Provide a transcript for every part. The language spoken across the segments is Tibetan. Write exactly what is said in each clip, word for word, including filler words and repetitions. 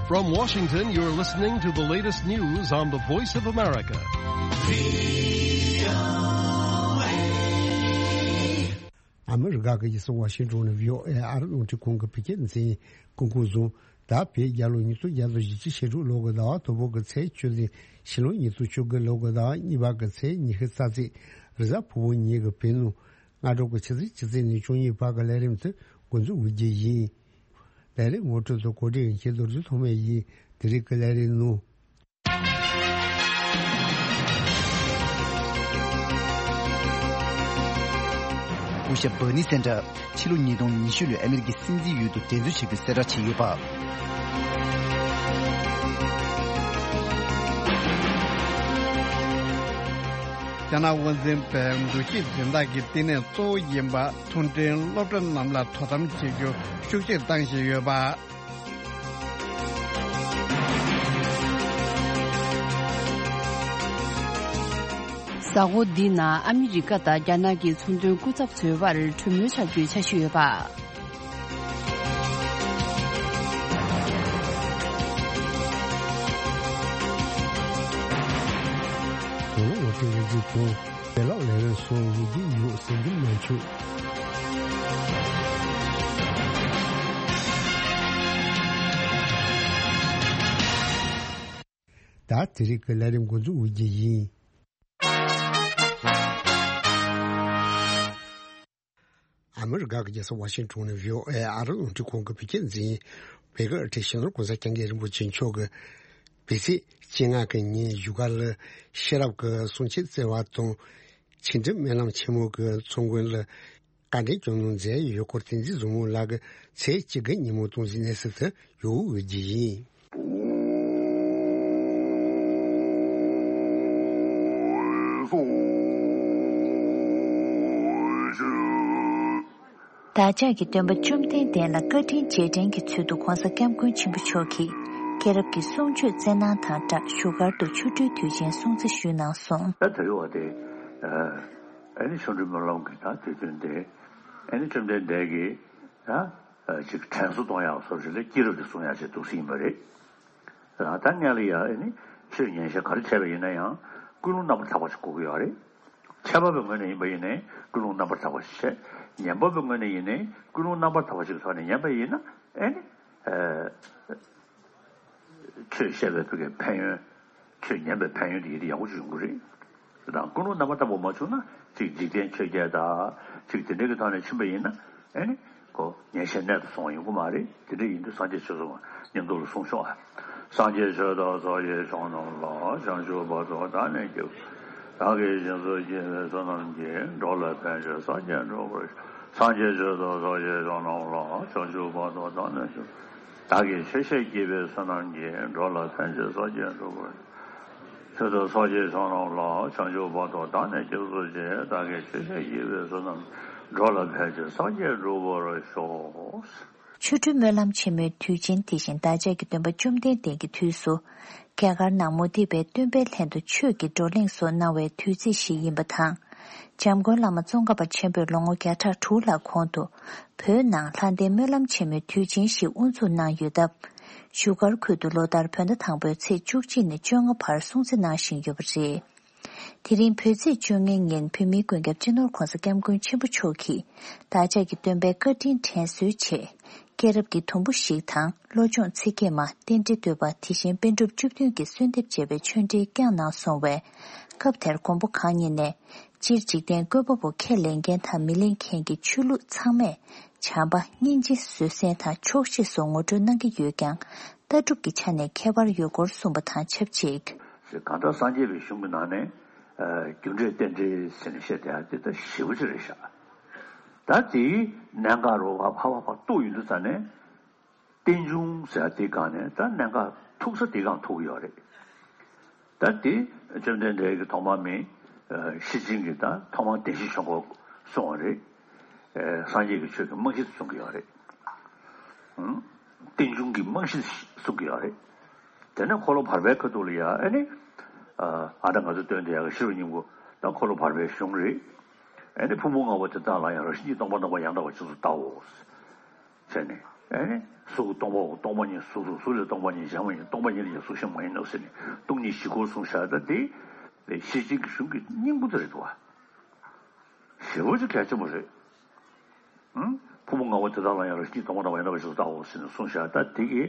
From Washington, you're listening to the latest news on the Voice of America. ཨ་མི་རི་ཀ་གི་རྒྱལ་ས་ཝ་ཤིང་ཏོན་ནས་བྷི་ཨོ་ཨེ་ཨ་རི་རླུང་འཕྲིན་ཁང་གི་བོད་སྐད་སྡེ་ཚན་གྱིས་སྐུ་འཁུར་བཟུང་། ད་བོད་རྒྱལ་ལོ་ཉིས་སྟོང་བརྒྱ་དང་བཞི་བཅུ་ཞེ་དྲུག་ལོ་གི་ཟླ་བ་དང་པོ་གི་ཚེས་བཅུ་ཚེས་ཕྱི་ལོ་ཉིས་སྟོང་བཅོ་དགུ་ལོ་གི་ཟླ་བ་གཉིས་པ་གི་ཚེས་ཉི་ཤུ་རྩ་ཚེས་རེས་གཟའ་ཕུར་བུ་ཉིན་གྱི་བོད་ནུབ་སྔ་དྲོ་གི་ཆུ་ཚོད་བཅུ་ཚེས་ནས་བཅུ་གཉིས་བར་གྱི་ལས་རིམ་དེ་འགོ་འཛུགས་འོས་རྒྱུ་ཡིན། ལས་རིམ་ངོ་སྤྲོད་དང་གོ་སྒྲིག་འོས་འཁྱེར་རྡོ་རྗེ་ཐོགས་མེད་ཡིན། དེ་རིང་གི་ལས་རིམ་ནང་། སྐུ་ཞབས་སྦར་ནི་སན་ཏར་ཕྱི་ལོ་ཉིས་སྟོང་ཉི་ཤུ་ལོའི་ཨ་མི་རི་ཀའི་སྲིད་འཛིན་འོས་བསྡུ་འགྲན་རྩོད་བྱེད་པའི་གསལ་བསྒྲགས་བྱས་ཡོད་པ། རྒྱ་ནག་དབང་འཛིན་པའི་འདུ་ཤེས་འཛིན་སྟངས་ཀྱི་བསྟི་གནས་གཙོ་བོ་ཡིན་པ། མཐོ་འབྲིང་སློབ་གྲྭ་རྣམས་ལ་དོ་དམ་བྱེད་རྒྱུ་ཤུགས་ཆེར་བཏང་བཞིན་ཡོད་པ། གཟའ་འཁོར་འདིའི་ནང་ཨ་མི་རི་ཀ་དང་རྒྱ་ནག་གི་ཚོང་དོན་སྐུ་ཚབ་ཚོའི་དབར་གྲོས་མོལ་བྱ་རྒྱུའི་འཆར་གཞི་ཡོད་པ། གོང་ལ་ཝ་ཤིང་ཊོན་ཌི་སི་ཐོག་བོད་ལག་ལས་རིགས་སོགས་འོས་བསྡུ་ཡོད་ཟེར་གྱི་མ་བྱུང་། ད་དེ་རིང་གི་ལས་རིམ་འགོ་འཛུགས་འོས་རྒྱུ་ཡིན། ཨ་མི་རི་ཀ་གི་རྒྱལ་ས་ཝ་ཤིང་ཊོན་ནས་བྷི་ཨོ་ཨེ་ཨ་རི་རླུང་འཕྲིན་ཁང་གི་བོད་སྐད་སྡེ་ཚན། བོད་ཀྱི་ཨ་ཁྲིད་སྤྱི་ནོར་༸གོང་ས་༸སྐྱབས་མགོན་རིན་པོ་ཆེ་མཆོག་གིས་བོད་ཚེས་བཅོ་ལྔ་གི་ཉིན་བཞུགས་སྒར་ལ་ཤེས་རབ་ཀྱི་གསུང་ཆོས་སྩལ་བ་དང་། ཕྱི་འབྲེལ་སྨོན་ལམ་ཆེན་མོ་གི་ཚོགས་མགོན་ལ་བཀའ་དྲིན་སྐྱོང་གནང་མཛད་ཡོད་སྐོར། བསྟན་འཛིན་བཟང་མོ་ལགས་ཀྱིས་ཚེས་བཅུ་དགུ་ཉིན་མོ་གཏོང་ཟིན་གནས་ཚུལ་དེ་ཡོད་འོས་རྒྱུ་ཡིན། བདག་ཅག་གི་སྟོན་པ་བཅོམ་ལྡན་འདས་ལ་བཀའ་དྲིན་རྗེས་དྲན་གྱི་ཚུལ་དུ་༸གོང་ས་༸སྐྱབས་མགོན་ཆེན་པོ་མཆོག་གིས་སྐྱེས་རབས་ཀྱི་གསུང་ཆོས་སྩལ་གནང་དང་སྦྲགས་བཞུགས་སྒར་དུ་ཆོ་འཕྲུལ་དུས་ཆེན་སྲུང་བརྩི་ཞུས་གནང་སོང་། ད་དེ་རིང་བ་དེ་ཨ་ནི་ཆོ་འཕྲུལ་སྨོན་ལམ་གྱི་ད་དུས་སྟོན་དེ་ཨ་ནི་བཅོམ་ལྡན་འདས་ཀྱིས་ད་ཅིག་དྲན་གསོ་གཏོང་ཡག་སོགས་ཞིག་ལ་སྐྱེས་རབས་དེ་གསུང་ཡག་ཅིག་འདུག་སེ་ཡིན་པ་རེད། ད་སྔོན་ལ་ཡ་ཨ་ནི་ཆོས་ཉན་བཤད་ག་རེ་བྱས་པ་ཡིན་ན་ཡང་ཀུན་སློང་རྣམ་པར་དག་པ་ཞིག་དགོས་ཀྱི་ཡོད་རེད། འཆད་པ་པོའི་ངོས་ནས་ཡིན་པ་ཡིན་ནའི་ཀུན་སློང་རྣམ་པར་དག་པ་ཞིག་བྱས། ཉན་པ་པོའི་ངོས་ནས་ཡིན་ནའི་ཀུན་སློང་རྣམ་པར་དག་པ་ཞིག་ཐོག་ནས་ཉན་པ་ཡིན་ན་ཨ་ནི་ཨ་ཆོས་བཤད་པའི་ཕ་གིའི་ཕན་ཡོན། ཆོས་ཉན་པའི་ཕན་ཡོན་དེ་ཡིད་དུ་ཡག་པོ་ཅིག་ཡོང་གི་རེད། དེ་དང་ཀུན་སློང་རྣམ་པར་དག་པ་མ་བྱུང་ན་ཅིག་འཇིག་རྟེན་ཆོས་བརྒྱད་དང་ཅིག་དེ་འདྲའི་གི་ཐོག་ནས་ཕྱིན་པ་ཡིན་ན་ཨ་ནི་ཁོ་ཉན་བཤད་རྣལ་དུ་སོང་བ་ཡོང་གི་མ་རེད། དེ་འདྲ་ཡིན་དུས་སངས་རྒྱས་ཆོས་གསུངས་པ་མཉམ་དུ་ལ་གསུངས་ཤོག་ཨ། སངས་རྒྱས་ཆོས་དང་ཚོགས་ཀྱི་མཆོག་རྣམས་ལ། བྱང་ཆུབ་བར་དུ་བདག་ནི་སྐྱབས། བདག་གིས་སྦྱིན་སོགས་བགྱིས་པའི་བསོད་ནམས་ཀྱིས། འགྲོ་ལ་ཕན་ཕྱིར་སངས་རྒྱས་འགྲུབ་པར་ཤོག། སངས་རྒྱས་ཆོས་དང་ཚོགས་ཀྱི་མཆོག་རྣམས་ལ། བྱང་ཆུབ་བར་དུ་བདག་ནི་སྐྱབས། བདག་གིས་ཆོས་བཤད་བགྱིས་པའི་བསོད་ནམས་ཀྱིས། འགྲོ་ལ་ཕན་ཕྱིར་སངས་རྒྱས་འགྲུབ་པར། ཆོས་དང་ཚོགས་ཀྱི་མཆོག་རྣམས་ལ། བྱང་ཆུབ་བར་དུ་བདག་ནི་སྐྱབས་སུ་མཆི། བདག་གིས་ཆོས་བཤད་བགྱིས་པའི་བསོད་ནམས། འགྲོ་ལ་ཕན་ཕྱིར་སངས་རྒྱས་འགྲུབ་པར་ཤོག། ཆོ་འཕྲུལ་སྨོན་ལམ་ཆེན་མོའི་དུས་ཆེན་དེ་བཞིན་བདག་ཅག་གི་སྟོན་པ་བཅོམ་ལྡན་འདས་ཀྱི་དུས་སུ། རྒྱ་གར་ནང་མུ་སྟེགས་པའི་སྟོན་པའི་ལྷན་དུ་ཆོས་ཀྱི་བགྲོ་གླེང་སོགས་གནང་བའི་དུས་ཚིགས་ཤིག་ཡིན་པ་དང་། འཇམ་མགོན་བླ་མ་ཙོང་ཁ་པ་ཆེན་པོས་ལོ་ངོ་བརྒྱ་ཕྲག་དྲུག་ལྷག་གོང་དུ། བོད་ནང་ལྷ་ལྡན་སྨོན་ལམ་ཆེན་མོའི་དུས་ཆེན་ཞིག་དབུ་འཛུགས་གནང་ཡོད་སྟབས། བཞུགས་སྒར་ཁུལ་དུ་ལོ་ལྟར་བོད་ཟླ་དང་པོའི་ཚེས་བཅུ་གཅིག་ནས་བཅོ་ལྔ་བར་སྲུང་བརྩི་གནང་བཞིན་ཡོད་པ་རེད། དེ་རིང་བོད་ཚེས་བཅོ་ལྔའི་ཉིན་བོད་མིའི་མགོན་སྐྱབས་སྤྱི་ནོར་༸གོང་ས་༸སྐྱབས་མགོན་ཆེན་པོ་མཆོག་གིས་བདག་ཅག་གི་སྟོན་པའི་བཀའ་དྲིན་དྲན་གསོའི་ཆེད། སྐྱེས་རབས་ཀྱི་དུམ་བུ་ཞིག་དང་བློ་སྦྱོང་ཚིག་བརྒྱད་མ་རྟེན་འབྲེལ་བསྟོད་པ་དེ་བཞིན་པཎ་གྲུབ་བཅུ་བདུན་གྱི་གསོལ་འདེབས་བཅས་པའི་ཆོས་འབྲེལ་བསྐྱངས་གནང་སོང་བས། སྐབས་དེར་མགོན་པོ་གང་ཉིད་ནས། སྤྱིར་འཇིག་རྟེན་བཀོད་པ་པོ་ཁས་ལེན་མཁན་དང་མི་ལེན་མཁན་གྱི་ཆོས་ལུགས་ཚང་མས་བྱམས་པ་སྙིང་རྗེ་བཟོད་བསྲན་དང་ཆོག་ཤེས་སོགས་ངོ་སྤྲོད་གནང་གི་ཡོད་ཀྱང་། ལྟ་གྲུབ་ཀྱི་ཆ་ནས་ཁྱད་པར་ཡོད་སྐོར་གསུངས་པ་དང་ཆབས་ཅིག་གང་ལྟར་སངས་རྒྱས་པའི་གཞུང་གི་ནང་ནས་རྒྱུ་འབྲས་རྟེན་འབྲེལ་ཟེར་ནས་བཤད་བསྡད་ཡ་དེ་ད་ཞེ་པོ་ཅིག་རེད་ཤག་ད་དེའི་གནད་འགག་རུ་བ་ཕ་བ་ཕ་གཏུགས་ཡོང་དུས་ཙ་ནས། རྟེན་འབྱུང་ཟེར་དེའི་སྒང་ནས་ད་གནད་འགག་ཐུག་ས་དེའི་སྒང་ཐུག་གི་ཡོད་རེད། ད་དེ་བཅོམ་ལྡན་འདས་ཀྱི་ཐོག་མར་མི་ཤེར་ཕྱིན་གྱི་ད་ཐོག་མར་བདེན་བཞི་ཆོས་འཁོར་གསུངས་པ་རེད། སངས་རྒྱས་ཀྱི་ཆོས་ཀྱི་རྨང་གཞི་གསུང་གི་ཡོད་རེད། རྟེན་འབྱུང་གི་རྨང་གཞི་གསུང་གི་ཡོད་རེད། དེ་ནས་འཁོར་ལོ་བར་པའི་ཁ་ཐུག་ལ་ཡ་ཨ་ནི། ཨ་ད་ང་ཚོ་སྟོན་དེ་ཡ་གི་ཤེས་རབ་སྙིང་པོ་ད་འཁོར་ལོ་བར་པའི་གཞུང་རེད། ཨ་ནི་ཕུང་པོ་ལྔ་པོ་དེ་དག་ལ་ཡང་རང་བཞིན་གྱིས་སྟོང་པ་སྟོང་པ་ཡང་དག་པར་རྗེས་སུ་བལྟའོ། བྱས་ནས། ཨེ་ནི་གཟུགས་སྟོང་པའོ། སྟོང་པ་ཉིད་གཟུགས་སོ། གཟུགས་ལས་སྟོང་པ་ཉིད་གཞན་མ་ཡིན། སྟོང་པ་ཉིད་ལས་ཀྱང་གཟུགས་གཞན་མ་ཡིན་ནོ་ཟེར་ནས་སྟོང་ཉིད་བཞི་སྐོར་གསུངས་བཞག་ད་དེ་ཤེར་ཕྱིན་གྱི་གཞུང་གི་སྙིང་པོ་དེ་རེད་འདུག་བ། ཞེ་པོ་ཅིག་གལ་ཆེན་པོ་རེད། ཨང་། ཕུང་པོ་ལྔ་པོ་དེ་དག་ལ་ཡང་རང་བཞིན་གྱིས་སྟོང་པར་སྣང་བ་ཡང་དག་པའི་ཕྱིར་དུ་བལྟའོ་ཟེར་ནས་གསུངས་བཞག་ད་དེ་གི་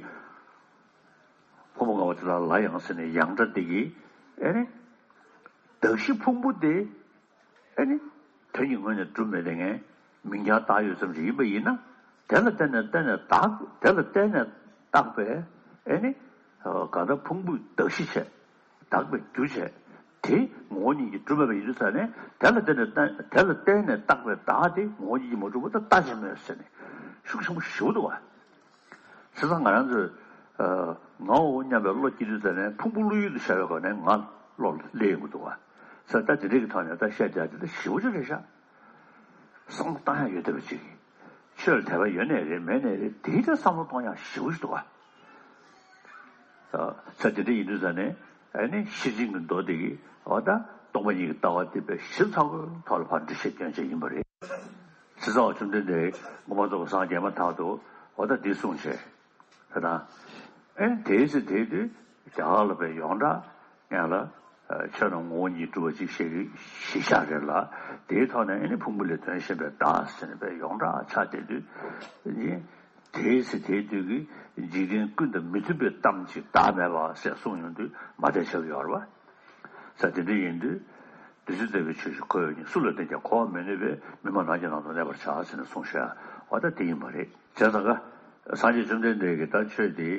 ཕུང་པོ་ལྔ་པོ་དེ་དག་ལ་ཡང་ཟེར་ནས་ཡང་སྒྲ་དེ་གི་ཨེ་ནི་གདགས་གཞི་ཕུང་པོ་དེ་ཨེ་ནི་དོན་གྱི་ངོས་ནས་གྲུབ་མེད་དེ་ངས་མིང་རྐྱང་བཏགས་ཡོད་ཙམ་ཞིག་ཡིན་པ་ཡིན་ན། དེ་ལ་བརྟེན་ནས་བརྟེན་ནས་བཏགས། དེ་ལ་བརྟེན་ནས་བཏགས་པའི་ཨེ་ནི་གང་ལྟར་ཕུང་པོའི་གདགས་གཞི་བྱས། བཏགས་པའི་རྒྱུ་བྱས། དེ་ངོ་བོ་ཉིད་ཀྱིས་གྲུབ་མེད་པ་ཡིན་དུས་ཙ་ནས་དེ་ལ་བརྟེན་ནས་བརྟེན། དེ་ལ་བརྟེན་ནས་བཏགས་པའི་བདག་དེ་ངོ་བོ་ཉིད་ཀྱིས་མ་གྲུབ་པ་ད་ལྟ་ཅི་སྨོས་ཟེར་ནས་ཤུགས་ཆེན་པོ་ཞེ་པོ་འདུག་བ། བྱས་ཙང་ང་རང་ཚོས་ཨ་ངའོ་སྙམ་པའི་བློ་སྐྱེ་དུས་ཙ་ནས་ཕུང་པོ་བློ་ཡུལ་དུ་བྱ་བའི་སྒོ་ནས་ང་བློ་ལ་སླེབས་ཡོང་གི་འདུག་བ། ས་ད་དེ་འདྲའི་གི་ཐོག་ནས་ད་བཤད་རྒྱག་དེ་ད་ཞེ་པོ་ཅིག་རེད་ཤག། བསམ་བློ་བཏང་ཡ་ཡོད་བསྡད་པ་ཅིག། ཆོས་ལ་དད་པ་ཡོད་ནའི་རེད། མེད་ནའི་རེད། དེའི་ད་བསམ་བློ་གཏོང་ཡ་ཞེ་པོ་ཞིག་འདུག་བ། ས་དེ་འདྲ་ཡིན་དུས་ཙ་ནས་ཨ་ནི་ཤེར་ཕྱིན་གྱི་མདོ་དེ་གི་འོ་ད་སྟོང་པ་ཉིད་ཀྱི་ལྟ་བ་དེ་དཔེ་ཞིབ་ཚགས་པོའི་ཐོག་ལ་ཕར་འགྲེལ་བཤད་སྐྱོན་བྱས་ཡིན་པ་རེད། ཚེ་ཚང་བ་བཅོམ་ལྡན་འདས་མངོན་པར་རྫོགས་པར་སངས་རྒྱས་མ་ཐག་ཏུ་འོ་ད་འདི་གསུངས་བྱས། ད་ལྟ་ཨེ་དེའི་ཚེ་དེའི་དུས་རྒྱ་གར་ལ་དཔེ་ཡོངས་གྲགས་ཡང་ལ་ཆོས་རྣམས་ངོ་བོ་ཉིད་གྲུབ་པ་གཅིག་ཞེས་གཞི་བཞག་རེད་ལ། དེའི་ཐོག་ནས་ཨེ་ནི་ཕུང་པོ་ལས་དོན་གཞན་པའི་བདག་ཟེར་ནས་དཔེ་ཡོངས་གྲགས་ཆགས་བསྡད་དུས་ཨེ་དེའི་ཚེ་དེའི་དུས་ཀྱི་འཇིག་རྟེན་ཀུན་དང་མི་མཐུན་པའི་གཏམ་གཅིག་བདག་མེད་པ་ཟེར་གསུངས་ཡོང་དུས་མ་བདེ་ཆགས་ཡོད་རེད་བ། ས་དེ་འདྲ་ཡིན་དུས། བདུད་རྩི་ལྟ་བུའི་ཆོས་ཤིག་ཁོ་བོས་ཉིད། སུ་ལ་བསྟན་ཀྱང་འཁོར་བར་མི་གནས་པས། མི་སྨྲ་ནགས་ཀྱི་ནང་དུ་གནས་པར་བྱ་ཟེར་ནས་གསུངས་ཤག། འོ་ད་དེ་ཡིན་པ་རེད། བྱས་ཙང་ཀ་སངས་རྒྱས་བཅོམ་ལྡན་འདས་ཀྱིས་ད་ཆོས་དེ་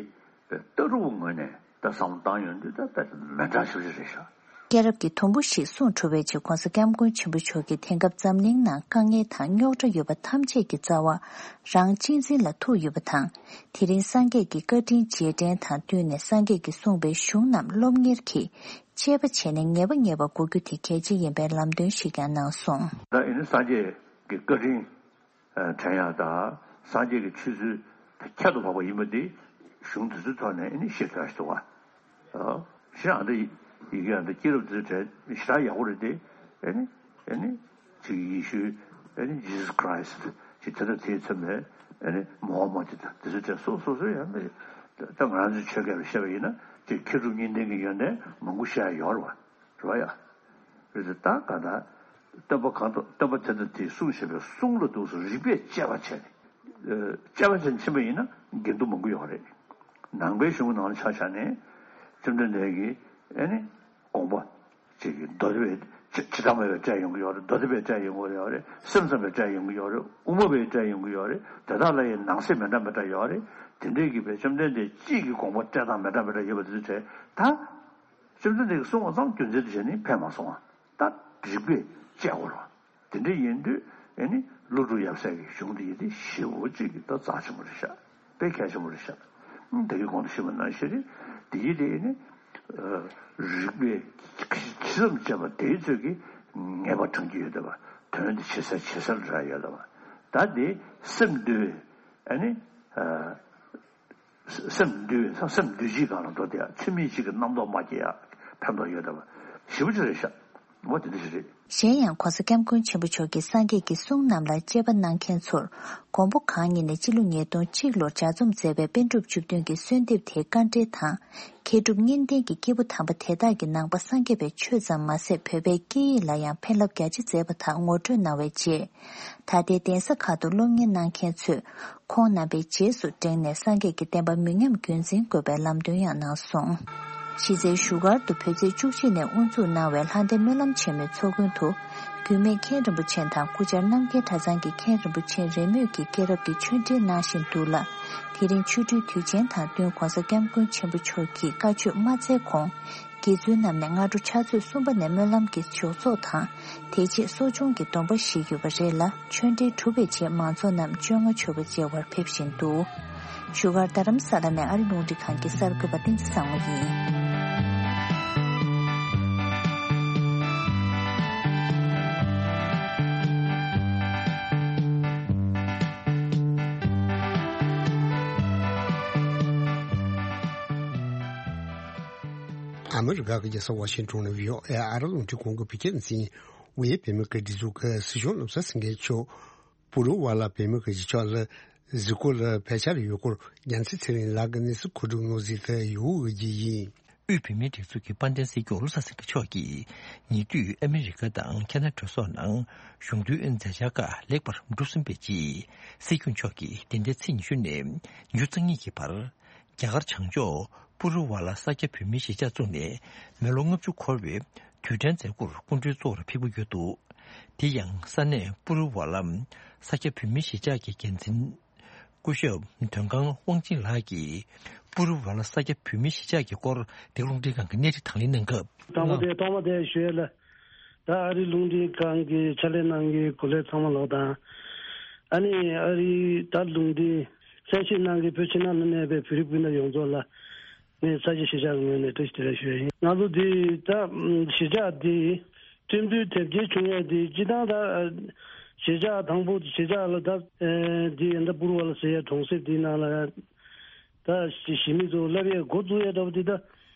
ལྟ་གྲུབ་ངོས་ནས་ད་བསམ་བློ་བཏང་ཡོང་དུས་ད་ད་མི་འདྲ་ཞིག་རེད་ཤག། སྐྱེས་རབས་ཀྱི་དུམ་བུ་ཞིག་གསུངས་གྲུབ་པའི་རྗེས་༸གོང་ས་༸སྐྱབས་མགོན་ཆེན་པོ་མཆོག་གིས་དེང་སྐབས་འཛམ་གླིང་ནང་དཀའ་ངལ་དང་རྙོག་དྲ་ཡོད་པ་ཐམས་ཅད་ཀྱི་རྩ་བ་རང་གཅེས་འཛིན་ལ་ཐུག་ཡོད་པ་དང་། དེ་རིང་སངས་རྒྱས་ཀྱི་བཀའ་དྲིན་རྗེས་དྲན་དང་བསྟུན་ནས་སངས་རྒྱས་ཀྱིས་གསུངས་པའི་གཞུང་རྣམས་སློབ་གཉེར་གྱིས། དཔྱད་པ་བྱས་ནས་ངེས་པ་ངེས་པར་གོ་རྒྱུ་དེ་གལ་ཆེ་ཡིན་པའི་ལམ་སྟོན་ཞིག་ཀྱང་གནང་སོང་། ད་ཨེ་ནི་སངས་རྒྱས་ཀྱི་བཀའ་དྲིན་དྲན་ཡག་དང་སངས་རྒྱས་ཀྱི་ཆོས་ཚུལ་ཁྱད་དུ་འཕགས་པ་ཡིན་པ་འདི་གཞུང་དེ་ཚོའི་ཐོག་ནས་ཨེ་ནི་ཤེས་ཐུབ་ཡག་ཞིག་འདུག་བ། ཞེས་ཨ་འདི་ཡི་གེ་ཨ་འདི་སྐྱེས་རབས་དེ་ཚོའི་གྲས་ཞེ་དྲག་ཡག་པོ་རེད་དེ། ཨེ་ནི་ཨེ་ནི་ཅིག་ཡེ་ཤུ། ཨེ་ནི་Jesus Christ། ཅིག་དེ་དང་དེའི་མཚན་མོའི་ཨེ་ནི་Muhammad་དེ་དང་དེ་ཚོའི་གྲས་སོ་སོ་སོ་ཡང་མེད། ད་ང་རང་ཚོའི་ཆོས་སྐད་ལ་བཤད་པ་ཡིན་ན་ཅིག་མཁས་གྲུབ་གཉིས་ལྡན་གྱི་ཡོན་ཏན་མང་པོ་བཤད་ཡ་ཡོད་རེད་བ། རེད་བ་ཡ། རེད་དེ་ད་ག་ད་སྟོན་པ་གང་དུ་སྟོན་པ་དེ་དང་དེས་གསུངས་བཞིན་པའི་གསུང་ལ་འདུག་སེ་རིགས་པས་དཔྱད་པ་བྱས་ནས། དཔྱད་པ་བྱས་ནས་ཕྱིན་པ་ཡིན་ན་འགལ་འདུ་མང་པོ་ཡོད་རེད། ནང་པའི་གཞུང་ནང་ལ་ཆ་བཞག་ནས་བཅོམ་ལྡན་འདས་ཀྱིས་ཨེ་ནི་དགོངས་པ། ཅིག་གི་མདོ་སྡེ་པས་ཇི་ལྟ་མ་པའི་སྤྲད་ཡོང་གི་ཡོད་རེད། མདོ་སྡེ་པས་སྤྲད་ཡོང་གི་ཡོད་རེད། སེམས་ཙམ་པས་སྤྲད་ཡོང་གི་ཡོད་རེད། དབུ་མ་པས་སྤྲད་ཡོང་གི་ཡོད་རེད། དེ་དག་ལ་ཡང་ནང་གསེས་མི་འདྲ་མི་འདྲ་ཡོད་རེད། དེ་འདྲའི་གི་བའི་བཅོམ་ལྡན་འདས་གཅིག་གི་དགོངས་པ་སྤྲད་སྟངས་མི་འདྲ་མི་འདྲ་ཡོད་པ་དེ་ཚོ་བྱས་ད། བཅོམ་ལྡན་འདས་ཀྱིས་གསུངས་པ་ཙམ་རྒྱུ་མཚན་དུ་བྱས་ནས་ཕན་མ་སོང་བ། ད་རིགས་པས་དཔྱད་དགོས་རེད་བ། དེ་འདྲ་ཡིན་དུས་ཨེ་ནི་ཀླུ་སྒྲུབ་ཡབ་སྲས་ཀྱི་གཞུང་འདི་ཡིན་ཏེ་ཞེ་པོ་ཅིག་གི་ད་རྩ་ཆེན་པོ་རེད་ཤག། དཔེ་གལ་ཆེན་པོ་རེད་ཤག། ཨང་། ད་གིན་གོང་དུ་ཞུས་པ་ནང་བཞིན་རེད། དེ་ཡིན་དེ་ནི་རིགས་པས་ཇི་ཙམ་དཔྱད་པ་དེའི་ཚོད་ཀྱིས་ངེས་པ་དྲངས་ཀྱི་ཡོད་བསྡད་པ། དོན་དེ་ཇེ་གསལ་ཇེ་གསལ་འདྲ་ཡོད་བསྡད་པ། ད་དེ་སེམས་འདུལ་བའི་ཨ་ནི་སེམས་འདུལ་བའི་སེམས་འདུལ་བྱེད་སྒང་ལ་འགྲོ་དེ་ཡང་ཚུལ་མིན་གཅིག་གི་རྣམ་རྟོག་མ་སྐྱེ་ཡག་ཕན་ཐོགས་ཡོད་བསྡད་པ་ཞེ་པོ་ཅིག་རེད་ཤག། འོ་དེ་འདྲ་ཞིག་རེད། གཞན་ཡང་༸གོང་ས་༸སྐྱབས་མགོན་ཆེན་པོ་མཆོག་གིས་སངས་རྒྱས་ཀྱི་གསུང་རྣམས་ལ་དཔྱད་པ་གནང་མཁན་ཚོར་མགོན་པོ་གང་ཉིད་ནས་སྤྱི་ལོ་ཉིས་སྟོང་གཅིག་ལོར་ལྗགས་རྩོམ་མཛད་པའི་པཎ་གྲུབ་བཅུ་བདུན་གྱི་གསོལ་འདེབས་དེའི་དཀའ་འགྲེལ་དང་། མཁས་གྲུབ་གཉིས་ལྡན་གྱི་སྐྱེས་བུ་དམ་པ་དེ་དག་གིས་ནང་པ་སངས་རྒྱས་པའི་ཆོས་ཙམ་མ་ཟད་བོད་པའི་སྐད་ཡིག་ལ་ཡང་ཕན་རླབས་རྒྱ་ཆེ་མཛད་པ་དག་ངོ་སྤྲོད་གནང་བའི་རྗེས། ད་ལྟའི་གདན་ས་ཁག་ཏུ་སློབ་གཉེར་གནང་མཁན་ཚོས་ཁོང་རྣམ་པའི་རྗེས་སུ་འབྲངས་ནས་སངས་རྒྱས་ཀྱི་བསྟན་པ་མི་ཉམས་རྒྱུན་འཛིན་དགོས་པའི་ལམ་སྟོན་ཡང་གནང་སོང་། གཞི་རྩའི་བཞུགས་སྒར་དུ་བོད་ཚེས་བཅུ་གཅིག་ནས་དབུ་འཛུགས་གནང་བའི་ལྷ་ལྡན་སྨོན་ལམ་ཆེན་མོའི་ཚོགས་མགོན་དུ། རྒྱུད་སྨད་མཁན་རིན་པོ་ཆེ་དང་སྐུ་བཅར་རྣམ་རྒྱལ་གྲྭ་ཚང་གི་མཁན་རིན་པོ་ཆེ་རེས་མོས་ཀྱིས་སྐྱེས་རབས་ཀྱི་ཆོས་འབྲེལ་གནང་བཞིན་འདུག་ལ། དེ་རིང་ཆོ་འཕྲུལ་དུས་ཆེན་དང་བསྟུན་༸གོང་ས་༸སྐྱབས་མགོན་ཆེན་པོ་མཆོག་གིས་བཀའ་ཆོས་མ་སྩལ་གོང་། དགེ་ཚུལ་རྣམས་ནས་སྔ་དྲོ་ཕྱག་ཚོད་གསུམ་པ་ནས་སྨོན་ལམ་གྱི་ཞོགས་ཚོགས་དང་། དེ་རྗེས་གསོ་སྦྱོང་གི་སྡོམ་པ་བཞེས་ཡོད་པ་རེད་ལ། ཆོས་འབྲེལ་གྲུབ་པའི་རྗེས་མང་ཚོགས་རྣམས་བཅོ་ལྔ་མཆོད་པ་མཇལ་བར་ཕེབས་བཞིན་འདུག། བཞུགས་སྒར་རྡ་རམ་ས་ལ་ནས་ཨ་རི་རླུང་འཕྲིན་ཁང་གི་གསར་འགོད་པ་བསྟན་འཛིན་བཟང་མོ་ཡིན། ཨ་མི་རི་ཀ་གི་རྒྱལ་ས་ཝ་ཤིང་ཊོན་ནས་བྷི་ཨོ་ཨེ་ཨ་རི་རླུང་འཕྲིན་ཁང་གི་བོད་སྐད་སྡེ་ཚན། དབུས་བོད་མིའི་སྒེར་སྒྲིག་འཛུགས་ཀྱི་སྲིད་སྐྱོང་བློ་བཟང་སེང་གེ་མཆོག་པུ་ལུ་ཝ་ལ་བོད་མིའི་སྒེར་གྱི་ཕྱོགས་ལ་ གཟིགས་སྐོར་ལ་བེད་སྤྱོད་ཡོད་སྐོར་རྒྱལ་མཚན་ཚེ་རིང་ལགས་ཀྱིས་གནས་ཚུལ་མཁོ་སྒྲུབ་གནང་ཟིན་ཐད་ཡུ་འོས་ཀྱི་ཡིན། དབུས་བོད་མིའི་སྒྲིག་འཛུགས་ཀྱི་དཔལ་ལྡན་སྲིད་སྐྱོང་བློ་བཟང་སེང་གེ་མཆོག་གིས་ཉེ་དུས་ཨ་མི་རི་ཀ་དང་ཁེ་ན་གྲོས་ཚོགས་ནང་གཞུང་འབྲེལ་མཛད་འཆར་ཁག་ལེགས་པར་འགྲུབ་ཟིན་པའི་རྗེས། སྲིད་སྐྱོང་མཆོག་གིས་འདི་ཟླའི་ཚེས་ཉི་ཤུ་ནས་ཉི་ཤུ་རྩ་གཉིས་ཀྱི་བར། རྒྱ་གར་བྱང་ཕྱོགས་པུ་རུ་ཝ་ལ་ས་སྐྱ་བོད་མིའི་གཞིས་ཆགས་བཙུགས་ནས་མི་ལོ་ལྔ་བཅུ་འཁོར་བའི་དུས་དྲན་མཛད་སྒོར་སྐུ་མགྲོན་གཙོ་བོར་ཕེབས་ཀྱི་ཡོད་འདུག་དེ་ཡང་ས་གནས་པུ་རུ་ཝ་ལ་ས་སྐྱ་བོད་མིའི་གཞིས་ཆགས་ཀྱི་འགན་འཛིན་སྐུ་ཞབས་དོན་ཁང་དབང་ཆེན་ལགས་ཀྱིས་པུ་རུ་ཝ་ལ་ས་སྐྱ་བོད་མིའི་གཞིས་ཆགས་ཀྱི་སྐོར་འདི་རླུང་འཕྲིན་ཁང་གི་གནས་རིགས་དང་ལེན་གནང་སྐབས། དང་པོ་དེ་ཐོག་མ་དེ་ཞུ་ཡས་ལ། ད་ཨ་རི་རླུང་འཕྲིན་ཁང་གི་ཕྱག་ལས་གནང་མཁན་གོ་ལས་ཚང་མ་ལོག་དང་། ཨ་ནི་ཨ་རི་ད་རླུང་འཕྲིན་གསན་བཞེས་གནང་མཁན་བོད་ཕྱི་ནང་ལ་གནས་པའི་བོད་རིགས་སྤུན་ཟླ་ཡོངས་རྫོགས་ལ་ངས་ས་སྐྱ་གཞིས་ཆགས་ངོས་ནས་བཀྲ་ཤིས་བདེ་ལེགས་ཞུ་ཡ་ཡིན། ང་ཚོ་འདི་ད་གཞིས་ཆགས་འདི་ཁྲིམས་མཐུན་དེབ་སྐྱེལ་བྱུང་ཡས་འདི་སྤྱི་བཏང་ད་གཞིས་ཆགས་དང་པོ་གཞིས་ཆགས་ལ་ད་འདི་ཡིན་ད་པུར་བ་ལ་ཟེར་ཡས་གྲོང་གསེབ་འདི་ནང་ལ་ད་གཞིས་མི་ཚོ་བསླབ་ཡས་འགོ་བཙུགས་ཡས་འདྲ་པོ་འདི་ད།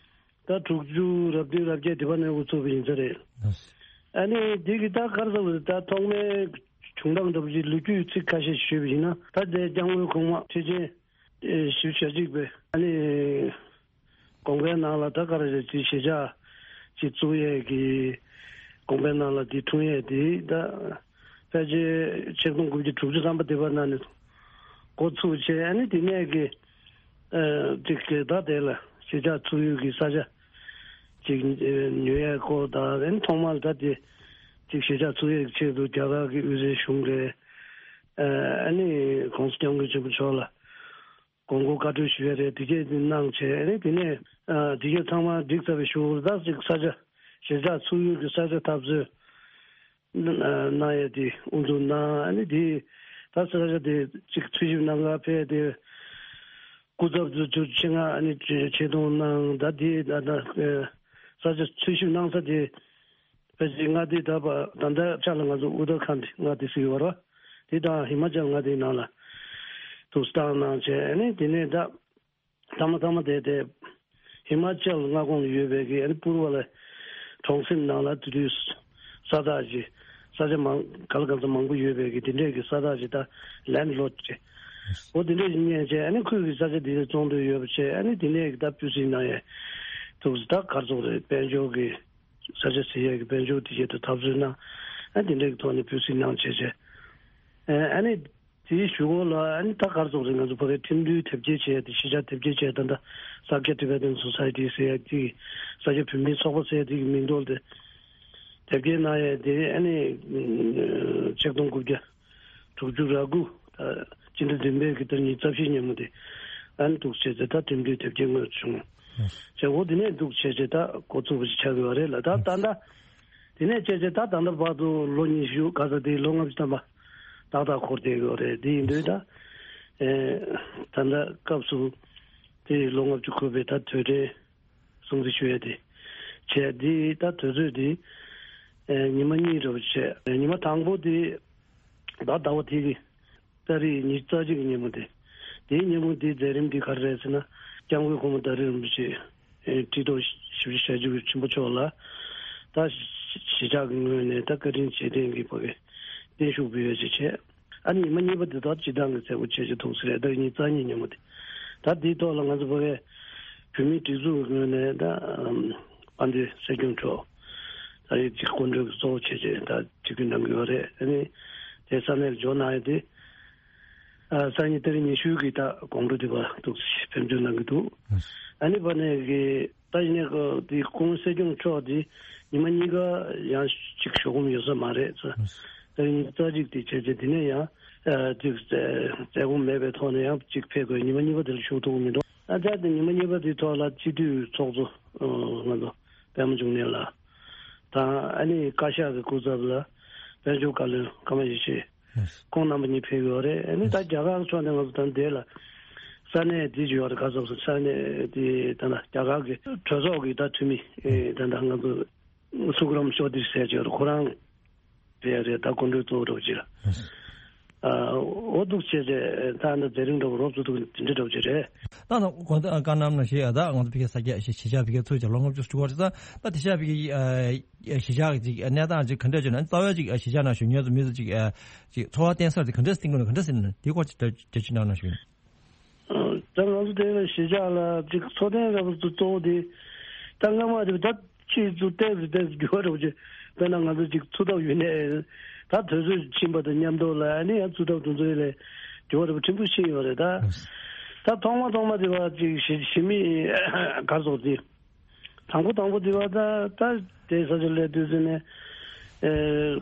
ད་དྲུག་ཅུ་རབ་བདུན་རབ་བརྒྱད་དེ་བ་ནས་འགོ་ཚུགས་པ་ཡིན་ས་རེད། ཨ་ནི་འདི་གི་ད་ག་རེ་ཟེར་བ་རེད། ད་ཐོག་མའི་བྱུང་སྟངས་འདྲ་པོ་ཞིག་ལོ་རྒྱུས་ཚིག་ཁ་ཤས་ཞུས་པ་ཡིན་ན། ད་དེ་སྐྱབས་མགོན་གོང་མ་ཁྲི་ཆེན་བཞི་བཅུ་ཞེ་གཅིག་པའི་ཨ་ནི་དགོངས་པའི་ནང་ལ་ད་ག་རེ་ཟེར་ཅིག་གཞིས་ཆགས་ཅིག་བཙུགས་ཡས་ཀྱི་དགོངས་པའི་ནང་ལ་འདི་འཁྲུངས་ཡས་འདི་ད་ཕལ་ཆེར་ཆིག་སྟོང་དགུ་བརྒྱ་དྲུག་ཅུ་ཐམ་པ་དེ་བ་ནང་ནས་འགོ་ཚུགས་བྱས། ཨ་ནི་དེ་ནས་ཀྱི་ཨ་ཅིག་གི་ད་དེ་ལ་གཞིས་ཆགས་ཚུགས་ཡུལ་གྱི་ས་ཆ་ཅིག་ཨ་ཉོ་ཡས་སྐོར་དང་། ཨ་ནི་ཐོག་མར་ད་དེ་ཅིག་གཞིས་ཆགས་ཚུགས་ཡས་ཀྱི་ཆེད་དུ་རྒྱ་གར་གྱི་དབུས་སའི་གཞུང་རེད། ཨ་ནི་༸གོང་ས་༸སྐྱབས་མགོན་ཆེན་པོ་མཆོག་ལ་དགོངས་སྐོར་བཀའ་འཁྲོལ་ཞུ་ཡས་རེད། དེ་གས་དེ་གནང་བྱས། ཨ་ནི་དེ་ནས་ཨ་དེ་གས་ཚང་མ་འགྲིག་ཚར་བའི་གཞུག་ལ་ད་ཅིག་ས་ཆ་གཞིས་ཆགས་ཚུགས་ཡུལ་གྱི་ས་ཆ་འཐབ་རྩོད་གནང་ཡས་དེ་དབུ་འཛུགས་གནང་། ཨ་ནི་དེ་ད་ས་ཆ་དེ་ཅིག་འཚོལ་ཞིབ་གནང་ག་ཕེབས་དེ་སྐུ་ཚབ་ཚོ་ཆེད་མངགས་ཨ་ནི་ཆེ་ཆེ་མཐོང་གནང་། ད་དེ་ད་ད་ས་ཆ་འཚོལ་ཞིབ་གནང་ས་དེ་ཕལ་ཆེར་མངའ་སྡེ་ད་བ་ད་ལྟ་ཆ་ལ་ང་ཚོ་ཨུ་ཏར་ཁཱན་མངའ་སྡེ་ཟེར་གྱི་ཡོད་རེད་བ། དེ་དང་ཧི་མ་ཅལ་མངའ་སྡེའི་ནང་ལ་དུ་བཏང་གནང་བྱས། ཨ་ནི་དེ་ནས་ད། ཐ་མ་ཐ་མ་དེ་དེ་ཧི་མ་ཅལ་མངའ་ཁོངས་ལ་ཡོད་པའི་གི་ཨ་ནི་པུར་བ་ལ་གྲོང་གསེབ་ནང་ལ་དེ་དུས་ས་བདག་ཅིག་ས་ཆ་མང་ག་ལ་ག་ཚོད་མང་པོ་ཡོད་པའི་གི་དེ་འདྲས་ཀྱི་ས་བདག་ཅིག་ད་ལེན་ཌི་ལོཌ་ཅིག་འོ་དེ་འདྲས་ཅིག་རྙེད་བྱས། ཨ་ནི་ཁོས་གི་ས་ཆ་དེ་ལ་བཙོང་འདོད་ཡོད་པ་བྱས། ཨ་ནི་དེ་ནས་གི་ད་སྤུས་གཟིགས་གནང་ཡས་ཐུགས་སུ་ད་གར་ཚོགས་རེད། དཔལ་འབྱོར་གི་ས་ཆ་ཟེར་ཡས་ཀྱི་དཔལ་འབྱོར་དེ་ཆེད་དུ་འཐབ་རྩོད་གནང་། ཨ་དེ་འདྲས་ཀྱི་ཐོག་ནས་སྤུས་གཟིགས་གནང་བྱས་བྱས། ཨ་ནི་དེའི་གཞུག་གུ་ལ་ཨ་ནི་ད་གར་སོང་རེད། ང་ཚོ་ཕ་གིའི་ཁྲིམས་མཐུན་དེབ་སྐྱེལ་བྱས་ཏེ་གཞིས་ཆགས་དེབ་སྐྱེལ་བྱས། ད་ལྟ་ས་སྐྱ་ཊི་བེ་ཊན་སོ་སའི་ཊི་ཟེར་ཡ་དེ་ས་སྐྱ་བོད་མིའི་ཚོགས་པ་ཟེར་ཡ་དེ་གི་མིང་ཐོག་ལ་དེ་དེབ་སྐྱེལ་གནང་ཡ་དེ་ཨ་ནི་ཆིག་སྟོང་དགུ་བརྒྱ་དྲུག་ཅུ་རེ་དགུ་ད་སྤྱི་ཟླ་བདུན་པའི་གི་ཟླ་ཉི་ཤུ་རྩ་བཞིའི་ཉིན་མོ་དེ་ཨ་ནི་འདུག་བྱས་ཚེ་ད་ཁྲིམས་མཐུན་དེབ་སྐྱེལ་དངོས་སུ་བྱུང་། བྱས་འོ་དེ་ནས་འདུག་བྱས་བྱས་ད་འགོ་ཚུགས་པ་ཞིག་ཆགས་ཀྱི་ཡོད་རེད་ལ། ད་ད་ལྟ། དེ་ནས་བྱས་བྱས་ད་ད་ལྟ་བར་དུ་ལོ་ཉི་ཤུ་ག་ས་དེ་ལོ་ལྔ་བཅུ་ཐམ་པ་ཏག་ཏག་འཁོར་བསྡད་ཡོད་རེད། དེ་ཡིན་དུས་ད་ཨེ་ད་ལྟ་སྐབས་སུ་དེ་ལོ་ལྔ་བཅུ་འཁོར་བའི་ད་དུས་དྲན་སྲུང་བརྩི་ཞུ་ཡས་དེ་བྱས། དེ་ད་དུས་ཚོད་དེ་ཨེ་ཉི་མ་གཉིས་འདྲ་པོ་བྱས། ཉི་མ་དང་པོ་དེ་ད་ཟླ་བ་དེ་གི་ཏ་རིག་ཉི་ཤུ་རྩ་གཅིག་གི་ཉིན་མོ་དེ། དེའི་ཉིན་མོ་དེའི་མཛད་རིམ་དེ་ག་རེ་རེད་ཟེར་ན། སྐྱབས་མགོན་གོང་མ་དར་རྒྱས་རིན་པོ་ཆེ་ཨེ་ཁྲི་ཐོག་ཞིབ་ཕྱི་ཞབས་ཕྱི་ཆེན་པོ་མཆོག་ལ་ད་གཞིས་ཆགས་ཀྱི་ངོས་ནས་ད་བཀའ་དྲིན་རྗེས་དྲན་གྱི་ཕ་གི་བརྟན་བཞུགས་ཕུལ་ཡོད་ཅེས་བྱས། ཨ་ནི་ཉི་མ་གཉིས་པ་དེ་དག་སྤྱི་བཏང་གི་མཛད་སྒོ་བྱས་ཅིག་ཐུགས་སུ་རེད། ད་ཉི་ཤུ་རྩ་གཉིས་ཉིན་མོ་དེ། ད་དེའི་ཐོག་ལ་ང་ཚོ་ཕ་གི་བོད་མིའི་སྒྲིག་འཛུགས་ངོས་ནས་ད་དཔལ་ལྡན་སྲིད་སྐྱོང་མཆོག་ད་རེས་ཅིག་སྐུ་མགྲོན་གཙོ་བོ་བྱས་ཅིག་ད་ཆིབས་བསྒྱུར་གནང་གི་ཡོད་རེད། ཨ་ནི་དེ་ས་གནས་ལ་འབྱོར་གནང་ཡོད་དེ། ཨ་སང་ཉིན་ཏ་རིག་ཉི་ཤུ་གི་ད་དགོང་དྲོ་དེ་བར་འདུག་ཕེབས་འབྱོར་གནང་གི་འདུག་ཨ་ནི་བར་ནས་གི་ད་ཡིན་ནའི་གི་དེ་སྐུ་ངོ་སྲིད་སྐྱོང་མཆོག་དེ་ཉི་མ་གཉིས་ཀ་ཡང་གཅིག་ཞུགས་མཁན་ཡོད་ས་མ་རེད་ཟེར། ད་ཡིན་ཙང་གཅིག་དེ་བྱས་རྗེས་དེ་ནས་ཡང་ཨ་དེ་བཙལ་ཁོམ་མེད་པའི་ཐོག་ནས་ཡང་གཅིག་ཕེབས་དགོས། ཉི་མ་གཉིས་པ་དེ་ལ་ཞུགས་ཐུབ་ཀྱི་མི་འདུག་ཨ་ད་དེ་ཉི་མ་གཉིས་པ་དེའི་ཐོག་ལ་སྤྱི་འཐུས་ཚོགས་གཙོ་ང་ཚོ་པད་མ་འབྱུང་གནས་ལགས་དང་། ཨ་ནི་བཀའ་ཤག་གི་སྐུ་ཚབ་ལ་དཔལ་འབྱོར་བཀའ་བློན་ཀརྨ་ཡེ་ཤེས། ཁོང་རྣམ་པ་གཉིས་ཕེབས་ཡོད་རེད། ཨ་ནི་ད་རྒྱ་གར་ཕྱོགས་ནས་ང་ཚོ་ད་འདི་ལ་ས་གནས་འདི་ཡོད་རེད། ག་ཚོད་ས་གནས་འདི་ད་ལྟ་རྒྱ་གར་གྱི་གྲོས་ཚོགས་ཀྱི་ད་འཐུས་མི་ད་ལྟ་ང་ཚོ་སུ་ཀ་རམ་ཤོ་ཏི་ཟེར་གྱི་ཡོད་རེད། ཁོ་རང་རེད་རེད། ད་སྐུ་མགྲོན་གཙོ་བོ་འདྲ་པོ་ཅིག་ལ། འོ་འདུག་བྱས་རྗེས་ད་ནི་མཛད་རིམ་འདྲ་བོ་རོབ་ཙམ་འདུག་དེ་འདྲ་འདྲ་བོ་ཅིག་རེད། ད་ནི་དགོང་དག་བཀའ་གནང་ནང་བཞིན་ད་ང་ཚོ་ཕ་གིའི་ས་སྐྱ་གཞིས་ཆགས་ཕ་གིའི་ཚུལ་གྱི་ལོ་ལྔ་བཅུ་ཞུ་བར་ད་ད་དེ་ཤ་ཕ་གིའི་གཞིས་ཆགས་ཀྱི་གནས་སྟངས་ཅིག་ག་འདྲ་བྱུང་ན་རྩ་བའི་ཅིག་གཞིས་ཆགས་ནང་བཞུགས་མཁན་ཚོ་མི་ཚོ་ཅིག་ཅིག་ཚོར་བ་བསྟན་ས་དེ་ག་འདྲ་བསྟན་དགོས་ན་ག་འདྲ་ཟེར་ན་དེའི་སྐོར་ཅིག་འགྲེལ་བརྗོད་གནང་ནང་བཞིན། ད་ང་ཚོ་དེ་ལ་གཞིས་ཆགས་ལ་ཅིག་འཚོ་རྟེན་འདྲ་པོ་གཙོ་བོ་དེ་ད་སྔ་མ་དེ་ད་ཅིག་ཏུ་ཏོག་ཙམ་ཏོག་ཙམ་འགྱུར་བ་འགྲོ་རྒྱུ། དཔེར་ན་ང་ཚོ་ཅིག་འཚོ་ཐབས་ཡོད་ནས་ད་དུས་ཚོད་ཕྱིན་པ་དང་མཉམ་དུ་ལ་ཨ་ནི་ཡང་འཚོ་ཐབས་དེ་ཚོ་ལས་འགྱུར་བ་འགྲོ་པོ་ཕྲན་བུ་ཕྱིན་ཡོད་རེད་ད། ད་ཐོག་མ་ཐོག་མ་དེ་བ་ཅིག་གཞི་གཞི་མི་གར་སོང་དེ། དང་པོ་དང་པོ་དེ་བ་ད་ད་དེ་ས་ཆ་ལས་དུས་ཚོད་ནས་ཨེ་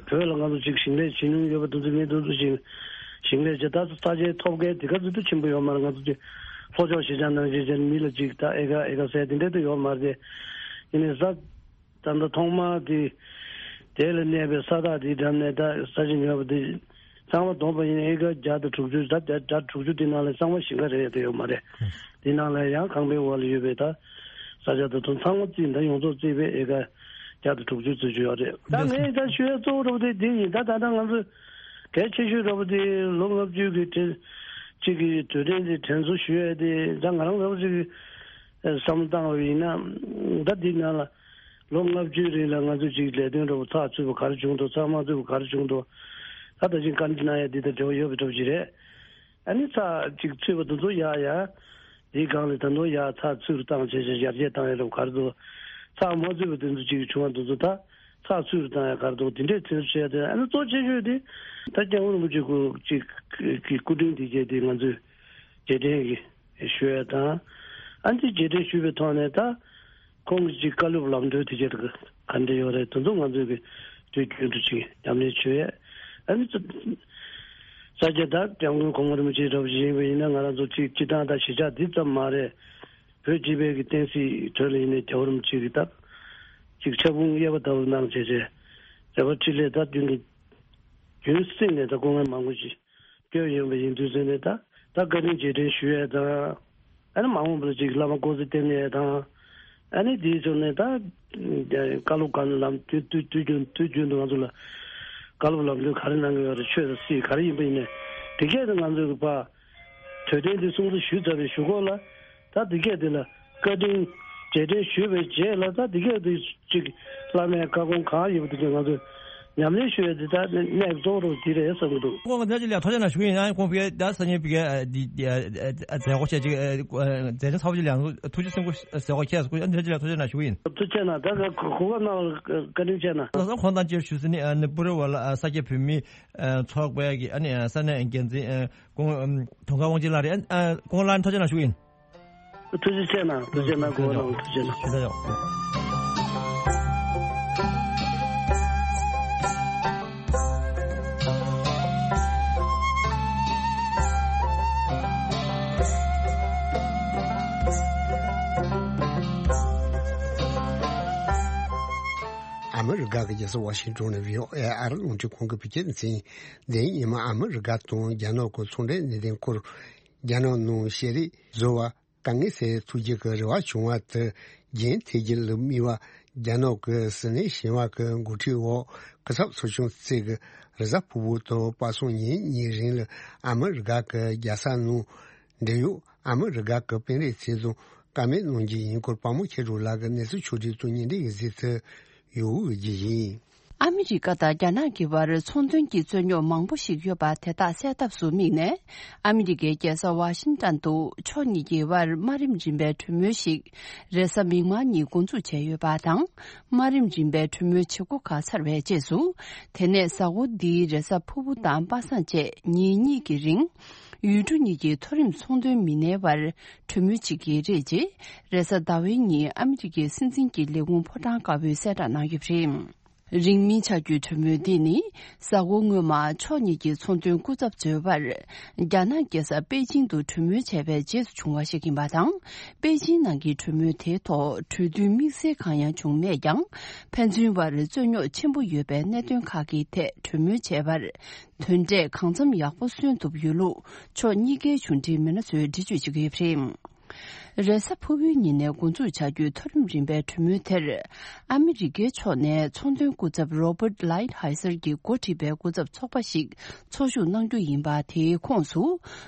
བོད་ལ་ང་ཚོ་ཅིག་ཞིང་ལས་བྱེད་མྱོང་ཡོད་པ་དེ་ཚོ་མི་དེ་ཚོ་ཅིག་ཞིང་ལས་བྱེད་ད་ས་ཆའི་ཐོབ་སྐལ་དེ་ག་ཚོད་དུ་ཆེན་པོ་ཡོད་མ་རེད། ང་ཚོ་ཅིག་ལྷོ་ཕྱོགས་གཞིས་ཆགས་ནང་བཞིན་བྱས་ནས་མི་ལ་ཅིག་ད་ཨེ་ཀ་ཨེ་ཀ་ཟེར་དེ་འདྲ་དུ་ཡོད་མ་རེད། དེ་ཡིན་ནའི་ས་ད་ལྟ་ཐོག་མ་དེ་དེ་ལ་གནས་པའི་ས་ཐག་དེའི་འགྲམ་ནས་ད་ས་ཆ་ཉོས་པ་དེ་ཚང་མ་བསྡོམས་པ་ཡིན་ན་ཨེ་ཀ་བརྒྱ་དང་དྲུག་ཅུ་ད་བརྒྱ་དྲུག་ཅུ་དེ་ནང་ལ་ཚང་མ་ཞིང་ཁ་རེད་དེ་ཡོད་མ་རེད། དེ་ནང་ལ་ཡང་ཁང་པའི་འོག་ལ་ཡོད་པའི་ད་ས་ཆ་དེ་ཚོ་ཚང་མ་རྩིས་ད་ཡོངས་རྫོགས་རྩིས་པའི་ཨེ་ཀ་བརྒྱ་དང་དྲུག་ཅུ་ཙམ་ཅིག་ཡོད་རེད། ད་ངས་ད་ཞུ་ཡ་གཙོ་བོ་འདྲ་པོ་དེ་དེ་ཡིན། ད་ད་ལྟ་ང་ཚོ་གལ་ཆེ་ཤོས་འདྲ་པོ་དེ་ལོ་ལྔ་བཅུ་གི་དེ་གཅིག་གི་དུས་དྲན་དེ་དྲན་གསོ་ཞུ་ཡ་དེ་ད་ང་རང་འདྲ་པོ་ཅིག་གི་བསམ་བློ་བཏང་བ་ཡིན་ན་ད་འདི་ནང་ལ་ལོ་ལྔ་བཅུའི་རིང་ལ་ང་ཚོ་ཅིག་ལས་དོན་འདྲ་པོ་ཚགས་ཚུད་པ་ག་རེ་བྱུང་འདུག་ཚགས་མ་ཚུད་པ་ག་རེ་བྱུང་འདུག་ད་ད་ཅིག་བཀའ་འདྲི་གནང་ཡ་འདི་དང་འབྲེལ་བ་ཡོད་པའི་འདྲ་པོ་ཅིག་རེད། ཨ་ནི་ཚགས་ཅིག་ཚུད་པ་དེ་ཚོ་ཡག་ཡག་དེའི་སྒང་ལ་ད་དུང་ཡག་ཚགས་ཚུད་རུ་བཏང་བྱས་བྱས་ཡར་རྒྱས་བཏང་ཡ་རུ་ག་རེ་འདུག་ཚགས་མ་ཚུད་པ་དེ་ཚོ་ཅིག་བྱུང་བ་དེ་ཚོ་ད་ཚགས་ཚུད་རུ་བཏང་ཡ་ག་རེ་འདུག་དེ་འདྲས་ཚོད་བྱས་ཏེ་ཨ་ནི་གཙོ་ཆེ་ཤོས་དེ་ད་སྐྱབས་མགོན་རིན་པོ་ཆེ་སྐུ་ཅིག་གི་སྐུ་དྲིན་དེ་བྱས་ཏེ་ང་ཚོས་རྗེས་དྲན་གྱི་ཞུ་ཡ་དང་ཨ་ནི་རྗེས་དྲན་ཞུས་པའི་ཐོག་ནས་ད། ཁོང་གི་ཅིག་བཀའ་སློབ་ལམ་སྟོན་དེ་ཆེད་དུ་ག་འདྲ་ཡོད་རེད་དེ་ཚོ་ང་ཚོས་ཀྱི་དུས་རྒྱུན་དུ་ཅིག་ཉམས་ལེན་བྱོས་ཡས། ཨ་ནི་ས་སྐྱ་དང་སྐྱབས་མགོན་གོང་མ་རིན་པོ་ཆེ་འདྲ་པོ་ཞིག་ཡིན་པ་ཡིན་ན་ང་རང་ཚོ་ཅིག་སྤྱི་བཏང་དང་གཞིས་ཆགས་འདི་ཙམ་མ་རེད། བོད་སྤྱི་པའི་གི་བསྟན་སྲིད་དོན་ལ་ཡིན་ནའི་རྒྱལ་བ་རིན་པོ་ཆེ་གི་ད་ཅིག་ཕྱག་དཔུང་གཡས་པ་ལྟ་བུ་གནང་བྱས་བྱས་རེ་བ་འཕྲིན་ལས་ད་རྒྱུན་གྱི་རྒྱུན་བསྲིངས་ནས་ད་སྐུ་ངལ་མང་པོ་ཞིག་སྐྱོན་ཡོང་བ་ཡིན་དུས་ཚོད་ནས་ད་ད་བཀའ་དྲིན་རྗེས་དྲན་ཞུ་ཡས་དང་། ཨ་ནི་མ་འོངས་པར་ཅིག་བླ་མ་སྐུ་ཚེ་བརྟན་ནས་དང་། ཨ་ནི་དེའི་ཕྱོགས་ནས་ད་བཀའ་སློབ་གང་ལམ་དུས་དུས་དུས་རྒྱུན་དུས་རྒྱུན་དུ་ང་ཚོ་ལ་བཀའ་སློབ་ལམ་སྟོན་ག་རེ་གནང་གི་ཡོད་རེད། ཆོས་དང་སྲིད་ག་རེ་ཡིན་པ་ཡིན་ནས་དེ་གས་དུ་ང་ཚོའི་གི་ཕ་དུས་དྲན་དེ་སྲུང་བརྩི་ཞུས་ཚར་བའི་གཞུག་གུ་ལ་ད་དེ་གས་དེ་ལ་བཀའ་དྲིན་རྗེས་དྲན་ཞུས་པའི་རྗེས་ལ་ད་དེ་གས་དེ་ཅིག་བླ་མའི་བཀའ་དགོངས་གང་ཡོད་པ་དེ་ཚོ་ང་ཚོས་ཉམས་ལེན་ཞུ་ཡས་དེ་ད་གནད་གཙོ་བོ་འདི་རེད་བསམ་གྱི་འདུག་ཁོང་གི་ནད་ཀྱི་ལས་ཐོག་ཆ་ན་ཞུ་ཡིན་ན་ཁོང་བའི་ད་ས་ཉིན་བི་གའི་འདི་མཛད་སྒོ་ཆེ་ཅིག་མཛད་ཆེན་ཚ་བོ་ཅིག་ལ་ཐུགས་རྗེ་སེམས་ཁུར་ཟེར་བ་ཁྱེད་ཁོང་ནད་ཀྱི་ལས་ཐོག་ཆ་ན་ཞུ་ཡིན། ཐུགས་རྗེ་ཆེ་གནང་། ད་ག་གོ་སྐབས་གནང་བ་བཀའ་དྲིན་ཆེ་གནང་། ལགས་སོ། ཁོང་དང་བཅས་ཞུ་ས་ནི་ནི་པུ་རི་བ་ལ་ས་སྐྱ་བོད་མི་ཚོགས་པའི་གི་ཨ་ནི་ས་གནས་འགན་འཛིན་ཁོང་དུང་དཀར་དབང་ཆེན་ལགས་རེད། ཁོང་ལ་ཐུགས་རྗེ་ཆེ་གནང་ཞུ་ཡིན། ཐུགས་རྗེ་ཆེ་གནང་། ཐུགས་རྗེ་གནང་། གོ་གནང་། ཐུགས་རྗེ་གནང་། ཞུ་ས་ཡོད། ཨ་མི་རི་ཀ་གི་རྒྱལ་ས་ཝ་ཤིང་ཏོན་ནས་བྷི་ཨོ་ཨེ་ཨ་རི་རླུང་འཕྲིན་ཁང་གི་བོད་སྐད་སྡེ་ཚན། འདི་ཉི་མ་ཨ་མི་རི་ཀ་དང་རྒྱ་ནག་གི་ཚོང་འབྲེལ་གནད་དོན་སྐོར། རྒྱ་ནག་ནང་ཤེས་རིག་བཟོ་བ། དཀའ་ངལ་སེལ་ཐུབ་རྒྱུ་གི་རེ་བ་བྱུང་བ་དེ་རྒྱུན་མཐུད་རྒྱུ་ལ་དམིགས་པ། རྒྱ་ནག་གི་ཟི་ནས་ཞིང་བ་གི་འགོ་ཁྲིད་འོག་སྐུ་ཚབ་ཚོགས་ཆུང་གཅིག་གིས་རེས་གཟའ་ཕུར་བུ་དང་པ་སངས་ཉིན་གཉིས་རིང་ལ་ཨ་མི་རི་ཀ་གི་རྒྱལ་ས་ནང་འབྲེལ་ཡོད་ཨ་མི་རི་ཀ་གི་དཔོན་རིགས་ཚོ་དང་བཀའ་མོལ་གནང་རྒྱུ་ཡིན་སྐོར་དཔའ་མོ་མཁྱེན་གྲུབ་ལགས་ཀྱིས་གནས་ཚུལ་ཕྱོགས་བསྒྲིགས་དང་བརྙན་འཕྲིན་ཡིག་གཟིགས་ཚུལ་ཡོད་རྒྱུ་ཡིན། ཨ་མི་རི་ཀ་དང་རྒྱ་ནག་གི་བར་ཚོང་དོན་གྱི་རྩོད་རྙོག་མང་པོ་ཞིག་ཡོད་པ་དེ་དག་སེལ་ཐབས་སུ་དམིགས་ནས། ཨ་མི་རི་ཀའི་རྒྱལ་ས་ཝ་ཤིང་ཏན་དུ་ཕྱོགས་གཉིས་ཀྱི་དབར་དམའ་རིམ་རིམ་པའི་གྲོས་མོལ་ཞིག་རེས་གཟའ་མིག་དམར་ཉིན་འགོ་འཛུགས་བྱས་ཡོད་པ་དང་། དམའ་རིམ་རིམ་པའི་གྲོས་མོལ་བྱེད་སྒོ་ཁག་ཚར་བའི་རྗེས་སུ། དེ་ནས་གཟའ་འཁོར་འདིའི་རེས་གཟའ་ཕུར་བུ་དང་པ་སངས་བཅས་ཉིན་གཉིས་ཀྱི་རིང་། ཡུལ་གྲུ་གཉིས་ཀྱི་མཐོ་རིམ་ཚོང་དོན་མི་སྣའི་དབར་གྲོས་མོལ་བྱེད་ཀྱི་རེད་ཅེས། རེས་གཟའ་ཟླ་བའི་ཉིན་ཨ་མི་རི་ཀའི་སྲིད་འཛིན་གྱི་ལས་ཁུངས་ཕོ་བྲང་དཀར་པོས་གསལ་བསྒྲགས་གནང་ཡོད་པ་རེད། རིང་མིན་ཆགས་རྒྱུའི་གྲོས་མོལ་འདི་ནི་གཟའ་འཁོར་སྔོན་མ་ཕྱོགས་གཉིས་ཀྱི་ཚོང་དོན་སྐུ་ཚབ་ཚོའི་བར་རྒྱ་ནག་རྒྱལ་ས་པེ་ཅིང་དུ་གྲོས་མོལ་བྱས་པའི་རྗེས་སུ་བྱུང་བ་ཞིག་ཡིན་པ་དང་། པེ་ཅིང་ནང་གི་གྲོས་མོལ་དེའི་ཐོག་གྲོས་མཐུན་དམིགས་བསལ་གང་ཡང་བྱུང་མེད་ཀྱང་། ཕན་ཚུན་བར་རྩོད་རྙོག་ཆེན་པོ་ཡོད་པའི་གནད་དོན་ཁག་གི་ཐད་གྲོས་མོལ་བྱས་པར། དོན་འབྲས་གང་འཚམ་ཡག་པོ་སོན་ཐུབ་ཡོད་ལུགས་ཕྱོགས་གཉིས་ཀའི་གཞུང་འབྲེལ་མི་སྣ་ཚོས་འགྲེལ་བརྗོད་བྱེད་ཀྱི་ཡོད་པ་རེད། རེས་གཟའ་ཕུར་བུའི་ཉིན་ནས་འགོ་འཛུགས་བྱ་རྒྱུའི་མཐོ་རིམ་རིམ་པའི་གྲོས་མོལ་དེར། ཨ་མི་རི་ཀའི་ཕྱོགས་ནས་ཚོང་དོན་སྐུ་ཚབ་Robert Lighthizer གྱིས་འགོ་ཁྲིད་པའི་སྐུ་ཚབ་ཚོགས་པ་ཞིག་ཚོགས་ཞུགས་གནང་རྒྱུ་ཡིན་པ། དེའི་ཁོངས་སུ་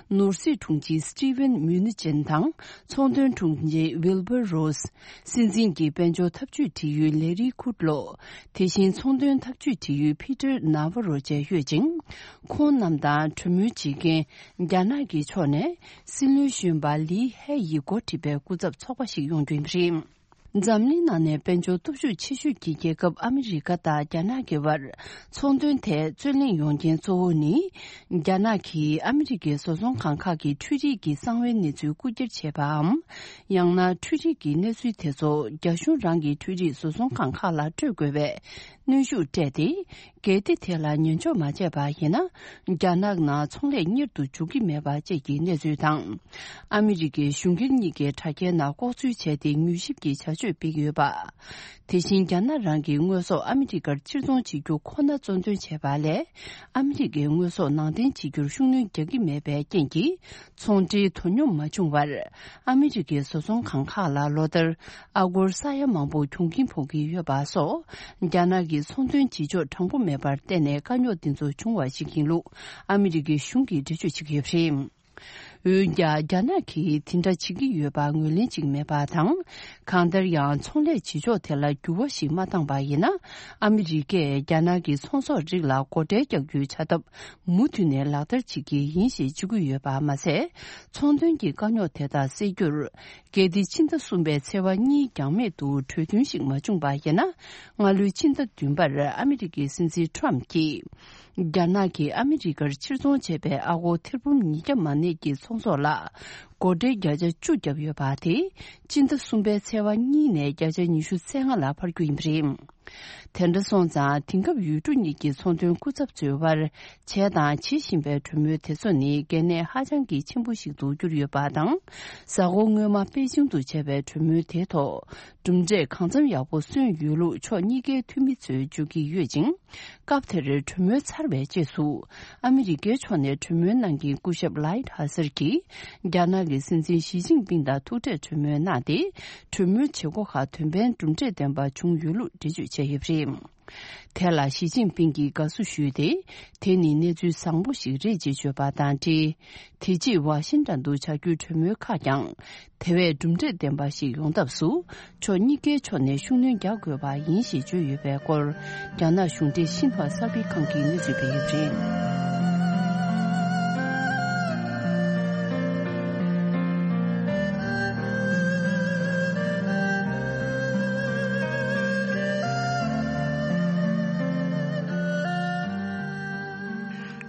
ནོར་སྲིད་དྲུང་ཆེ་Steven Mnuchin དང་། ཚོང་དོན་དྲུང་ཆེ་Wilbur Ross། སྲིད་འཛིན་གྱི་དཔལ་འབྱོར་འཐབ་ཇུས་འབྲེལ་ཡོད་Larry Kudlow། དེ་བཞིན་ཚོང་དོན་འཐབ་ཇུས་འབྲེལ་ཡོད་Peter Navarro བཅས་ཡོད་ཅིང་། ཁོང་རྣམས་དང་གྲོས་མོལ་བྱེད་མཁན་རྒྱ་ནག་གི་ཕྱོགས་ནས་སྲིད་བློན་གཞོན་པ་ལི་ཧེ་ཡིས་འགོ་ཁྲིད་པའི་སྐུ་ཚབ་ཚོགས་པ་ཞིག་ཡོང་རྒྱུ་ཡིན་པ་རེད། འཛམ་གླིང་ནང་ནས་དཔལ་འབྱོར་སྟོབས་ཤུགས་ཆེ་ཤོས་ཀྱི་རྒྱལ་ཁབ་ཨ་མི་རི་ཀ་དང་རྒྱ་ནག་གི་བར་ཚོང་དོན་ཐད་རྩོད་གླེང་ཡོང་རྐྱེན་གཙོ་བོ་ནི། རྒྱ་ནག་གིས་ཨ་མི་རི་ཀའི་བཟོ་ཚོང་ཁང་ཁག་གི་འཕྲུལ་རིག་གི་གསང་བའི་གནས་ཚུལ་རྐུ་འཁྱེར་བྱས་པའམ། ཡང་ན་འཕྲུལ་རིག་གི་གནས་ཚུལ་དེ་ཚོ་རྒྱ་གཞུང་རང་གི་འཕྲུལ་རིག་བཟོ་ཚོང་ཁང་ཁག་ལ་སྤྲོད་དགོས་པའི་གནོན་ཤུགས་སྤྲད་དེ། གལ་ཏེ་དེ་ལ་ཉན་འཇོག་མ་བྱས་པ་ཡིན་ན། རྒྱ་ནག་ནང་ཚོང་ལས་གཉེར་དུ་འཇུག་གི་མེད་པ་བཅས་ཀྱི་གནས་ཚུལ་དང་། ཨ་མི་རི་ཀའི་གཞུང་སྒེར་གཉིས་ཀའི་དྲ་རྒྱའི་ནང་ལྐོག་འཛུལ་བྱས་ཏེ་མྱུལ་ཞིབ་ཀྱི་བྱ་སྤྱོད་སྤེལ་གྱི་ཡོད་པ། དེ་བཞིན་རྒྱ་ནག་རང་གི་དངོས་ཟོག་ཨ་མི་རི་ཀར་ཕྱིར་ཚོང་བྱེད་རྒྱུ་ཁོ་ན་གཙོ་འདོན་བྱས་པ་ལས། ཨ་མི་རི་ཀའི་དངོས་ཟོག་ནང་འདྲེན་བྱེད་རྒྱུར་ཤུགས་སྣོན་རྒྱག་གི་མེད་པའི་རྐྱེན་གྱིས། ཚོང་འབྲེལ་དོ་སྙོམས་མ་བྱུང་བར། ཨ་མི་རི་ཀའི་བཟོ་ཚོང་ཁང་ཁག་ལ་ལོ་ལྟར་ཨ་སྒོར་ས་ཡ་མང་པོ་གྱོང་གུན་ཕོག་གི་ཡོད་པ་སོགས། རྒྱ་ནག་གི་ཚོང་དོན་བྱེད་ཕྱོགས་དྲང་པོ་མེད་པར་བརྟེན་ནས་དཀའ་རྙོག་འདི་ཚོ་བྱུང་བ་ཞིག་ཡིན་ལུགས་ཨ་མི་རི་ཀའི་གཞུང་གིས་འགྲེལ་བརྗོད་བྱེད་ཀྱི་ཡོད་པ་རེད། འོན་ཀྱང་རྒྱ་ནག་གིས་དེ་འདྲ་བྱེད་ཀྱི་ཡོད་པ་ངོས་ལེན་བྱེད་ཀྱི་མེད་པ་དང་། གང་ལྟར་ཡང་ཚོང་ལས་བྱེད་ཕྱོགས་དེ་ལ་འགྱུར་བ་ཞིག་མ་བཏང་པ་ཡིན་ན། ཨ་མི་རི་ཀས་རྒྱ་ནག་གི་ཚོང་ཟོག་རིགས་ལ་སྒོ་ཁྲལ་རྒྱག་རྒྱུའི་བྱ་ཐབས་མུ་མཐུད་ནས་ལག་བསྟར་བྱེད་ཀྱི་ཡིན་ཞེས་བརྗོད་ཀྱི་ཡོད་པ་མ་ཟད། ཚོང་དོན་གྱི་དཀའ་རྙོག་དེ་དག་སེལ་རྒྱུར། གལ་ཏེ་ཕྱི་ཟླ་གསུམ་པའི་ཚེས་པ་གཉིས་འགྱངས་མེད་དུ་གྲོས་མཐུན་ཞིག་མ་བྱུང་པ་ཡིན་ན། སྔ་ལོའི་ཕྱི་ཟླ་བདུན་པར་ཨ་མི་རི་ཀའི་སྲིད་འཛིན་ཁྲོམ་གྱིས། རྒྱ་ནག་གིས་ཨ་མི་རི་ཀར་ཕྱིར་ཚོང་བྱས་པའི་ཨ་སྒོར་ཐེར་འབུམ་ཉིས་བརྒྱ་མ་ནས་ཀྱི་ཚོང་ཟོག་ལ། སྒོ་ཁྲལ་བརྒྱ་ཆ་བཅུ་བརྒྱབ་ཡོད་པ་དེ། ཕྱི་ཟླ་གསུམ་པའི་ཚེས་པ་གཉིས་ནས་བརྒྱ་ཆ་ཉི་ཤུ་རྩ་ལྔ་ལ་འཕར་རྒྱུ་ཡིན་པ་རེད། དེ་འདྲ་སོང་ཙང་དེང་སྐབས་ཡུལ་གྲུ་གཉིས་ཀྱི་ཚོང་དོན་སྐུ་ཚབ་ཚོའི་དབར་བྱས་དང་བྱེད་བཞིན་པའི་གྲོས་མོལ་དེ་ཚོ་ནི་གལ་གནད་ཧ་ཅང་གི་ཆེན་པོ་ཞིག་ཏུ་གྱུར་ཡོད་པ་དང་། གཟའ་འཁོར་སྔོན་མ་པེ་ཅིང་དུ་བྱས་པའི་གྲོས་མོལ་དེའི་ཐོག་གྲུབ་འབྲས་གང་འཚམ་ཡག་པོ་སོན་ཡོད་ལུགས་ཕྱོགས་གཉིས་ཀའི་འཐུས་མི་ཚོས་བརྗོད་ཀྱི་ཡོད་ཅིང་། སྐབས་དེར་གྲོས་མོལ་ཚར་བའི་རྗེས་སུ། ཨ་མི་རི་ཀའི་ཕྱོགས་ནས་གྲོས་མོལ་གནང་མཁན་སྐུ་ཞབས་ལའིད་ཧ་སར་གྱིས། རྒྱ་ནག་གི་སྲིད་འཛིན་ཞི་ཅིན་ཕིང་དང་ཐུག་འཕྲད་གྲོས་མོལ་གནང་སྟེ། གྲོས་མོལ་བྱེད་སྒོ་ཁག་དོན་ཕན་གྲུབ་འབྲས་ལྡན་པ་བྱུང་ཡོད་ལུགས་འགྲེལ་བརྗོད་བྱས་ཡོད་པ་རེད། དེ་ལ་ཞི་ཅིན་ཕིང་གིས་དགའ་བསུ་ཞུས་ཏེ། དེ་ནི་གནས་ཚུལ་བཟང་པོ་ཞིག་རེད་ཅེས་བརྗོད་པ་དང་འབྲེལ། དེ་རྗེས་ཝ་ཤིང་ཏན་དུ་བྱ་རྒྱུའི་གྲོས་མོལ་ཁག་ཀྱང་། དེ་བས་གྲུབ་འབྲས་ལྡན་པ་ཞིག་ཡོང་ཐབས་སུ། ཕྱོགས་གཉིས་ཀའི་ཕྱོགས་ནས་ཤུགས་སྣོན་རྒྱག་དགོས་པ་ཡིན་ཞེས་བརྗོད་ཡོད་པའི་སྐོར། རྒྱ་ནག་གཞུང་འབྲེལ་ཤིན་ཧྭ་གསར་སྤེལ་ཁང་གིས་གནས་ཚུལ་སྤེལ་ཡོད་པ་རེད།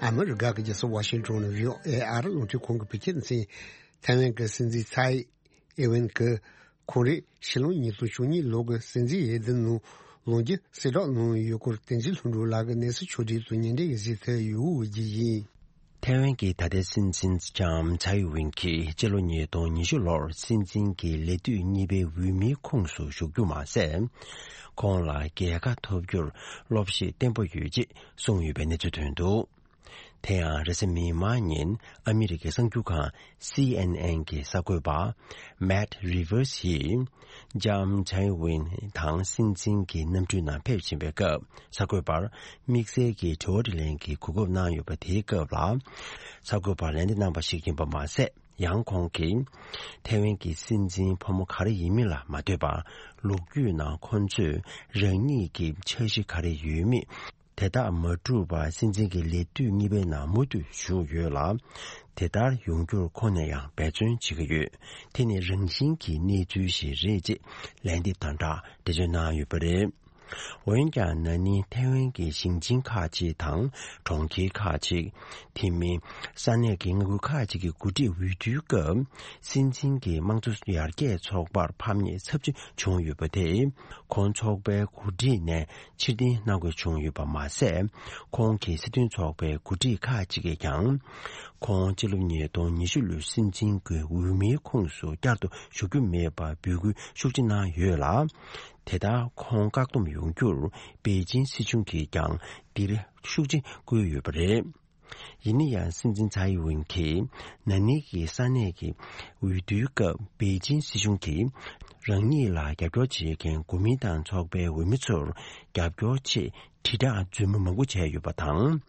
ཨ་མི་རི་ཀ་གི་རྒྱལ་ས་ཝ་ཤིང་ཏོན་ནས་ཝི་ཨོ་ཨེ་ཨ་རི་རླུང་འཕྲིན་ཁང་གི་བོད་སྐད་སྡེ་ཚན། ཐའེ་ཝན་གྱི་སྲིད་འཛིན་ཚའེ་ཨེ་ཝེན་གྱིས་ཁོང་རེ་ཕྱི་ལོ་ཉིས་སྟོང་བཅུ་གཉིས་ལོ་གི་སྲིད་འཛིན་འོས་བསྡུ་ནང་ལོ་འདི་གསལ་བསྒྲགས་གནང་ཡོད་སྐོར་བསྟན་འཛིན་ལྷུན་གྲུབ་ལགས་ཀྱིས་གནས་ཚུལ་ཕྱོགས་སྒྲིག་ཏུ་ཉན་འདྲེན་གྱིས་གཟིགས་ཐུབ་ཡོད་ཀྱི་ཡིན། ཐའེ་ཝན་གྱི་ད་ལྟའི་སྲིད་འཛིན་ལྕམ་ཚའེ་ཝེན་གྱིས་སྤྱི་ལོ་ཉིས་སྟོང་ཉི་ཤུ་ལོར་སྲིད་འཛིན་གྱི་ལས་དུས་གཉིས་པའི་འོས་མིའི་ཁོངས་སུ་ཞུགས་རྒྱུ་མ་ཟད། ཁོང་ལ་རྒྱལ་ཁ་ཐོབ་རྒྱུར་སློབ་གཞི་བརྟན་པོ་ཡོད་ཅེས་གསུངས་ཡོད་པའི་གནས་ཚུལ་ཐོན་འདུག་དེ་ཡང་རེས་གཟའ་མིག་དམར་ཉིན་ཨ་མི་རི་ཀའི་གསར་འགྱུར་ཁང་སི་ཨེན་ཨེན་གྱི་གསར་འགོད་པ་མེད་རི་ཝར་སི་ཡིས་ལྕམ་ཚའེ་ཝེན་དང་སྲིད་འཛིན་གྱི་གནམ་གྲུའི་ནང་ཕེབས་བཞིན་པའི་སྐབས། གསར་འགོད་པར་དམིགས་བསལ་གྱི་དྲི་བ་དྲིས་ལན་གྱི་གོ་སྐབས་གནང་ཡོད་པ། དེའི་སྐབས་ལ་གསར་འགོད་པར་ལན་འདེབས་གནང་བ་ཞིག་ཡིན་པ་མ་ཟད། ཡང་ཁོང་གིས་ཐའེ་ཝན་གྱི་སྲིད་འཛིན་ཕོ་མོ་ག་རེ་ཡིན་མིན་ལ་མ་ལྟོས་པར། ལོ་རྒྱུས་ནང་ཁོང་ཚོས་རང་ཉིད་ཀྱི་འཆར་གཞི་ག་རེ་ཡོད་མེད། དེ་དག་མ་འགྲུབ་པར་སྲིད་འཛིན་གྱི་ལས་དུས་གཉིས་པའི་ནང་མུ་མཐུད་བཞུགས་ཡོད་ལ། དེ་ལྟར་ཡོང་རྒྱུར་ཁོང་ནས་ཡང་འབད་བརྩོན་བྱེད་ཀྱི་ཡོད། དེ་ནི་རང་བཞིན་གྱི་གནས་ཚུལ་ཞིག་རེད་ཅེས་ལན་འདེབས་དང་སྦྲགས་འགྲེལ་བརྗོད་གནང་ཡོད་པ་རེད། འོན་ཀྱང་ན་ནིང་ཐའེ་ཝན་གྱི་ཞིང་ཆེན་ཁག་ཅིག་དང་གྲོང་ཁྱེར་ཁག་ཅིག་དེ་མིན་ས་གནས་ཀྱི་མངའ་ཁུལ་ཁག་ཅིག་གི་འགོ་ཁྲིད་འོས་བསྡུའི་སྐབས། སྲིད་འཛིན་གྱི་དམངས་གཙོ་ཡར་རྒྱས་ཚོགས་པར་ཕམ་ཉེས་ཚབས་ཆེ་བྱུང་ཡོད་པ་དེས། ཁོང་ཚོགས་པའི་འགོ་ཁྲིད་ནས་ཕྱིར་འཐེན་གནང་དགོས་བྱུང་ཡོད་པ་མ་ཟད། ཁོང་གི་སྲིད་དོན་ཚོགས་པའི་འགོ་ཁྲིད་ཁག་ཅིག་གིས་ཀྱང་། ཁོང་སྤྱི་ལོ་ཉིས་སྟོང་ཉི་ཤུ་ལོའི་སྲིད་འཛིན་གྱི་འོས་མིའི་ཁོངས་སུ་བསྐྱར་དུ་ཞུགས་རྒྱུ་མེད་པར་འབོད་སྐུལ་ཤུགས་ཆེ་གནང་ཡོད་ལ། དེ་ལྟར་ཁོང་བཀག་སྡོམ་ཡོང་རྒྱུར་པེ་ཅིན་སྲིད་གཞུང་གིས་ཀྱང་འདིར་ཤུགས་ཆེ་བསྐུལ་ཡོད་པ་རེད། ཡིན་ན་ཡང་སྲིད་འཛིན་ཚའེ་ཝེན་གྱིས་ན་ནིང་གི་ས་གནས་ཀྱི་འོས་བསྡུའི་སྐབས་པེ་ཅིན་སྲིད་གཞུང་གིས་རང་ཉིད་ལ་རྒྱབ་སྐྱོར་བྱེད་མཁན་གོ་མིན་ཏང་ཚོགས་པའི་འོས་མི་ཚོར་རྒྱབ་སྐྱོར་ཆེད་དྲིལ་བསྒྲགས་རྫུན་མ་མང་པོ་བྱས་ཡོད་པ་དང་།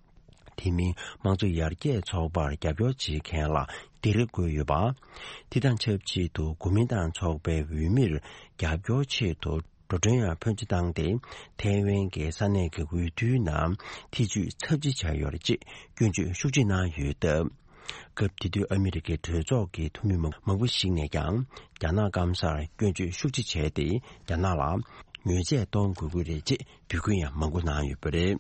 དེ་མིན་དམངས་གཙོ་ཡར་རྒྱས་ཚོགས་པར་རྒྱབ་སྐྱོར་བྱེད་མཁན་ལ་སྡིགས་ར་བསྐུལ་ཡོད་པ། དེ་དང་ཆབས་ཅིག་ཏུ་གོ་མིན་ཏང་ཚོགས་པའི་འོས་མིར་རྒྱབ་སྐྱོར་ཆེད་དུ་འགྲོ་གྲོན་ཡང་ཕོན་ཆེ་བཏང་སྟེ། ཐའེ་ཝན་གྱི་ས་གནས་ཀྱི་འོས་བསྡུའི་ནང་ཐེ་བྱུས་ཚབས་ཆེ་བྱས་ཡོད་རེད་ཅེས་སྐྱོན་བརྗོད་ཤུགས་ཆེ་གནང་ཡོད་སྟབས། སྐབས་དེ་དུས་ཨ་མི་རི་ཀའི་གྲོས་ཚོགས་ཀྱི་འཐུས་མི་མང་པོ་ཞིག་ནས་ཀྱང་རྒྱ་ནག་སྐམ་སར་སྐྱོན་བརྗོད་ཤུགས་ཆེ་བྱས་ཏེ། རྒྱ་ནག་ལ་ཉོས་ཆས་གཏོང་དགོས་ཀྱི་རེད་ཅེས་འབོད་སྐུལ་ཡང་མང་པོ་གནང་ཡོད་པ་རེད།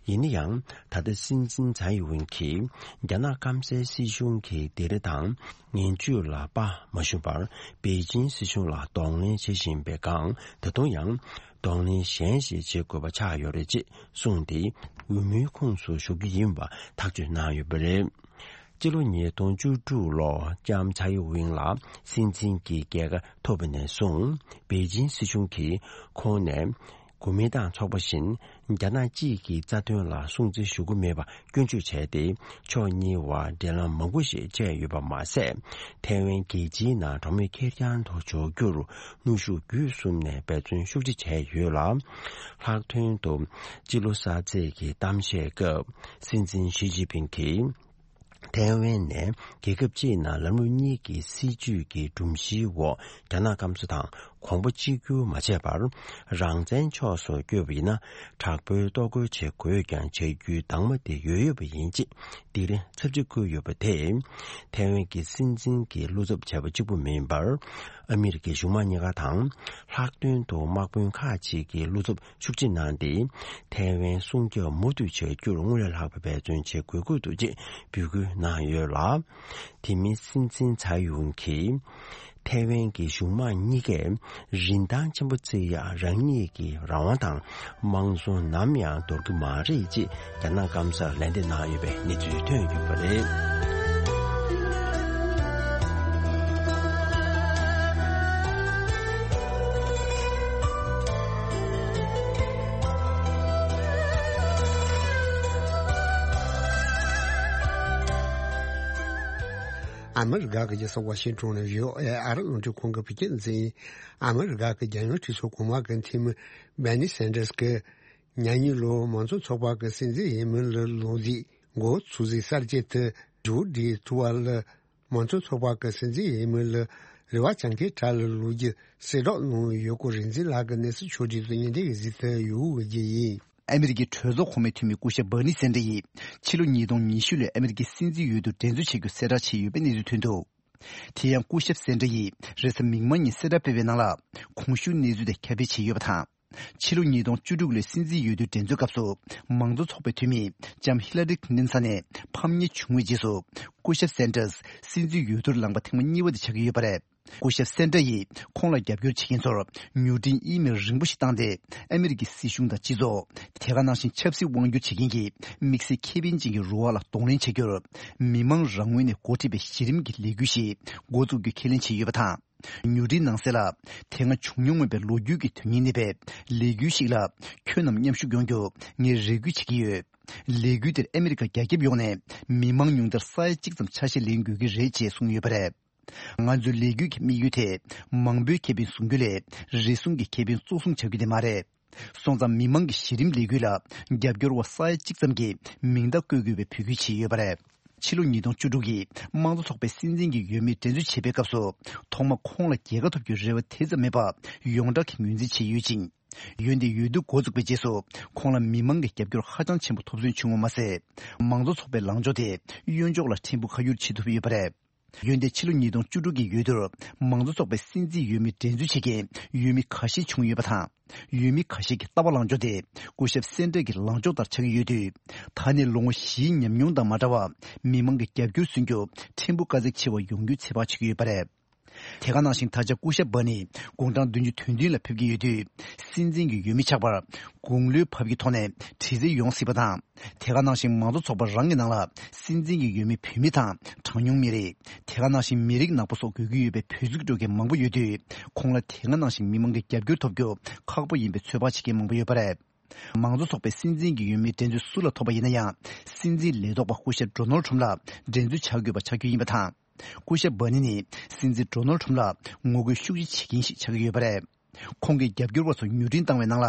ཡིན་ན་ཡང་། ད་ལྟ་སྲིད་འཛིན་ཚའེ་ཝེན་གྱིས་རྒྱ་ནག་སྐམ་སའི་སྲིད་གཞུང་གི་སྡིགས་ར་དང་ངན་བྱུས་ལ་དཔའ་མ་ཞུམ་པར་པེ་ཅིན་སྲིད་གཞུང་ལ་གདོང་ལེན་བྱེད་བཞིན་པའི་སྒང་། ད་དུང་ཡང་གདོང་ལེན་གཞན་ཞིག་བྱེད་དགོས་པ་ཆགས་ཡོད་རེད་ཅེས་གསུངས་ཏེ། འོས་མིའི་ཁོངས་སུ་ཞུགས་རྒྱུ་ཡིན་པ་ཐག་གཅོད་གནང་ཡོད་པ་རེད། སྤྱི་ལོ་ཉིས་སྟོང་བཅུ་དྲུག་ལོར་ལྕམ་ཚའེ་ཝེན་ལ་སྲིད་འཛིན་གྱི་རྒྱལ་ཁ་ཐོབ་པ་ནས་བཟུང་པེ་ཅིན་སྲིད་གཞུང་གིས་ཁོང་ནས་གོ་མིན་ཏང་ཚོགས་པ་བཞིན་རྒྱ་ནག་གཅིག་གི་རྩ་དོན་ལ་སྲུང་བརྩི་ཞུ་གི་མེད་པ་སྐྱོན་བརྗོད་བྱས་ཏེ། ཕྱོགས་གཉིས་བར་འབྲེལ་ལམ་མང་པོ་ཞིག་བཅད་ཡོད་པ་མ་ཟད། ཐའེ་ཝན་རྒྱལ་སྤྱིའི་ནང་གྲོང་མི་ཁེར་རྐྱང་དུ་འཇོག་རྒྱུར་གནོན་ཤུགས་བརྒྱུད་གསུམ་ནས་འབད་བརྩོན་ཤུགས་ཆེ་བྱས་ཡོད་ལ། ལྷག་དོན་དུ་སྤྱི་ལོ་གསར་ཚེས་ཀྱི་གཏམ་བཤད་སྐབས་སྲིད་འཛིན་ཞི་ཅིན་ཕིང་གིས། ཐའེ་ཝན་ནས་རྒྱལ་ཁབ་སྤྱིའི་ནང་ལམ་ལུགས་གཉིས་ཀྱི་སྲིད་བྱུས་ཀྱི་སྒྲོམ་གཞིའི་འོག་རྒྱ་ནག་སྐམ་ས་དང་གོང་བུ་གཅིག་གྱུར་མ་བྱས་པར། རང་བཙན་ཕྱོགས་སུ་བསྐྱོད་པ་ཡིན་ན། དྲག་པོའི་གཏོར་རྒོལ་བྱེད་དགོས་ཀྱང་བྱ་རྒྱུའི་འདང་མ་དེ་ཡོད་ཡོད་པ་ཡིན་ཅེས་སྡིགས་ར་ཚབས་ཆེ་བསྐུལ་ཡོད་པ་དེས། ཐའེ་ཝན་གྱི་སྲིད་འཛིན་གྱི་བློ་འཚབ་བྱས་པ་གཅིག་པུ་མིན་པར། ཨ་མི་རི་ཀའི་གཞུང་མང་གཉིས་ཀ་དང་། ལྷག་དོན་དུ་དམག་དཔོན་ཁག་ཅིག་གི་བློ་འཚབ་ཤུགས་ཆེ་གནང་སྟེ། ཐའེ་ཝན་སྲུང་སྐྱོབ་མུ་མཐུད་བྱ་རྒྱུར་སྔོན་ལས་ལྷག་པའི་འབད་བརྩོན་བྱེད་དགོས་ཀྱི་འདུག་ཅེས་འབོད་སྐུལ་གནང་ཡོད་ལ། དེ་མིན་སྲིད་འཛིན་ཚའེ་ཝེན་གྱིས་ཐའེ་ཝན་གྱི་གཞུང་མང་གཉིས་ཀས་རིན་ཐང་ཆེན་པོ་བརྩི་ཡག་རང་ཉིད་ཀྱི་རང་དབང་དང་དམངས་གཙོ་ནམ་ཡང་འདོར་གྱི་མ་རེད་ཅེས་རྒྱ་ནག་སྐམ་སར་ལན་འདེབས་གནང་ཡོད་པའི་གནས་ཚུལ་ཐོན་ཡོད་པ་རེད། ཨ་མི་རི་ཀ་གི་རྒྱལ་ས་ཝ་ཤིང་ཊོན་ནས་བྷི་ཨོ་ཨེ་ཨ་རི་རླུང་འཕྲིན་ཁང་གི་བོད་སྐད་སྡེ་ཚན་ཡིན། ཨ་མི་རི་ཀ་གི་རྒྱལ་ཡོངས་གྲོས་ཚོགས་གོང་མ་གི་འཐུས་མི་སྦར་ནི་སན་ཌར་སི་གིས། ཉ་ཉི་ལོ་མང་གཙོ་ཚོགས་པ་གི་སྲིད་འཛིན་འོས་མི་ལ་ལོ་རྒྱུས་འགོ་ཚུགས་ཚེ་གསར་བརྗེ་དེ་ཇོ་ཌི་ཐུ་ཝ་ལ་མང་གཙོ་ཚོགས་པ་གི་སྲིད་འཛིན་འོས་མི་ལ་རེ་བ་བཅངས་མཁན་གྲས་ལ་ལོ་རྒྱུས་གསལ་བསྒྲགས་གནང་ཡོད་སྐོར་རིག་འཛིན་ལགས་ཀྱིས་གནས་ཚུལ་ཕྱོགས་སྒྲིག་དང་སྙན་སྒྲོན་གྱི་གཟིགས་ཚུལ་ཡོད་པ་བརྒྱུད་ཡིན། ཨ་མི་རི་ཀའི་གྲོས་ཚོགས་གོང་མའི་འཐུས་མི་སྐུ་ཞབས་སྦར་ནི་སན་ཌར་ཡིས་ཕྱི་ལོ་ཉིས་སྟོང་ཉི་ཤུ་ལོའི་ཨ་མི་རི་ཀའི་སྲིད་འཛིན་འོས་བསྡུར་འགྲན་རྩོད་བྱེད་རྒྱུ་གསལ་བསྒྲགས་བྱས་ཡོད་པའི་གནས་ཚུལ་ཐོན་འདུག་དེ་ཡང་སྐུ་ཞབས་སན་ཌར་ཡིས་རེས་གཟའ་མིག་དམར་ཉིན་གསལ་བསྒྲགས་སྤེལ་བའི་ནང་ལ། གོང་ཞུས་གནས་ཚུལ་དེ་ཁྱབ་སྤེལ་བྱས་ཡོད་པ་དང་། ཕྱི་ལོ་ཉིས་སྟོང་བཅུ་དྲུག་ལོའི་སྲིད་འཛིན་འོས་བསྡུའི་འགྲན་རྩོད་སྐབས་སུ། མང་གཙོ་ཚོགས་པའི་འཐུས་མི་ལྕམ་ཧི་ལ་རི་ཁི་ལིན་ཐན་ནས་ཕམ་ཉེས་བྱུང་བའི་རྗེས་སུ། སྐུ་ཞབས་སན་ཌར་སྲིད་འཛིན་འོས་བསྡུར་ལངས་པ་ཐེངས་མ་གཉིས་པ་དེ་ཆགས་ཀྱི་ཡོད་པ་རེད། སྐུ་ཞབས་སན་ཌར་ཡིས་ཁོང་ལ་རྒྱབ་སྐྱོར་བྱེད་མཁན་ཚོར་མྱུར་འཕྲིན་ཨི་མེལ་རིང་པོ་ཞིག་བཏང་སྟེ། ཨ་མི་རི་ཀའི་སྲིད་གཞུང་དང་སྤྱི་ཚོགས། དེ་ག་ནང་བཞིན་ཆབ་སྲིད་དབང་སྒྱུར་བྱེད་མཁན་གྱི་དམིགས་བསལ་ཁེ་ཕན་ཅན་གྱི་རུ་ཁག་ལ་གདོང་ལེན་བྱ་རྒྱུར། མི་མང་རང་ངོས་ནས་འགོ་ཁྲིད་པའི་གཞི་རིམ་གྱི་ལས་འགུལ་ཞིག་འགོ་བཙུགས་རྒྱུ་ཁས་ལེན་བྱས་ཡོད་པ་དང་། མྱུར་འཕྲིན་ནང་གསལ་ལ། དེ་སྔ་བྱུང་མྱོང་མེད་པའི་ལོ་རྒྱུས་ཀྱི་དོན་སྙིང་ལྡན་པའི་ལས་འགུལ་ཞིག་ལ་ཁྱོད་རྣམས་མཉམ་ཞུགས་ཡོང་རྒྱུ་ངས་རེ་སྐུལ་བྱེད་ཀྱི་ཡོད། ལས་འགུལ་དེར་ཨ་མི་རི་ཀ་རྒྱ་ཁྱབ་ཡོངས་ནས་མི་མང་ཉུང་མཐར་ས་ཡ་གཅིག་ཙམ་ཆ་ཤས་ལེན་དགོས་ཀྱི་རེད་ཅེས་གསུངས་ཡོད་པ་རེད། ང་ཚོའི་ལས་འགུལ་གྱི་དམིགས་ཡུལ་དེ་མང་པོའི་ཁེ་ཕན་བཟུང་རྒྱུ་ལས་རེ་ཟུང་གི་ཁེ་ཕན་གཙོ་བཟུང་བྱ་རྒྱུ་དེ་མ་རེད། སོང་ཙང་མི་མང་གི་གཞི་རིམ་ལས་འགུལ་ལ་རྒྱབ་སྐྱོར་བ་ས་ཡ་གཅིག་ཙམ་གྱིས་མིང་རྟགས་བཀོད་དགོས་པའི་འབོད་སྐུལ་བྱས་ཡོད་པ་རེད། ཕྱི་ལོ་ཉིས་སྟོང་བཅུ་དྲུག་གི་དམངས་གཙོ་ཚོགས་པའི་སྲིད་འཛིན་གྱི་འོས་མི་འགྲན་རྩོད་བྱེད་པའི་སྐབས་སུ། ཐོག་མར་ཁོང་ལ་རྒྱལ་ཁ་ཐོབ་རྒྱུའི་རེ་བ་དེ་ཙམ་མེད་པ་ཡོངས་གྲགས་ཀྱི་ངོས་འཛིན་བྱས་ཡོད་ཅིང་། འོན་ཏེ་འོས་བསྡུ་འགོ་བཙུགས་པའི་རྗེས་སུ་ཁོང་ལ་མི་མང་གི་རྒྱབ་སྐྱོར་ཧ་ཅང་ཆེན་པོ་ཐོབ་ཚུལ་བྱུང་བ་མ་ཟད། མང་གཙོ་ཚོགས་པའི་ལངས་ཕྱོགས་དེ་གཡོན་ཕྱོགས་ལ་ཕྲན་བུ་ཁ་བསྒྱུར་བྱེད་ཐུབ་ཡོད་པ་རེད། འོན་ཏེ་ཕྱི་ལོ་ཉིས་སྟོང་བཅུ་དྲུག་གི་འོས་བསྡུར་མང་གཙོ་ཚོགས་པའི་སྲིད་འཛིན་འོས་མི་འགྲན་རྩོད་བྱེད་མཁན་འོས་མི་ཁ་ཤས་བྱུང་ཡོད་པ་དང་། འོས་མི་ཁ་ཤས་ཀྱི་ལྟ་བ་ལངས་ཕྱོགས་དེ་སྐུ་ཞབས་སན་ཏྲ་གི་ལངས་ཕྱོགས་ལྟར་ཆགས་ཀྱི་ཡོད་དུས། ད་ནི་ལོ་ངོ་བཞིའི་ཉམས་མྱོང་དང་མ་འདྲ་བར་མི་མང་གི་རྒྱབ་སྐྱོར་སུན་རྒྱུ་ཕྲན་བུ་དཀའ་ཚེགས་ཆེ་བ་ཡོང་རྒྱུའི་ཚོད་དཔག་བྱེད་ཀྱི་ཡོད་པ་རེད། དེ་ག་ནང་བཞིན་ད་ཆ་སྐུ་ཞབས་སྦར་ནི་དགུང་གྲངས་བདུན་ཅུ་དོན་བདུན་ལ་ཕེབས་ཀྱི་ཡོད་དུས། སྲིད་འཛིན་གྱི་འོས་མི་ཆགས་པར་དགུང་ལོའི་བབ་ཀྱི་ཐོག་ནས་དྲི་རྩད་ཡོང་སྲིད་པ་དང་། དེ་ག་ནང་བཞིན་མང་གཙོ་ཚོགས་པ་རང་གི་ནང་ལ་སྲིད་འཛིན་གྱི་འོས་མི་བུད་མེད་དང་གྲངས་ཉུང་མི་རིགས། དེ་ག་ནང་བཞིན་མི་རིགས་ནག་པོ་སོགས་དགོས་ཀྱི་ཡོད་པའི་བོད་ཕྲུག་འགྲོ་མཁན་མང་པོ་ཡོད་དུས། ཁོང་ལ་དེ་ག་ནང་བཞིན་མི་མང་གི་རྒྱབ་སྐྱོར་ཐོབ་རྒྱུ་ཁག་པོ་ཡིན་པའི་ཚོད་དཔག་བྱེད་མཁན་མང་པོ་ཡོད་པ་རེད། མང་གཙོ་ཚོགས་པའི་སྲིད་འཛིན་གྱི་འོས་མིའི་འགྲན་རྩོད་སུ་ལ་ཐོབ་པ་ཡིན་ན་ཡང་། སྲིད་འཛིན་ལས་ཐོག་པ་སྐུ་ཞབས་ཌོ་ནལ་ཁྲོམ་ལ་འགྲན་རྩོད་བྱ་དགོས་པ་ཆགས་རྒྱུ་ཡིན་པ་དང་། སྐུ་ཞབས་བྷར་ནི་ནི་སྲིད་འཛིན་ཌོ་ནལ་ཁྲོམ་ལ་ངོ་རྒོལ་ཤུགས་ཆེ་བྱེད་མཁན་ཞིག་ཆགས་ཀྱི་ཡོད་པ་རེད། ཁོང་གི་རྒྱབ་སྐྱོར་བ་ཚོར་མྱུར་འཕྲིན་བཏང་བའི་ནང་ལ།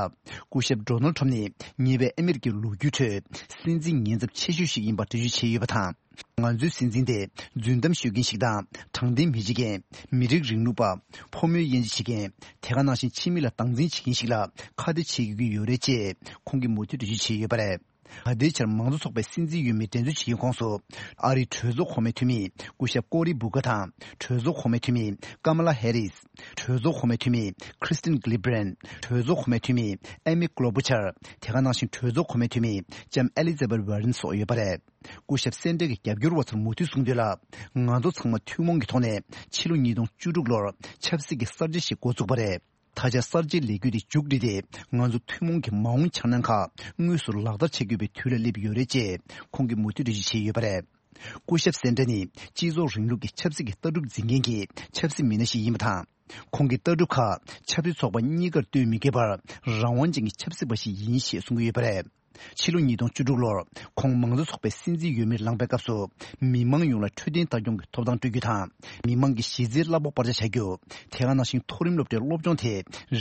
སྐུ་ཞབས་ཌོ་ནལ་ཁྲོམ་ནི་ཉེ་བའི་ཨ་མེ་རི་ཀའི་ལོ་རྒྱུས་ཁྲོད་སྲིད་འཛིན་ཉེན་ཚབས་ཆེ་ཤོས་ཤིག་ཡིན་པར་འགྲེལ་བརྗོད་བྱས་ཡོད་པ་དང་། ང་ཚོའི་སྲིད་འཛིན་དེ་རྫུན་གཏམ་ཤོད་མཁན་ཞིག་དང་། དྲང་བདེན་མི་བྱེད་མཁན། མི་རིགས་རིང་ལུགས་པ། ཕོ་མོའི་དབྱེ་འབྱེད་བྱེད་མཁན། དེ་ག་ནང་བཞིན་ཕྱི་མི་ལ་སྡང་འཛིན་བྱེད་མཁན་ཞིག་ལ་ཁ་གཏད་བྱེད་དགོས་ཀྱི་ཡོད་རེད་ཅེས་ཁོང་གིས་མུ་མཐུད་འགྲེལ་བརྗོད་བྱས་ཡོད་པ་རེད། ད་ལྟའི་ཆར་མང་གཙོ་ཚོགས་པའི་སྲིད་འཛིན་འོས་མིའི་འགྲན་རྩོད་བྱེད་མཁན་ཁོངས་སུ། ཨ་རིའི་གྲོས་ཚོགས་གོང་མའི་འཐུས་མི་སྐུ་ཞབས་ཀོ་རི་བུ་ཀར་དང་། གྲོས་ཚོགས་གོང་མའི་འཐུས་མི་ཀ་མ་ལ་ཧེ་རིས། གྲོས་ཚོགས་གོང་མའི་འཐུས་མི་ཁྲི་སྟིན་གྷི་ལི་བྷི་རན། གྲོས་ཚོགས་གོང་མའི་འཐུས་མི་ཨེ་མི་ཀློ་བུ་ཆར། དེ་ག་ནང་བཞིན་གྲོས་ཚོགས་གོང་མའི་འཐུས་མི་ལྕམ་ཨེ་ལི་ཛ་བེད་ཝར་རན་སོགས་ཡོད་པ་རེད། སྐུ་ཞབས་སན་ཏྲེ་གི་རྒྱབ་སྐྱོར་བ་ཚོར་མུ་མཐུད་གསུངས་དོན་ལ། ང་ཚོ་ཚང་མ་ཐུན་མོང་གི་ཐོག་ནས་ཕྱི་ལོ་ཉིས་སྟོང་བཅུ་དྲུག་ལོར་ཆབ་སྲིད་ཀྱི་གསར་བརྗེ་ཞིག་འགོ་བཙུགས་པ་རེད། ད་ཆ་གསར་བརྗེའི་ལས་འགུལ་དེ་མཇུག་བསྒྲིལ་ཏེ། ང་ཚོ་ཐུན་མོང་གི་མ་འོངས་འཆར་སྣང་ཁག་དངོས་སུ་ལག་བསྟར་བྱེད་དགོས་པའི་དུས་ལ་སླེབས་ཡོད་རེད་ཅེས་ཁོང་གིས་མུ་མཐུད་འགྲེལ་བརྗོད་བྱས་ཡོད་པ་རེད། སྐུ་ཞབས་སན་ཏྲེ་ནི་སྤྱི་ཚོགས་རིང་ལུགས་ཀྱི་ཆབ་སྲིད་ཀྱི་ལྟ་གྲུབ་འཛིན་མཁན་གྱི་ཆབ་སྲིད་མི་སྣ་ཞིག་ཡིན་པ་དང་། ཁོང་གི་ལྟ་གྲུབ་ཁག་ཆབ་སྲིད་ཚོགས་པ་གཉིས་ཀར་ལྟོས་མི་དགོས་པར་རང་དབང་ཅན་གྱི་ཆབ་སྲིད་པ་ཞིག་ཡིན་ཞེས་གསུངས་ཀྱི་ཡོད་པ་རེད། ཕྱི་ལོ་ཉིས་སྟོང་བཅུ་དྲུག་ལོར་ཁོང་མང་གཙོ་ཚོགས་པའི་སྲིད་འཛིན་འོས་མིར་ལངས་པའི་སྐབས་སུ། མི་མང་ཡོངས་ལ་འཕྲོད་བསྟེན་ལྟ་སྐྱོང་གི་ཐོབ་ཐང་སྤྲོད་རྒྱུ་དང་། མི་མང་གི་གཞི་རྩའི་གླ་ཕོགས་སྤར་ཆ་བྱ་རྒྱུ། དེ་ག་ནང་བཞིན་མཐོ་རིམ་སློབ་གྲྭའི་སློབ་སྦྱོང་དེ་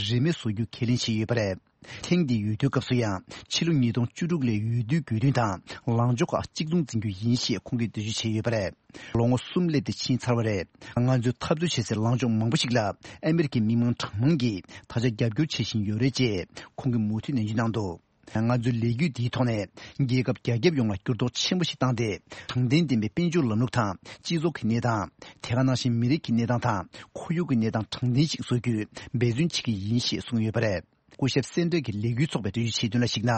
རིན་མེད་བཟོ་རྒྱུ་ཁས་ལེན་བྱས་ཡོད་པ་རེད། ཐེངས་འདིའི་འོས་བསྡུའི་སྐབས་སུ་ཡང་ཕྱི་ལོ་ཉིས་སྟོང་བཅུ་དྲུག་ལོའི་འོས་བསྡུའི་དགོས་འདུན་དང་ལངས་ཕྱོགས་ཁག་གཅིག་མཚུངས་འཛིན་རྒྱུ་ཡིན་ཞེས་ཁོང་གིས་འགྲེལ་བརྗོད་བྱས་ཡོད་པ་རེད། ལོ་ངོ་གསུམ་སླེབས་ཏེ་ཕྱིན་ཚར་བ་རེད། ང་ཚོས་འཐབ་རྩོད་བྱེད་སའི་ལངས་ཕྱོགས་མང་པོ་ཞིག་ལ་ཨ་མེ་རི་ཁའི་མི་མང་གྲངས་མང་གིས་ད་ཆ་རྒྱབ་སྐྱོར་བྱེད་བཞིན་ཡོད་རེད་ཅེས་ཁོང་གིས་མུ་མཐུད་ནན་བརྗོད་གནང་འདུག་ང་ཚོའི་ལས་འགུལ་འདིའི་ཐོག་ནས་རྒྱལ་ཁབ་རྒྱ་ཁྱབ་ཡོངས་ལ་འགྱུར་ལྡོག་ཆེན་པོ་ཞིག་བཏང་སྟེ། དྲང་བདེན་ལྡན་པའི་དཔལ་འབྱོར་ལམ་ལུགས་དང་སྤྱི་ཚོགས་ཀྱི་གནས་སྟངས། དེ་ག་ནང་བཞིན་མི་རིགས་ཀྱི་གནས་སྟངས་དང་ཁོར་ཡུག་གི་གནས་སྟངས་དྲང་བདེན་ཞིག་བཟོ་རྒྱུའི་འབད་བརྩོན་བྱེད་ཀྱི་ཡིན་ཞེས་གསུངས་ཡོད་པ་རེད། སྐུ་ཞབས་སན་ཏྲེ་གིས་ལས་འགུལ་ཚོགས་པའི་འགྲེལ་བརྗོད་བྱས་དོན་ལ་གཞིགས་ན།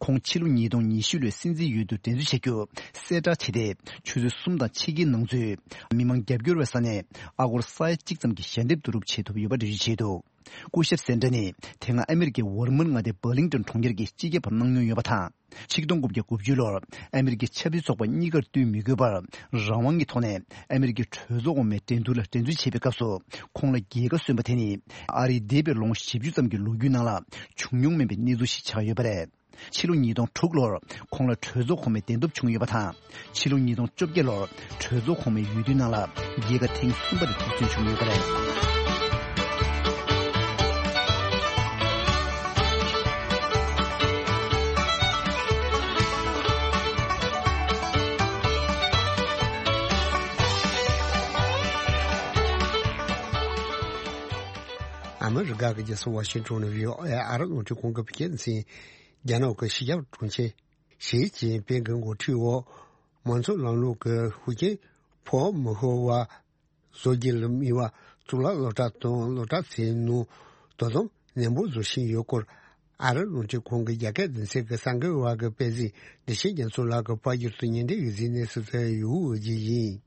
ཁོང་ཕྱི་ལོ་ཉིས་སྟོང་ཉི་ཤུ་ལོའི་སྲིད་འཛིན་འོས་བསྡུར་འགྲན་རྩོད་བྱ་རྒྱུ་གསལ་བསྒྲགས་བྱས་ཏེ། ཆུ་ཚོད་གསུམ་དང་ཕྱེད་ཀའི་ནང་ཚུད་མི་མང་རྒྱབ་སྐྱོར་བའི་ས་གནས་ཨ་སྒོར་ས་ཡ་གཅིག་ཙམ་གྱི་ཞལ་འདེབས་བསྡུ་རུབ་བྱེད་ཐུབ་ཡོད་པ་འགྲེལ་བརྗོད་བྱས་འདུག་སྐུ་ཞབས་སན་ཏྲེ་ནི་དེ་སྔ་ཨ་མེ་རི་ཀའི་ཝར་མན་མངའ་སྡེའི་བར་ལིང་ཏོན་གྲོང་ཁྱེར་གྱི་སྤྱི་ཁྱབ་པ་གནང་མྱོང་ཡོད་པ་དང་། ཆིག་སྟོང་དགུ་བརྒྱ་དགུ་བཅུ་ལོར་ཨ་མེ་རི་ཀའི་ཆབ་སྲིད་ཚོགས་པ་གཉིས་ཀར་ལྟོས་མི་དགོས་པར་རང་དབང་གི་ཐོག་ནས་ཨ་མེ་རི་ཀའི་གྲོས་ཚོགས་འོག་མའི་འགྲན་བསྡུར་ལ་འགྲན་རྩོད་བྱེད་པའི་སྐབས་སུ། ཁོང་ལ་རྒྱལ་ཁ་སོན་པ་དེ་ནི་ཨ་རིའི་འདས་པའི་ལོ་ངོ་བཞི་བཅུ་ཙམ་གྱི་ལོ་རྒྱུས་ནང་ལ་བྱུང་མྱོང་མེད་པའི་གནས་ཚུལ་ཞིག་ཆགས་ཡོད་པ་རེད། ཕྱི་ལོ་ཉིས་སྟོང་དྲུག་ལོར་ཁོང་ལ་གྲོས་ཚོགས་གོང་མའི་བདེན་སྟོབས་བྱུང་ཡོད་པ་དང་། ཕྱི་ལོ་ཉིས་སྟོང་བཅོ་བརྒྱད་ལོར་གྲོས་ཚོགས་གོང་མའི་འོས་བསྡུའི་ནང་ལ་རྒྱལ་ཁ་ཐེངས་གསུམ་པ་དེ་རྫོགས་སོན་བྱུང་ཡོད་པ་རེད། ཨ་མི་རི་ཀ་གི་རྒྱལ་ས་ཝ་ཤིང་ཊོན་ནས་བྷི་ཨོ་ཨེ་ཨ་རི་རླུང་འཕྲིན་ཁང་གི་བོད་སྐད་སྡེ་ཚན། རྒྱ་ནག་གི་ཞི་ཞབས་དྲུང་ཆེ་ཞི་ཅིན་ཕིང་གི་འགོ་ཁྲིད་འོག་མང་གཙོའི་ལམ་ལུགས་ཀྱི་ཤུགས་རྐྱེན་ཕོག་མི་ཤོར་བ་བཟོ་རྒྱུ་ལ་དམིགས་པ་གཙུག་ལག་སློབ་གྲྭ་དང་སློབ་གྲྭ་ཚོའི་ནང་དོ་དམ་ནན་པོ་བཟོ་བཞིན་ཡོད་སྐོར། ཨ་རིའི་རླུང་འཕྲིན་ཁང་གི་རྒྱ་སྐད་སྡེ་ཚན་གྱི་གསར་འགོད་པ་གིས་སྤེལ་གཟིགས་བདེ་ཆེན་རྒྱ་མཚོ་ལགས་ཀྱིས་པར་བསྒྱུར་དུ་ཉན་འདི་ཡོད་ཟིན་ནས་སུ་ཚོད་ཡུ་འོས་ཀྱི་ཡིན།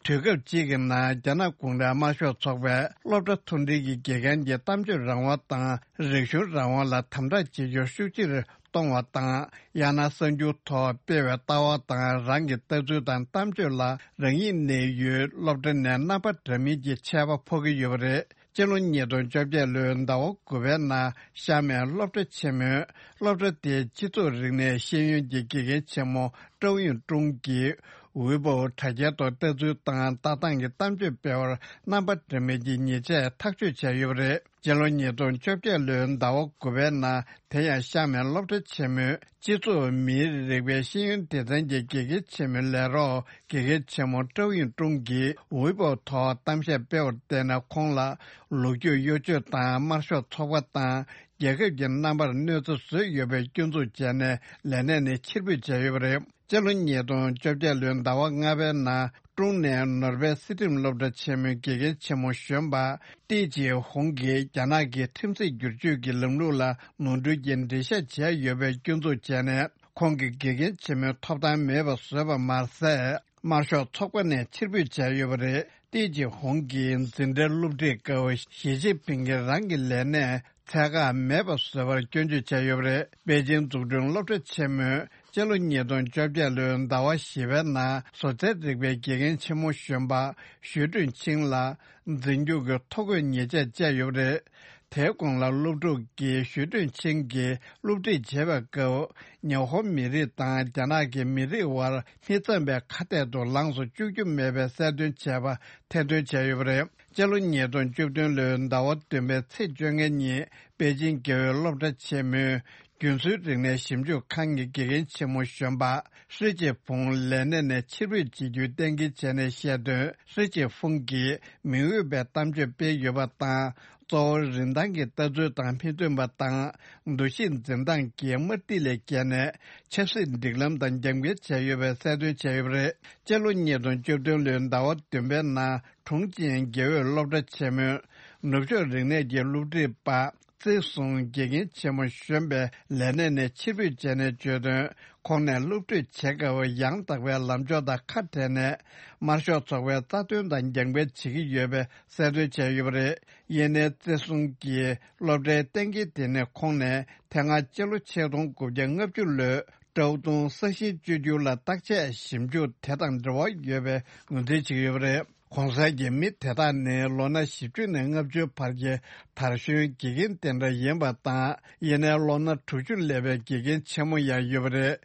དུས་སྐབས་གཅིག་གི་ནང་རྒྱ་ནག་གུང་ཁྲན་དམར་ཤོག་ཚོགས་པས་སློབ་གྲྭ་མཐོ་འབྲིང་གི་དགེ་རྒན་གྱི་གཏམ་བརྗོད་རང་དབང་དང་རིག་གཞུང་རང་དབང་ལ་དམ་དྲག་བྱེད་རྒྱུར་ཤུགས་ཆེར་གཏོང་བ་དང་། ཡང་ན་གསར་འགྱུར་ཐོག་སྤེལ་བའི་ལྟ་བ་དང་རང་གི་ལྟ་ཚུལ་དང་གཏམ་བརྗོད་ལ་རང་ཉིད་གནས་ཡུལ་སློབ་གྲྭ་ནས་རྣམ་པ་འདྲ་མིན་གྱི་ཆད་པ་ཕོག་གི་ཡོད་པ་རེད། སྤྱི་ལོ་ཉིས་སྟོང་བཅོ་བརྒྱད་ལོའི་ཟླ་བ་དགུ་པའི་ནང་ཤར་མའི་སློབ་གྲྭ་ཆེན་མོའི་སློབ་གྲྭ་དེའི་སྤྱི་ཚོགས་རིག་གནས་ཤེས་ཡོན་གྱི་དགེ་རྒན་ཆེན་མོ་ཀྲོའུ་ཡུང་ཀྲུང་གིས་ཝེ་པོ་དྲ་རྒྱའི་ཐོག་ལྟ་ཚུལ་དང་ལྟ་སྟངས་ཀྱི་གཏམ་བརྗོད་སྤེལ་བར་རྣམ་པ་འདྲ་མིན་གྱི་ཉེས་ཆད་ཐག་གཅོད་བྱས་ཡོད་པ་རེད། སྤྱི་ལོ་ཉིས་སྟོང་བཅོ་བརྒྱད་ལོའི་ཟླ་བ་དགུ་པའི་ནང་དེ་ཡང་ཤར་མའི་སློབ་གྲྭ་ཆེན་མོའི་སྤྱི་ཚོགས་མིའི་རིག་པའི་ཤེས་ཡོན་སྡེ་ཚན་གྱི་དགེ་རྒན་ཆེན་མོའི་ལས་རོགས་དགེ་རྒན་ཆེན་མོ་ཀྲོའུ་ཡུང་ཀྲུང་གིས་ཝེ་པོ་ཐོག་གཏམ་བཤད་སྤེལ་བར་བརྟེན་ནས་ཁོང་ལ་ལོ་རྒྱུས་གཡོ་ཇུས་དང་དམར་ཤོག་ཚོགས་པ་དང་རྒྱལ་ཁབ་ཀྱི་རྣམ་པར་གནོད་འཚེ་བཟོས་ཡོད་པའི་སྐྱོན་འཛུགས་བྱས་ནས་ལས་གནས་ནས་ཕྱིར་འབུད་བྱས་ཡོད་པ་རེད། སྤྱི་ལོ་ཉིས་སྟོང་བཅོ་བརྒྱད་ལོའི་ཟླ་བ་ལྔ་པའི་ནང་ཀྲུང་ནས་ནོར་ཝེ་སྲིད་ཁྲིམས་སློབ་གྲྭ་ཆེན་མོའི་དགེ་རྒན་ཆེན་མོ་གཞོན་པ་ཏི་ཅི་ཧོང་གིས་རྒྱ་ནག་གི་ཁྲིམས་སྲིད་བསྒྱུར་བཅོས་ཀྱི་ལམ་ལུགས་ལ་ནོར་འཁྲུལ་གྱི་འགྲེལ་བཤད་བྱས་ཡོད་པའི་སྐྱོན་འཛུགས་བྱས་ནས་ཁོང་གི་དགེ་རྒན་ཆེན་མོའི་ཐོབ་ཐང་མེད་པ་བཟོས་པ་མ་ཟད། དམར་ཤོག་ཚོགས་པ་ནས་ཕྱིར་འབུད་བྱས་ཡོད་པ་རེད། ཏི་ཅི་ཧོང་གིས་འཛིན་གྲྭའི་སློབ་ཁྲིད་སྐབས་ཞི་ཅིན་ཕིང་གིས་རང་གི་ལས་གནས་ཚད་བཀག་མེད་པ་བཟོས་པར་སྐྱོན་བརྗོད་བྱས་ཡོད་པ་རེད། པེ་ཅིང་འཛུགས་སྐྲུན་སློབ་གྲྭ་ཆེན་མོས་སྤྱི་ལོ་ཉིས་སྟོང་བཅོ་བརྒྱད་ལོའི་ཟླ་བ་བཞི་པའི་ནང་བཟོ་རྩལ་རིག་པའི་དགེ་རྒན་ཆེན་མོ་གཞོན་པ་ཞུས་ཀྲུང་ཆིང་ལ་འཛིན་སྐྱོང་གི་ཐོ་འགོད་ཉེས་ཆད་བཅད་ཡོད་པ་རེད། དེའི་གོང་ལ་སློབ་ཕྲུག་གིས་ཞུས་ཀྲུང་ཆིང་གིས་སློབ་ཁྲིད་བྱེད་པའི་སྐབས། ཉི་ཧོང་མི་རིགས་དང་རྒྱ་ནག་གི་མི་རིགས་དབར་མི་འཚམ་པའི་ཁ་གཏད་དུ་ལངས་སུ་བཅུག་རྒྱུ་མེད་པའི་གསལ་སྟོན་བྱས་པ་ཐེར་འདོན་བྱས་ཡོད་པ་རེད། སྤྱི་ལོ་ཉིས་སྟོང་བཅུ་བདུན་ལོའི་ཟླ་བ་བདུན་པའི་ཚེས་བཅོ་ལྔ་ཉིན་པེ་ཅིང་དགེ་འོས་སློབ་གྲྭ་ཆེན་མོའི་རྒྱུན་སྲོལ་རིག་གནས་ཞིབ་འཇུག་ཁང་གི་དགེ་རྒན་ཆེན་མོ་གཞོན་པ་ཧྲི་ཅེ་ཕུང་ལས་གནས་ནས་ཕྱིར་འབུད་བྱེད་རྒྱུའི་གཏན་འཁེལ་བྱས་ནས་བཤད་དོན། ཧྲི་ཅེ་ཕུང་གིས་མི་འོས་པའི་གཏམ་བརྗོད་སྤེལ་ཡོད་པ་དང་། གཙོ་བོར་རིན་ཐང་གི་ལྟ་ཚུལ་དང་མི་མཐུན་པ་དང་། འདུ་ཤེས་འཛིན་སྟངས་ཀྱི་དམར་ཐིག་ལས་བརྒལ་ནས་ཆབ་སྲིད་སྒྲིག་ལམ་དང་རྒྱབ་འགལ་བྱས་ཡོད་པའི་གསལ་སྟོན་བྱས་ཡོད་པ་རེད། སྤྱི་ལོ་ཉིས་སྟོང་བཅུ་བདུན་ལོའི་ཟླ་བ་བདུན་པའི་ནང་ཁྲུང་ཅིང་དགེ་འོས་སློབ་གྲྭ་ཆེན་མོའི་ནུབ་ཕྱོགས་རིག་གནས་ཀྱི་སློབ་ཁྲིད་པ། ཙེ་སུང་དགེ་རྒན་ཆེན་མོ་གཞོན་པས་ལས་གནས་ནས་ཕྱིར་འབུད་བྱས་ནས་བརྗོད་དོན། ཁོང་ནས་སློབ་ཁྲིད་བྱེད་སྐབས་ཡང་དག་པའི་ལམ་ཕྱོགས་དང་ཁ་བྲལ་ནས། དམར་ཤོག་ཚོགས་པའི་རྩ་དོན་དང་རྒྱབ་འགལ་བྱེད་ཀྱི་ཡོད་པའི་གསལ་སྟོན་བྱས་ཡོད་པ་རེད། ཡིན་ནའི་ཙེ་སུང་གིས་སློབ་གྲྭའི་གཏན་འཁེལ་དེ་ནི་ཁོང་ནས་དེ་སྔ་སྤྱི་ལོ་ཆིག་སྟོང་དགུ་བརྒྱ་ལྔ་བཅུ་ལོའི་ཀྲའོ་ཏུང་ས་ཞིང་བཅོས་བསྒྱུར་ལ་བརྟག་དཔྱད་ཞིབ་འཇུག་དེ་དང་འབྲེལ་བ་ཡོད་པའི་ངོས་འཛིན་བྱེད་ཀྱི་ཡོད་པ་རེད། གོང་གསལ་གྱི་མི་དེ་དག་ནི་ལོ་ན་བཞི་བཅུ་ནས་ལྔ་བཅུའི་བར་གྱི་དར་གཞོན་དགེ་རྒན་དེ་འདྲ་ཡིན་པ་དང་། ཡིན་ནའི་ལོ་ན་དྲུག་ཅུ་སླེབས་པའི་དགེ་རྒན་ཆེན་མོ་ཡང་ཡོད་པ་རེད།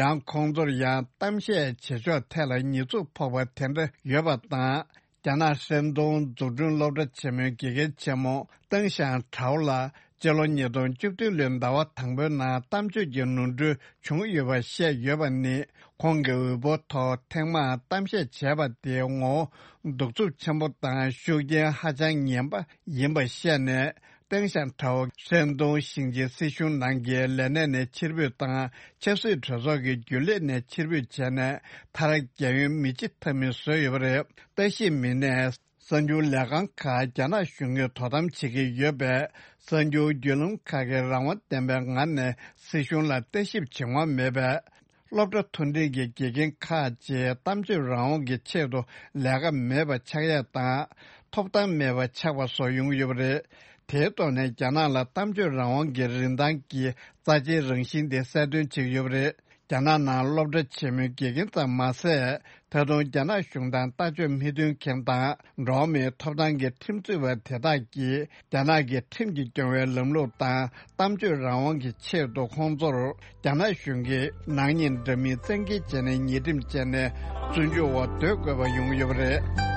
ཡང་ཁོང་ཚོར་ཡང་གཏམ་བཤད་བྱེད་ཕྱོགས་ཐད་ལ་ཉེས་འཛུགས་ཕོག་པ་དེ་འདྲ་ཡོད་པ་དང་། རྒྱ་ནག་ཧྲན་ཏུང་འཛུགས་སྐྲུན་སློབ་གྲྭ་ཆེན་མོའི་དགེ་རྒན་ཆེན་མོ་ཏེང་ཞང་ཁྲའོ་ལ། སྤྱི་ལོ་ཉིས་སྟོང་བཅུ་བདུན་ལོའི་ཟླ་བ་དང་པོའི་ནང་གཏམ་བརྗོད་ཀྱི་ནོར་འཁྲུལ་བྱུང་ཡོད་པ་བཤད་ཡོད་པ་ནི། ཁོང་གི་འོས་འབོར་ཐོག་ཐེངས་མང་གཏམ་བཤད་བྱས་པ་དེའི་ངོ་བོ་གདུག་རྩུབ་ཆེན་པོ་དང་ཤུགས་རྐྱེན་ཧ་ཅང་ངན་པ་ཡིན་པ་བཤད་ནས། ཏེང་ཞང་ཁྲའོ་ཧྲན་ཏུང་ཞིང་ཆེན་སྲིད་གཞུང་ནང་གི་ལས་གནས་ནས་ཕྱིར་འབུད་དང་། ཆབ་སྲིད་གྲོས་ཚོགས་ཀྱི་རྒྱུན་ལས་ནས་ཕྱིར་འབུད་བྱས་ནས། མཐར་རྒྱལ་ཡོངས་མི་སྤྱི་འཐབ་མི་བཟོས་ཡོད་པ་རེད། ལྟ་ཞིབ་མི་སྣས། གསར་འགྱུར་ལས་ཁང་ཁག་རྒྱ་ནག་གཞུང་གིས་དོ་དམ་བྱེད་ཀྱི་ཡོད་པས། གསར་འགྱུར་བརྒྱུད་ལམ་ཁག་གིས་རང་དབང་ལྡན་པའི་ངང་ནས་སྲིད་གཞུང་ལ་ལྟ་ཞིབ་བྱེད་དབང་མེད་པས། སློབ་གྲྭ་མཐོ་འབྲིང་གི་དགེ་རྒན་ཁག་ཅིག་གཏམ་བརྗོད་རང་དབང་གི་ཆེད་དུ་ལས་ཀ་མེད་པ་ཆགས་ཡས་དང་། ཐོབ་ཐང་མེད་པ་ཆགས་པ་སོགས་ཡོང་གི་ཡོད་པ་རེད། དེའི་ཐོག་ནས་རྒྱ་ནག་ལ་གཏམ་བརྗོད་རང་དབང་གི་རིན་ཐང་གི་རྩ་ཆེའི་རང་བཞིན་དེ་གསལ་སྟོན་བྱེད་ཀྱི་ཡོད་པ་རེད། རྒྱ་ནག་ནང་སློབ་གྲྭ་ཆེན་མོའི་དགེ་རྒན་ཙམ་མ་ཟད། ད་དུང་རྒྱ་ནག་གཞུང་དང་ལྟ་སྤྱོད་མི་མཐུན་མཁན་དང་། འགྲོ་བ་མིའི་ཐོབ་ཐང་གི་ཁྲིམས་རྩོད་པ་དེ་དག་གིས་རྒྱ་ནག་གི་ཁྲིམས་ཀྱིས་སྐྱོང་བའི་ལམ་ལུགས་དང་། གཏམ་བརྗོད་རང་དབང་གི་ཆེད་དུ་ཁོང་ཚོར་རྒྱ་ནག་གཞུང་གིས་ནག་ཉེས་འདྲ་མིན་བཙན་འགེལ་བྱས་ནས་ཉེས་ཁྲིམས་བཅད་ནས་བཙོན་འཇུག་འོག་སྡོད་དགོས་པ་ཡོང་གི་ཡོད་པ་རེད།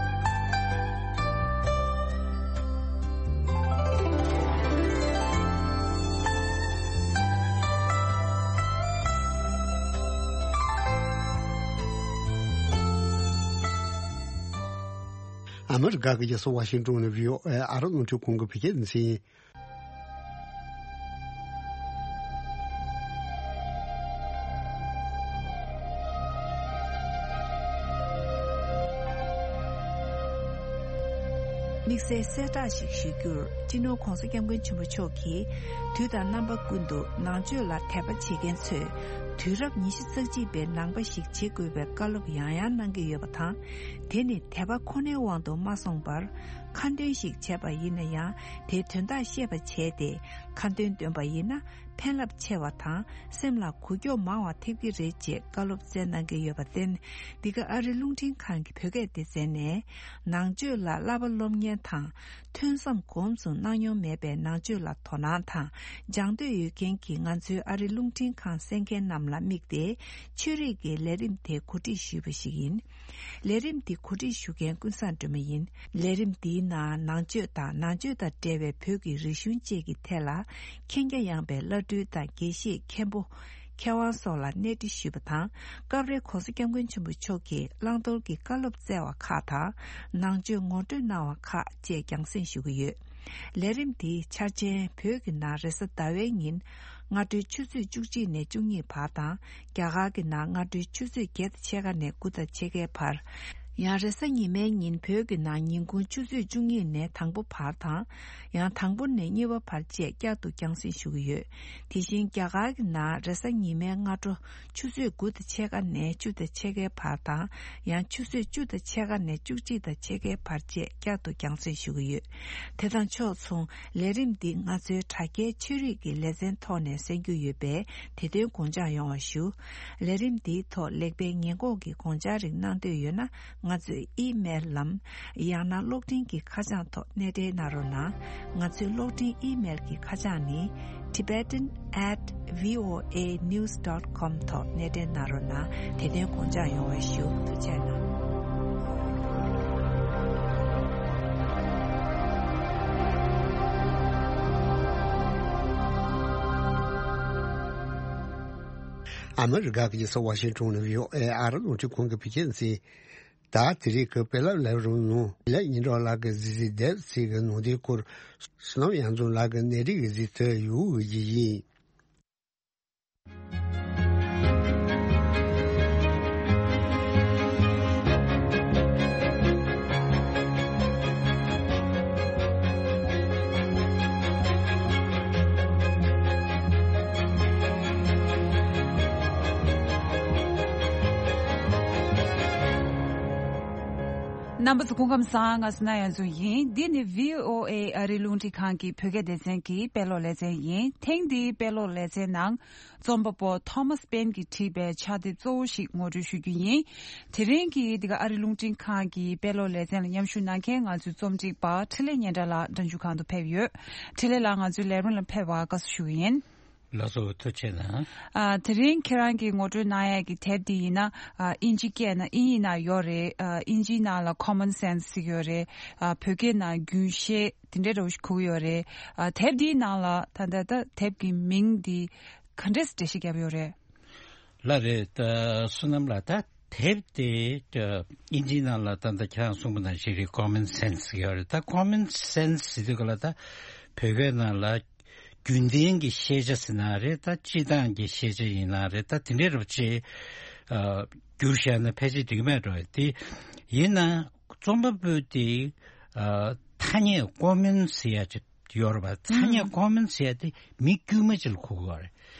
ཨ་མི་རི་ཀ་གི་རྒྱལ་ས་ཝ་ཤིང་ཏོན་ནས་བྷི་ཨོ་ཨེ་ཨ་རི་རླུང་འཕྲིན་ཁང་གི་བོད་སྐད་སྡེ་ཚན་ཡིན། དམིགས་བསལ་གསལ་བསྒྲགས་ཤིག་ཞུ་རྒྱུར། སྤྱི་ནོར་༧གོང་ས་༧སྐྱབས་མགོན་ཆེན་པོ་མཆོག་གིས་དུས་དང་རྣམ་པ་ཀུན་ཏུ་ནང་ཆོས་ལ་དད་པ་བྱེད་མཁན་ཚོས་དུས་རབས་ཉི་ཤུ་རྩ་གཅིག་པའི་ནང་པ་ཞིག་བྱེད་དགོས་པའི་བཀའ་སློབ་ཡང་ཡང་གནང་གི་ཡོད་པ་དང་། དེ་ནི་དད་པ་ཁོ་ནའི་དབང་དུ་མ་སོང་བར། ཁ་འདོན་ཞིག་བྱས་པ་ཡིན་ན་ཡང་། དེའི་དོན་དག་ཤེས་པ་བྱས་ཏེ་ཁ་འདོན་འདོན་པ་ཡིན་ན། ཕན་རླབས་ཆེ་བ་དང་སེམས་ལ་འགུག་སྐྱོབ་མང་བ་ཐེབས་ཀྱི་རེད་ཅེས་བཀའ་སློབ་སྩལ་གནང་གི་ཡོད་པར་བརྟེན། འདི་ག་ཨ་རི་རླུང་འཕྲིན་ཁང་གི་བོད་སྐད་སྡེ་ཚན་ནས། ནང་ཆོས་ལ་བསླབ་པ་སློབ་གཉེར་དང་། ཐོས་བསམ་སྒོམ་གསུམ་གནང་མྱོང་མེད་པའི་ནང་ཆོས་ལ་དོ་སྣང་དང་སྦྱང་འདོད་ཡོད་མཁན་གྱི་ང་ཚོའི་ཨ་རི་རླུང་འཕྲིན་ཁང་གསན་མཁན་རྣམས་ལ་དམིགས་ཏེ། ཆོས་རིག་གི་ལས་རིམ་དེ་གོ་སྒྲིག་ཞུས་པ་ཞིག་ཡིན། ལས་རིམ་འདི་གོ་སྒྲིག་ཞུ་མཁན་ཀུན་བཟང་སྒྲོལ་མ་ཡིན། ལས་རིམ་འདིའི་ནང་ནང་ཆོས་དང་ནང་ཆོས་དང་འབྲེལ་བའི་བོད་ཀྱི་རིག་གཞུང་བཅས་ཀྱི་ཐད་ལ་མཁྱེན་རྒྱ་ཡངས་པའི་བླ་སྤྲུལ་དང་དགེ་བཤེས་མཁན་པོ། མཁས་དབང་སོགས་ལ་གནས་འདྲི་ཞུས་པ་དང་། སྐབས་རེ་༧གོང་ས་༧སྐྱབས་མགོན་ཆེན་པོ་མཆོག་གིས་བླང་དོར་གྱི་བཀའ་སློབ་སྩལ་བ་ཁག་དང་། ནང་ཆོས་ངོ་སྤྲོད་གནང་བ་ཁག་བཅས་རྒྱང་སྲིང་ཞུ་གི་ཡོད། ལས་རིམ་འདིའི་འཆར་ཅན་བོད་ཀྱི་ནང་རེས་གཟའ་ཟླ་བའི་ཉིན། སྔ་དྲོའི་ཆུ་ཚོད་བཅུ་གཅིག་ནས་བཅུ་གཉིས་བར་དང་། རྒྱ་གར་གྱི་ནང་སྔ་དྲོའི་ཆུ་ཚོད་བརྒྱད་དང་ཕྱེད་ཀ་ནས་དགུ་དང་ཕྱེད་ཀའི་བར། ཡང་རེས་གཟའ་ཉི་མའི་ཉིན་བོད་ཀྱི་ནང་ཉིན་གུང་ཆུ་ཚོད་བཅུ་གཉིས་ནས་དང་པོ་བར་དང་། ཡང་དང་པོ་ནས་གཉིས་པ་བར་བཅས་བསྐྱར་དུ་རྒྱང་སྲིང་ཞུ་གི་ཡོད། དེ་བཞིན་རྒྱ་གར་གྱི་ནང་རེས་གཟའ་ཉི་མའི་སྔ་དྲོ་ཆུ་ཚོད་དགུ་དང་ཕྱེད་ཀ་ནས་བཅུ་དང་ཕྱེད་ཀའི་བར་དང་། ཡང་ཆུ་ཚོད་བཅུ་དང་ཕྱེད་ཀ་ནས་བཅུ་གཅིག་དང་ཕྱེད་ཀའི་བར་བཅས་བསྐྱར་དུ་རྒྱང་སྲིང་ཞུ་གི་ཡོད། དེ་དང་ཕྱོགས་མཚུངས། ལས་རིམ་འདི་ང་ཚོའི་དྲ་རྒྱའི་ཆོས་རིག་གི་ལེ་ཚན་ཐོག་ནས་གསན་རྒྱུ་ཡོད་པས། དེ་དོན་དགོངས་འཇགས་ཡོང་བ་ཞུ། ལས་རིམ་འདིའི་ཐོག་ལེགས་སྤེལ་ཉེས་འགོག་གི་དགོངས་འཆར་རིགས་གནང་འདོད་ཡོད་ན། ང་ཚོའི་ཨི་མེལ་ལམ། ཡང་ན་གློག་འཕྲིན་གྱི་ཁ་བྱང་ཐོག་གནས་འབྲེལ་གནང་རོགས་གནང་། ང་ཚོའི་གློག་འཕྲིན་ཨི་མེལ་གྱི་ཁ་བྱང་ནི། Tibetan at V O A news dot com ཐོག་གནས་འབྲེལ་གནང་རོགས་གནང་། དེ་དོན་དགོངས་འཇགས་ཡོང་བའི་ཞུ། ཐུགས་རྗེ་གནང་། ཨ་མི་རི་ཀ་གི་ས་ཝ་ཤིང་ཊོན་ནས་ཝི་ཨོ་ཨེ་ཨ་རི་རླུང་འཕྲིན་ཁང་གི་བོད་སྐད་སྡེ་ཚན། ད་དེ་རིང་གི་དཔེ་ལབ་ལས་རིམ་ནང་ལས་ཉིན་གྲོགས་ལགས་ཀྱི་གཟིགས་གཟིགས་འདེབས་ཚིག་གི་ནང་དོན་སྐོར། བསོད་ནམས་གཡང་འཛོམས་ལགས་ཀྱི་གནས་རིག་གི་གཟིགས་ཚུལ་ཡོད་ཀྱི་ཡིན། རྣམ་པ་ཚོ་སྐུ་ཁམས་བཟང་། ང་བསོད་ནམས་གཡང་འཛོམས་ཡིན། འདི་ནི་བྷི་ཨོ་ཨེ་ཨ་རིའི་རླུང་འཕྲིན་ཁང་གི་བོད་སྐད་སྡེ་ཚན་གྱི་དཔེ་ཀློག་ལེ་ཚན་ཡིན། ཐེངས་འདིའི་དཔེ་ཀློག་ལེ་ཚན་ནང་རྩོམ་པ་པོ་ཐོ་མཱས་པེན་གྱིས་བྲིས་པའི་ཕྱག་དེབ་གཙོ་བོ་ཞིག་ངོ་སྤྲོད་ཞུ་རྒྱུ་ཡིན། དེ་རིང་གི་འདི་ག་ཨ་རིའི་རླུང་འཕྲིན་ཁང་གི་དཔེ་ཀློག་ལེ་ཚན་ལ་མཉམ་ཞུགས་གནང་མཁན་ང་ཚོའི་རྩོམ་སྒྲིག་པ་འཕྲིན་ལས་སྙན་གྲགས་ལགས་འགྲན་ཞུགས་ཁང་དུ་ཕེབས་ཡོད། འཕྲིན་ལས་ལགས་ང་ཚོའི་ལས་རིམ་ལ་ཕེབས་པར་དགའ་བསུ་ཞུ་གི་ཡིན། ལགས་སོ། ཐུགས་རྗེ་གནང་། ཨ། དེ་རིང་ཁྱེད་རང་གིས་ངོ་སྤྲོད་གནང་ཡས་ཀྱི་དེབ་འདི་ཡིན་ན། ཨ། ཨིན་ཇི་སྐད་ནང་ཨིན་ཡིག་ནང་ཡོད་རེད། ཨ། ཨིན་ཇིའི་ནང་ལ་Common Sense ཟེར་གྱི་ཡོད་རེད། ཨ། བོད་སྐད་ནང་རྒྱུན་ཤེས་དེ་འདྲའི་འདྲ་བོ་ཞིག་གོ་གི་ཡོད་རེད། ཨ། དེབ་འདིའི་ནང་ལ་ད་ལྟ་ད་དེབ་ཀྱི་མིང་འདི་ག་འདྲས་འགྲེལ་བཤད་བརྒྱབ་ཡོད་རེད། ལགས་རེད། ད་བསོད་ནམས་ལགས། ད་དེབ་དེ་ཨིན་ཇིའི་ནང་ལ་ད་ལྟ་ཁྱེད་རང་གསུངས་པ་ནང་བཞིན་རེད། Common Sense ཡོད་རེད། ད་Common Sense ཟེར་དུས་ག་ལ་ད་བོད་སྐད་ནང་ལ་རྒྱུན་ལྡན་གྱི་ཤེས་བྱ་ཟེར་ན་རེད། ད་སྤྱིར་བཏང་གི་ཤེས་བྱ་ཡིན་ན་རེད། ད་དེ་འདྲའི་རབ་ཆེ་བསྒྱུར་བཞག་ན་ཕལ་ཆེར་འགྲིག་གི་མེད་འགྲོ། དེ་ཡིན་ན་རྩོམ་པ་པོ་དེ་ཐ་སྙད་Common ཟེར་ཡ་ཅིག་ཡོད་རེད་པ། ཐ་སྙད་Common ཟེར་ཡ་དེ་མི་དཀྱུས་མ་ཅིག་ལ་གོ་དགོས་རེད།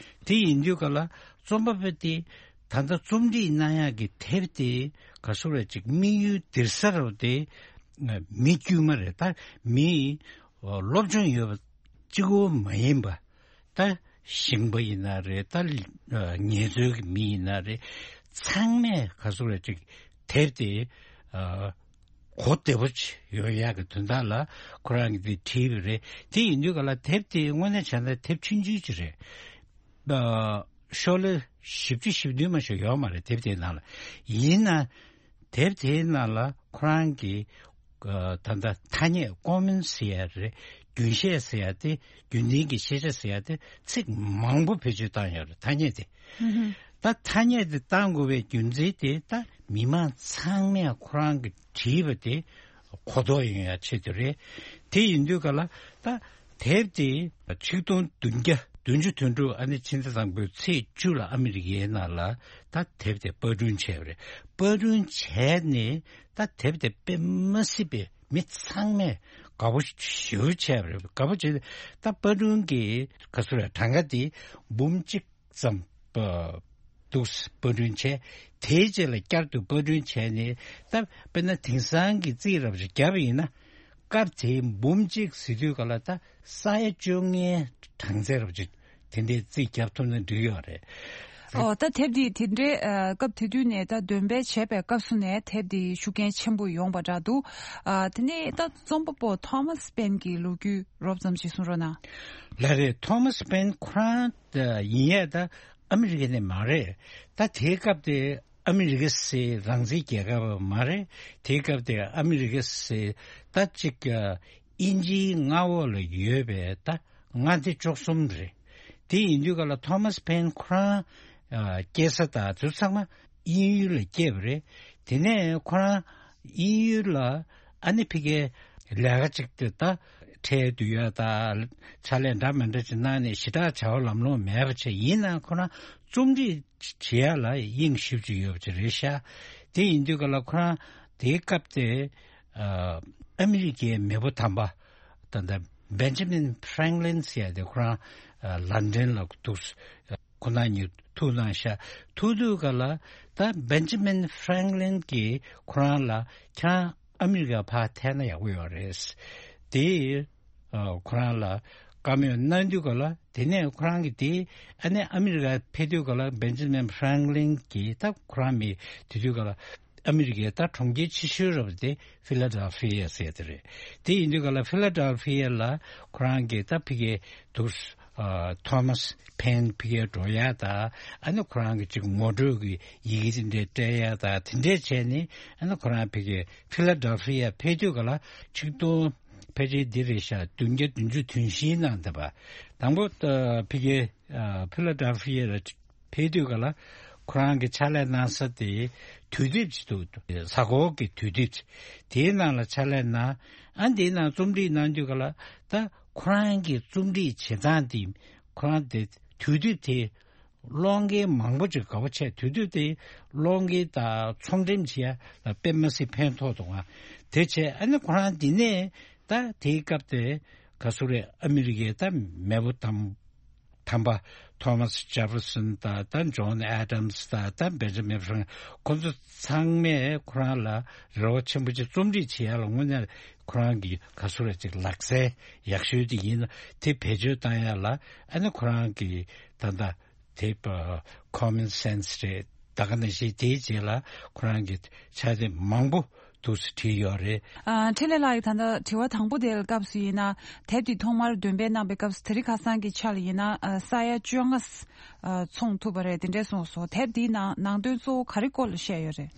དེ་ཡིན་དུས་ག་ལ་རྩོམ་པ་པོ་དེ་ད་ལྟ་རྩོམ་སྒྲིག་གནང་ཡག་གི་དེབ་དེ་ག་ཚོད་རེད་ཅིག་དམིགས་ཡུལ་འདིར་ས་རུ་དེ་མི་དཀྱུས་མ་རེད། ད་མི་སློབ་སྦྱོང་ཡོད་པ་གཅིག་པོ་མ་ཡིན་པ། ད་ཞིང་པ་ཡིན་ན་རེད། ད་ངལ་རྩོལ་གྱི་མི་ཡིན་ན་རེད། ཚང་མས་ག་ཚོད་རེད་ཅིག་དེབ་དེ་གོ་བདེ་པོ་ཅིག་ཡོང་ཡག་གི་དོན་དག་ལ་ཁོ་རང་གིས་དེ་བྲིས་པ་རེད། དེ་ཡིན་དུས་ག་ལ་དེབ་དེ་དངོས་གནས་བྱས་ན་དེབ་ཆུང་ཆུང་ཅིག་རེད། ཤོག་ལྷེ་བཞི་བཅུ་ཞེ་བདུན་མ་གཏོགས་ཡོད་མ་རེད། དེབ་དེའི་ནང་ལ། ཡིན་ན་དེབ་དེའི་ནང་ལ་ཁོ་རང་གིས་ད་ལྟ་ཐ་སྙད་Common ཟེར་ཡ་རེད། རྒྱུན་ཤེས་ཟེར་ཡ་དེ། རྒྱུན་ལྡན་གྱི་ཤེས་བྱ་ཟེར་ཡ་དེ་ཚིག་མང་པོ་བེད་སྤྱོད་བཏང་ཡོད་རེད། ཐ་སྙད་དེ། ད་ཐ་སྙད་དེ་བཏང་དགོས་པའི་རྒྱུ་མཚན་དེ་ད་མི་མང་ཚང་མས་ཁོ་རང་གིས་བྲིས་པ་དེ་གོ་རྟོགས་ཡོང་ཡ་ཆེད་དུ་རེད། དེ་ཡིན་དུས་ག་ལ་ད་དེབ་དེ་ཆིག་སྟོང་བདུན་བརྒྱ་བདུན་ཅུ་དོན་དྲུག་ཨ་ནི་ཕྱི་ཟླ་དང་པོའི་ཚེས་བཅུ་ལ་ཨ་མི་རི་ཀའི་ནང་ལ་ད་དེབ་དེ་པར་སྐྲུན་བྱས་པ་རེད། པར་སྐྲུན་བྱས་ནས་ད་དེབ་དེ་དཔེ་མ་སྲིད་པའི་མི་ཚང་མས་དགའ་པོ་ཞེ་པོ་བྱས་པ་རེད། དགའ་པོ་བྱས་ད་པར་སྐྲུན་གྱི་ག་ཚོད་རེད། གྲངས་ཀ་དེ་འབུམ་གཅིག་ཙམ་པ་འདུག་པར་སྐྲུན་བྱས། དེའི་རྗེས་ལ་བསྐྱར་དུ་པར་སྐྲུན་བྱས་ནས་ད་དཔེར་ན་དེང་སང་གི་རྩིས་རབ་ཅིག་བརྒྱབ་པ་ཡིན་ན་སྐབས་དེའི་འབུམ་གཅིག་ཟེར་དུས་ག་ལ་ད་ས་ཡ་བཅོ་ལྔའི་གྲངས་ཚད་རབ་ཅིག་དེ་འདྲའི་རྩིས་བརྒྱབ་ཐུབ་ན་འགྲིག་ཡོད་རེད། ཨོ། ད་དེབ་འདི་དེ་འདྲའི་ཨ་སྐབས་དེ་དུས་ནས་ད་འདོན་སྤེལ་བྱས་པའི་སྐབས་སུ་ནས་དེབ་འདི་ཤུགས་རྐྱེན་ཆེན་པོ་ཡོང་བ་འདྲ་འདུག་ཨ། དེ་ནས་ད་རྩོམ་པ་པོ་ཐོ་མཱས་པེན་གྱི་ལོ་རྒྱུས་རོབ་ཙམ་ཞིག་གསུང་རོགས་གནང་། ལགས་རེད། ཐོ་མཱས་པེན་ཁོ་རང་ད་ཡིན་ཡས་ད་ཨ་མི་རི་ཀ་ནས་མ་རེད། ད་དེའི་སྐབས་དེ་ཨ་མི་རི་ཀ་ཟེར་རང་བཙན་རྒྱལ་ཁབ་མ་རེད། དེའི་སྐབས་དེ་ཨ་མི་རི་ཀ་ཟེར་ད་ཅིག་ཨ་དབྱིན་ཇིའི་མངའ་འོག་ལ་ཡོད་པའི་ད་མངའ་སྡེ་བཅུ་གསུམ་རེད། དེ་ཡིན་དུས་ག་ལ་ཐོ་མཱས་པེན་ཁོ་རང་ཨ་སྐྱེས་ས་དང་དེ་ཚང་མ་དབྱིན་ཡུལ་ལ་སྐྱེས་པ་རེད། དེ་ནས་ཁོ་རང་དབྱིན་ཡུལ་ལ་ཨ་ནི་ཕ་གིའི་ལས་ཀ་ཅིག་དེ་ད་ཁྲལ་བསྡུ་ཡ་དང་ཕྱག་ལས་འདྲ་མི་འདྲ་ཅིག་གནང་ནས་ཞེ་དྲག་བྱ་བ་ལམ་ལྷོང་མེད་པ་བྱས། ཡིན་ནའང་ཁོ་རང་རྩོམ་སྒྲིག་བྱེད་ཡ་ལ་དབྱིངས་ཞེ་པོ་ཅིག་ཡོད་པ་ཅིག་རེད་ཤག་དེ་ཡིན་དུས་ག་ལ་ཁོ་རང་དེའི་སྐབས་དེ་ཨ་ཨ་མི་རི་ཀའི་མེས་པོ་དམ་པ་ད་ལྟ་བེན་ཇི་མིན་ཧྥ་རེང་ལིན་ཟེར་ཡ་དེ་ཁོ་རང་ཨ་ལན་ཌན་ལ་འདུག་ཁོ་རང་གཉིས་ཐུག་གནང་ཤག་ཐུག་དུས་ག་ལ་ད་བེན་ཇི་མིན་ཧྥ་རེང་ལིན་གྱིས་ཁོ་རང་ལ་ཁྱེད་རང་ཨ་མི་རི་ཀ་ཕར་ཐད་ན་ཡག་པོ་ཡོད་རེད། དེ་ཨ་ཁོ་རང་ལ་བཀའ་མོལ་གནང་དུས་ག་ལ། དེ་ནས་ཁོ་རང་གིས་དེ་ཨ་ནི་ཨ་མི་རི་ཀ་ཕེབས་དུས་ག་ལ་བེན་ཇི་མིན་ཧྥ་རེང་ལིན་གྱིས་ད་ཁོ་རང་མི་དེ་དུས་ག་ལ་ ཨ་མི་རི་ཀའི་ད་གྲོང་ཁྱེར་ཆེ་ཤོས་རབ་དེ་ཕི་ལ་ཌེལ་ཕི་ཡ་ཟེར་དེ་རེད། དེ་ཡིན་དུས་ག་ལ་ཕི་ལ་ཌེལ་ཕི་ཡ་ལ་ཁོ་རང་གི་ད་ཕི་གའི་དུ་ཐོ་མཱས་ཕེན་ཕི་གའི་འགྲོ་ཡ་ད་ཨ་ནི་ཁོ་རང་གི་ཅིག་ངོ་སྤྲོད་ཀྱི་ཡི་གེ་དེ་འདྲས་སྤྲད་ཡ་ད་དེ་འདྲས་བྱས་ནས་ཨ་ནི་ཁོ་རང་ཕི་གའི་ཕི་ལ་ཌེལ་ཕི་ཡ་ཕེབས་དུས་ག་ལ་ཆིག་སྟོང་ཕལ་ཆེར་འདི་རེད་ཤག་བདུན་བརྒྱ་བདུན་ཅུ་དོན་བཞིའི་ནང་དེ་བ་དང་པོ་ཕི་གའི་ཕི་ལ་ཌེལ་ཕི་ཡ་ལ་ཕེབས་དུས་ག་ལ་ཁོ་རང་གི་ཕྱག་ལས་གནང་ས་དེ་དུས་དེབ་ཅིག་འདུག་གཟའ་འཁོར་གྱི་དུས་དེབ་ཅིག་དེའི་ནང་ལ་ཕྱག་ལས་གནང་། ཨ་འདིའི་ནང་རྩོམ་སྒྲིག་གནང་དུས་ག་ལ་ད་ཁོ་རང་གི་རྩོམ་སྒྲིག་བྱེད་སྟངས་དེ་ཁོ་རང་དེ་དུས་དེབ་དེ་ཀློག་མཁན་མང་པོ་ཅིག་དགའ་པོ་བྱས། དུས་དེབ་དེ་ཀློག་མཁན་དང་ཚོང་འགྲེམས་བྱེད་ཡ་ལ་དཔེ་མ་སྲིད་ཕན་ཐོགས་འདུག་ཨ། དེ་བྱས་ཨ་ནི་ཁོ་རང་འདི་ནས་ད་དེའི་སྐབས་དེ་ག་སུ་རེད། ཨ་མི་རི་ཀའི་ད་མེས་པོ་དམ་དམ་པ་ཐོ་མཱས་ཇེ་ཕེར་སོན་དང་ད་ཇོན་ཨེ་ཌམ་སི་དང་ད་བེན་ཇ་མིན་ཧྥ་རེང་ཁོ་ཚོ་ཚང་མས་ཁོ་རང་ལ་རེ་བ་ཆེན་པོ་ཅིག་རྩོམ་སྒྲིག་བྱེད་ཡ་ལ་དངོས་གནས་ཁོ་རང་གི་ག་སུ་རེད་ཅིག་ལག་རྩལ་ཡག་ཤོས་དེ་ཡིན་ན་དེ་བེད་སྤྱོད་བཏང་ཡ་ལ་ཨ་ནི་ཁོ་རང་གི་ད་ལྟ་དེ་ཁོ་མོན་སེན་སི་རེད། ད་ག་ནང་བཞིན་དེའི་རྗེས་ལ་ཁོ་རང་གི་ཕྱག་དེབ་མང་པོ་འདུག་སེ་བྲིས་ཡོད་རེད། ཨ། འཕྲིན་ལས་ལགས་ཀྱིས་ད་ལྟ་དྲི་བ་དང་པོ་དེའི་སྐབས་སུ་ཡིན་ན་དེབ་དེ་ཐོག་མར་འདོན་སྤེལ་གནང་པའི་སྐབས་སུ་དེ་རིང་ཁ་སང་གི་ཆ་ལ་ཡིན་ན་ཨ། ས་ཡ་བཅོ་ལྔ་ཨ། འཚོང་ཐུབ་པ་རེད། དེ་འདྲས་གསུངས་སོང་། དེབ་དེའི་ནང་ནང་དོན་གཙོ་བོ་ག་རེ་སྐོར་ལ་བཤད་ཡོད་རེད།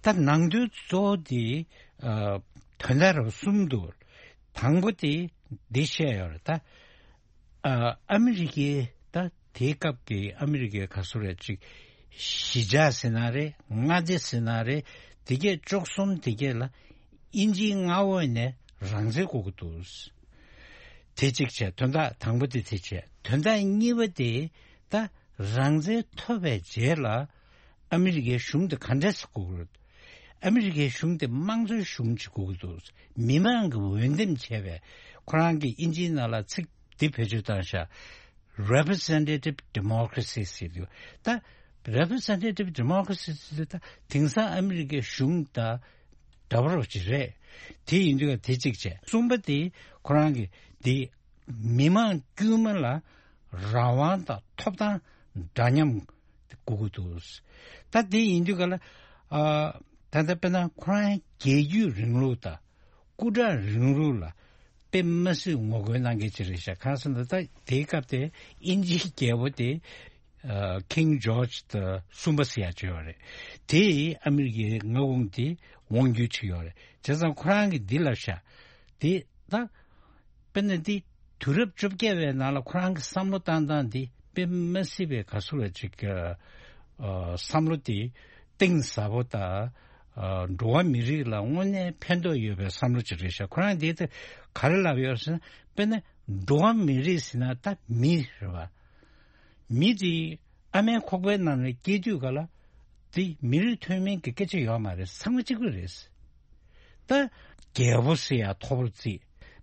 ད་ནང་དོན་གཙོ་བོ་དེ་ཨ། དོན་དག་རབ་གསུམ་འདུག་དང་པོ་དེ་འདི་བཤད་ཡོད་རེད་ད། ཨ། ཨ་མི་རི་ཀའི་ད་དེའི་སྐབས་ཀྱི་ཨ་མི་རི་ཀའི་ག་སུ་རེད་ཅིག་གཞིས་ཆགས་ཟེར་ན་རེད། མངའ་སྡེ་ཟེར་ན་རེད། དེ་གས་བཅུ་གསུམ་དེ་གས་ལ་དབྱིན་ཇིའི་མངའ་འོག་ནས་རང་བཙན་དགོས་ཀྱི་འདུག་དེ་གཅིག་བྱས། དོན་དག་དང་པོ་དེ་དེ་བྱས། དོན་དག་གཉིས་པ་དེ་ད་རང་བཙན་ཐོབ་པའི་རྗེས་ལ་ཨ་མི་རི་ཀའི་གཞུང་དེ་ག་འདྲས་སེ་དགོས་ཀྱི་རེད། ཨ་མི་རི་ཀའི་གཞུང་དེ་དམངས་གཙོའི་གཞུང་ཅིག་དགོས་ཀྱི་འདུག་མི་མང་གིས་འོས་འདེམས་བྱས་པའི། ཁོ་རང་གིས་དབྱིན་ཇིའི་ནང་ལ་ཚིག་འདི་བེད་སྤྱོད་བཏང་ཤག Representative Democracy ཟེར་དུས་ད་Representative Democracy ཟེར་དུས་ད་དེང་སང་ཨ་མི་རི་ཀའི་གཞུང་དང་འདྲ་པོ་རོ་ཅིག་རེད། དེ་ཡིན་དུས་དེ་གཅིག་བྱས། གསུམ་པ་དེ་ཁོ་རང་གིས་འདི་མི་མང་དཀྱུས་མ་ལ་རང་དབང་དང་ཐོབ་ཐང་འདྲ་མཉམ་དགོས་ཀྱི་འདུག་ད་དེ་ཡིན་དུས་ག་ལ་ཨ། ད་ལྟ་དཔེར་ན་ཁོ་རང་རྒྱལ་བརྒྱུད་རིང་ལུགས་དང་སྐུ་དྲག་རིང་ལུགས་ལ་དཔེ་མ་སྲིད་ངོ་རྒོལ་གནང་མཁན་ཅིག་རེད་ཤག་གང་ཟེར་ན་ད་དེའི་སྐབས་དེ་དབྱིན་ཇིའི་རྒྱལ་པོ་དེ་ཨ། King George the གསུམ་པ་ཟེར་ཡ་ཅིག་ཡོད་རེད། དེས་ཨ་མི་རི་ཀའི་མངའ་ཁོངས་དེ་དབང་སྒྱུར་བྱས་ཡོད་རེད། བྱས་ཙང་ཁོ་རང་གིས་འདི་ལབ་ཤག་དེ་ད་དཔེར་ན་འདི་དུས་རབས་བཅོ་བརྒྱད་པའི་ནང་ལ་ཁོ་རང་གི་བསམ་བློ་བཏང་སྟངས་འདི་དཔེ་མ་སྲིད་པའི་ག་སུ་ལ་ཅིག་ཨ། བསམ་བློ་དེ་གཏིང་ཟབ་པོ་དང་ཨ། འགྲོ་བ་མི་རིགས་ལ་དངོས་གནས་ཕན་ཐོགས་ཡོད་པའི་བསམ་བློ་ཅིག་རེད་ཤག་ཁོ་རང་འདི་ད་ག་རེ་ལབ་ཡོད་ཟེར་ན་དཔེར་ན་འགྲོ་བ་མི་རིགས་ཟེར་ན་ད་མི་རེད་བ། མི་དེ་ཨ་མའི་ཁོག་པའི་ནང་ནས་སྐྱེས་དུས་ག་ལ་དེ་མི་རིགས་མཐོ་དམན་གྱི་སྐད་ཆ་ཡོད་མ་རེད། ཚང་མ་གཅིག་པ་རེད། ད་རྒྱལ་པོ་ཟེར་ཡ་མཐོ་པོར་བརྩི།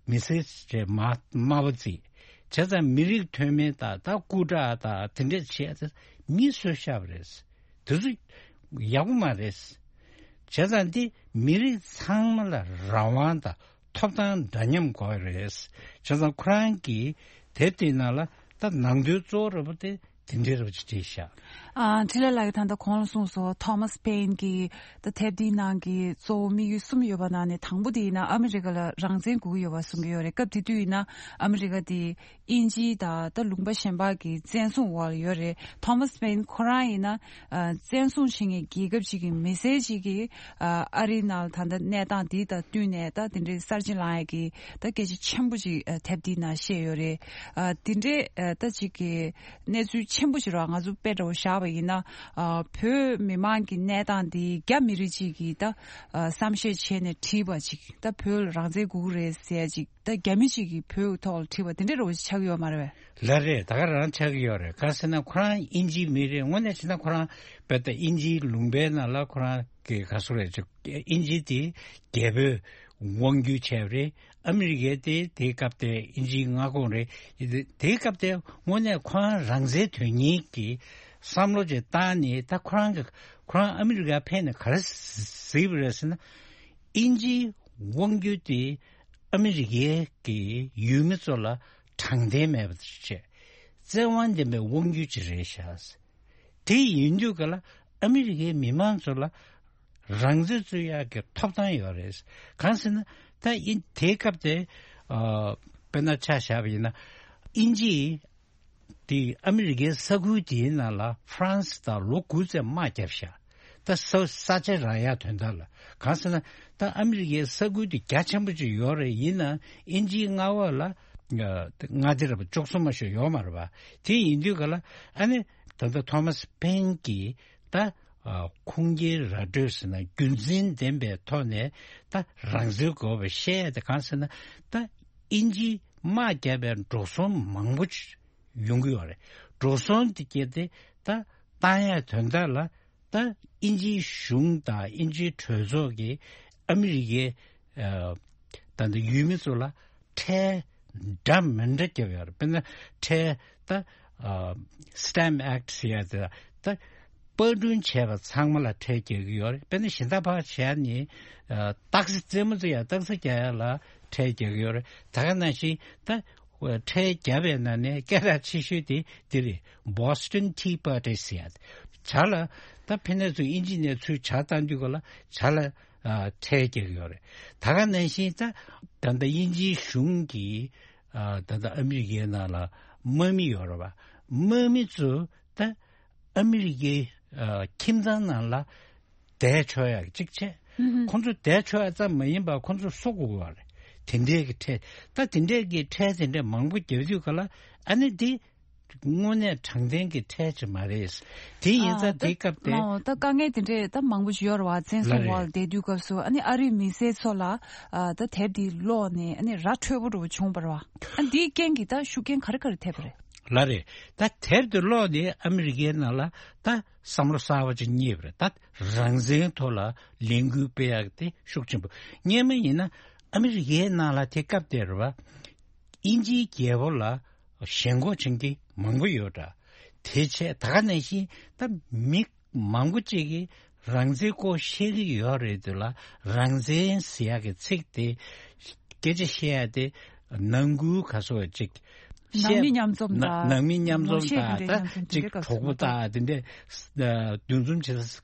མི་སེར་ཟེར་མ་དམའ་པོ་བརྩི། བྱས་ཙང་མི་རིགས་མཐོ་དམན་དང་ད་སྐུ་དྲག་དང་དེ་འདྲས་བྱས་ཏེ་མི་གསོད་བཞག་པ་རེད། དེ་ཚོ་ཡག་པོ་མ་རེད། བྱས་ཙང་འདི་མི་རིགས་ཚང་མ་ལ་རང་དབང་དང་ཐོབ་ཐང་འདྲ་མཉམ་དགོས་རེད། བྱས་ཙང་ཁོ་རང་གིས་དེབ་དེའི་ནང་ལ་ད་ནང་དོན་གཙོ་བོ་རེད་པ་དེ་དེ་འདྲའི་རེད་པ་ཅིག་བྲིས་ཤག་ཨ། འཕྲིན་ལས་ལགས་ཀྱིས་ད་ལྟ་གོང་ལ་གསུངས་སོང་། ཐོ་མཱས་ཕེན་གྱིས་ད་དེབ་འདིའི་ནང་གི་གཙོ་བོ་དམིགས་ཡུལ་གསུམ་ཡོད་པ་ནང་ནས་དང་པོ་དེ་ཡིན་ན་ཨ་མི་རི་ཀ་ལ་རང་བཙན་དགོས་ཀྱི་ཡོད་པ་གསུང་གི་ཡོད་རེད། སྐབས་དེ་དུས་ཡིན་ན་ཨ་མི་རི་ཀ་དེ་དབྱིན་ཇི་དང་ད་ལུང་པ་གཞན་པ་གི་བཙན་བཟུང་འོག་ལ་ཡོད་རེད། ཐོ་མཱས་ཕེན་ཁོ་རང་ཡིན་ན་ཨ། བཙན་བཟུང་བྱེད་མཁན་རྒྱལ་ཁབ་ཅིག་གི་མི་སེར་ཅིག་གིས་ཨ། ཨ་རིའི་ནང་ལ་ད་ལྟ་གནས་སྟངས་འདི་དང་བསྟུན་ནས་ད་དེ་འདྲའི་གསར་བརྗེ་བསླང་ཡས་ཀྱི་ད་སྐད་ཆ་ཆེན་པོ་ཅིག་ཨ། དེབ་འདིའི་ནང་བཤད་ཡོད་རེད། ཨ། དེ་འདྲའི་ཨ། ད་ཅིག་གི་གནས་ཚུལ་ཆེན་པོ་ཞིག་རེད་བ། ང་ཚོ་དཔེ་འདྲ་བོ་བཞག་པ་ཡིན་ན་ཨ། བོད་མི་མང་གི་གནས་སྟངས་འདི་རྒྱ་མི་རིགས་ཅིག་གིས་ད་ཨ། བསམ་ཤེས་བྱས་ནས་བྲིས་པ་ཅིག་ད་བོད་ལ་རང་བཙན་དགོས་ཀྱི་རེད་ཟེར་ཡ་ཅིག་ད་རྒྱ་མི་གཅིག་གིས་བོད་ཐོག་ལ་བྲིས་པ་དེ་འདྲ་རེད་བ་ཆགས་ཀྱི་ཡོད་མ་རེད་པས། ལགས་རེད། ད་ག་རང་ཆགས་ཀྱི་ཡོད་རེད། གང་ཟེར་ན་ཁོ་རང་དབྱིན་ཇིའི་མི་རེད། དངོས་གནས་བྱས་ན་ཁོ་རང་བོད་དང་དབྱིན་ཇིའི་ལུང་པའི་ནང་ལ་ཁོ་རང་གི་ག་སུ་རེད་ཅིག་དབྱིན་ཇི་དེ་རྒྱལ་པོས་དབང་བསྒྱུར་བྱས་པ་རེད། ཨ་མི་རི་ཀའི་དེ་དེའི་སྐབས་དེ་དབྱིན་ཇིའི་མངའ་ཁོངས་རེད། དེའི་སྐབས་དེ་དངོས་གནས་ཁོ་རང་རང་བཙན་དོན་གཉེར་གྱི་བསམ་བློ་ཅིག་བཏང་ནས་ད་ཁོ་རང་གི་ཁོ་རང་ཨ་མི་རི་ཀ་ཕེབས་ནས་ག་རེ་གཟིགས་པ་རེད་ཟེར་ན། དབྱིན་ཇིའི་དབང་བསྒྱུར་དེ་ཨ་མི་རི་ཀའི་གི་ཡུལ་མི་ཚོ་ལ་དྲང་བདེན་མེད་པ་བྱས། བཙན་དབང་ལྡན་པའི་དབང་བསྒྱུར་ཅིག་རེད་ཤག་དེ་ཡིན་དུས་ག་ལ་ཨ་མི་རི་ཀའི་མི་མང་ཚོ་ལ་ རང་བཙན་རྩོད་ཡག་གི་ཐོབ་ཐང་ཡོད་རེད། གང་ཟེར་ན་ད་ཨིན་དེའི་སྐབས་དེ་ཨ་དཔེར་ན་ཆ་བཞག་པ་ཡིན་ན་དབྱིན་ཇི་དེ་ཨ་མི་རི་ཀའི་ས་ཁུལ་དེའི་ནང་ལ་ཧྥ་རན་སི་དང་ལོ་དགུ་ཙམ་དམག་བརྒྱབ་ཤག་ད་ས་ས་ཆ་རག་ཡག་དོན་དག་ལ། གང་ཟེར་ན་ད་ཨ་མི་རི་ཀའི་ས་ཁུལ་དེ་རྒྱ་ཆེན་པོ་ཅིག་ཡོད་རེད། ཡིན་ན་དབྱིན་ཇིའི་མངའ་འོག་ལ་ཨ་མངའ་སྡེ་ར་བཅུ་གསུམ་མ་ཞིག་ཡོད་མ་རེད་པ། དེ་ཡིན་དུས་ག་ལ་ཨ་ནི་ད་ལྟ་ཐོ་མ་སི་ཕེན་གྱིས་ད་ཨ་ཁུངས་སྐྱེལ་ར་སྤྲོད་ཟེར་ན་རྒྱུ་མཚན་ལྡན་པའི་ཐོག་ནས་ད་རང་བཙན་དགོས་པ་བཤད་ཡ་དེ། གང་ཟེར་ན་ད་དབྱིན་ཇིས་དམག་བརྒྱབ་པའི་འགྲོ་སོང་མང་པོ་ཅིག་ཡོང་གི་ཡོད་རེད། འགྲོ་སོང་དེ་སྐྱེས་ཏེ་ད་བཏང་ཡ་དོན་དག་ལ་ད་དབྱིན་ཇིའི་གཞུང་དང་དབྱིན་ཇིའི་གྲོས་ཚོགས་ཀྱིས་ཨ་མི་རི་ཀའི་ཨ་ད་ལྟ་ཡུལ་མི་ཚོ་ལ་ཁྲལ་འདྲ་མི་འདྲ་བརྒྱབ་ཡོད་རེད། དཔེར་ན་ཁྲལ་ད་ཨ་Stamp Act ཟེར་ཡ་དེ་ད་པར་སྐྲུན་བྱས་པ་ཚང་མ་ལ་ཁྲལ་རྒྱག་གི་ཡོད་རེད། དཔེར་ན་གཞན་དག་ཕར་བྱས་ནས་ཨ་སྟག་གཟིག་རྩེད་མོ་རྩེ་ཡ་སྟག་གཟིག་རྒྱག་ཡ་ལ་ཁྲལ་རྒྱག་གི་ཡོད་རེད། ད་ག་ནང་བཞིན་ད་ཁྲལ་བརྒྱབ་པའི་ནང་ནས་སྐད་གྲགས་ཆེ་ཤོས་དེ་དེ་རེད། Boston Tea Party ཟེར་ཡ། ཇ་ལ་ད་ཕི་ནས་ཚུར་དབྱིན་ཇི་ནས་ཚུར་ཇ་བཏང་དུས་ག་ལ་ཇ་ལ་ཨ་ཁྲལ་རྒྱག་གི་ཡོད་རེད། ད་ག་ནང་བཞིན་ད་ད་ལྟ་དབྱིན་ཇིའི་གཞུང་གིས་ཨ་ད་ལྟ་ཨ་མི་རི་ཀའི་ནང་ལ་དམག་མི་ཡོད་རེད་པ། དམག་མི་ཚོ་ད་ཨ་མི་རི་ཀའི་ཨ་ཁྱིམ་ཚང་ནང་ལ་བསྡད་ཆོག་ཡག་གཅིག་བྱས། ཁོང་ཚོ་བསྡད་ཆོག་ཡག་ཙམ་མ་ཡིན་པར་ཁོང་ཚོ་གསོ་དགོས་པ་རེད། དེ་འདྲས་ཀྱི་ཁྲལ་ད་དེ་འདྲས་ཀྱི་ཁྲལ་དེ་འདྲས་མང་པོ་བརྒྱབ་དུས་ག་ལ་ཨ་ནི་འདི་དངོས་གནས་དྲང་བདེན་གྱི་ཁྲལ་ཅིག་མ་རེད། དེ་ཡིན་ཙང་ཨ་དེའི་སྐབས་དེ། ད་དཀའ་ངལ་དེ་འདྲས་ད་མང་པོ་ཞིག་ཡོད་རེད་པ། བཙན་བཟུང་འོག་ལ་བསྡད་དུས་སྐབས་སུ་ཨ་ནི་ཨ་རིའི་མི་སེར་ཚོ་ལ་ཨ་ད་དེབ་འདི་ཀློག་ནས་ཨ་ནི་ར་འཕྲོད་པོ་འདྲ་བོ་བྱུང་བ་རེད་པ། ཨ་འདིའི་རྐྱེན་གྱིས་ད་ཤུགས་རྐྱེན་ག་རེ་ག་རེ་ཐེབས་པ་རེད། ལགས་རེད། ད་དེབ་དེ་ཀློག་ནས་ཨ་མི་རི་ཀའི་ནང་ལ་ད་བསམ་བློ་གསར་བ་ཅིག་རྙེད་པ་རེད། ད་རང་བཙན་ཐོག་ལ་ལས་འགུལ་སྤེལ་ཡག་དེ་ཤུགས་ཆེན་པོ། སྔོན་མ་ཡིན་ན་ཨ་མི་རི་ཀའི་ནང་ལ་དེ་སྐབས་དེར་བ་དབྱིན་ཇིའི་རྒྱལ་པོ་ལ་ཞེན་ཁོག་ཅན་གྱི་མང་པོ་ཡོད་འདྲ། དེ་བྱས་ད་ག་ནང་བཞིན་ད་མི་མང་པོ་ཅིག་གིས་རང་བཙན་སྐོར་བཤད་ཀྱི་ཡོད་རེད་དེ་ལ། རང་བཙན་ཟེར་ཡག་གི་ཚིག་དེ་སྐད་ཆ་བཤད་ཡ་དེ་ནང་ཁུལ་ག་སོ་ཅིག་ནང་མི་མཉམ་འཛོམས་ནང་དང་ནང་མི་མཉམ་འཛོམས་ངོ་ཤེས་དང་དེ་འདྲའི་ད་ནང་དོན་དེ་ཅིག་འདྲའི་སྐབས་གྲོགས་པོ་སུ་དང་དེ་འདྲས་འདུ་འཛོམས་བྱེད་ས་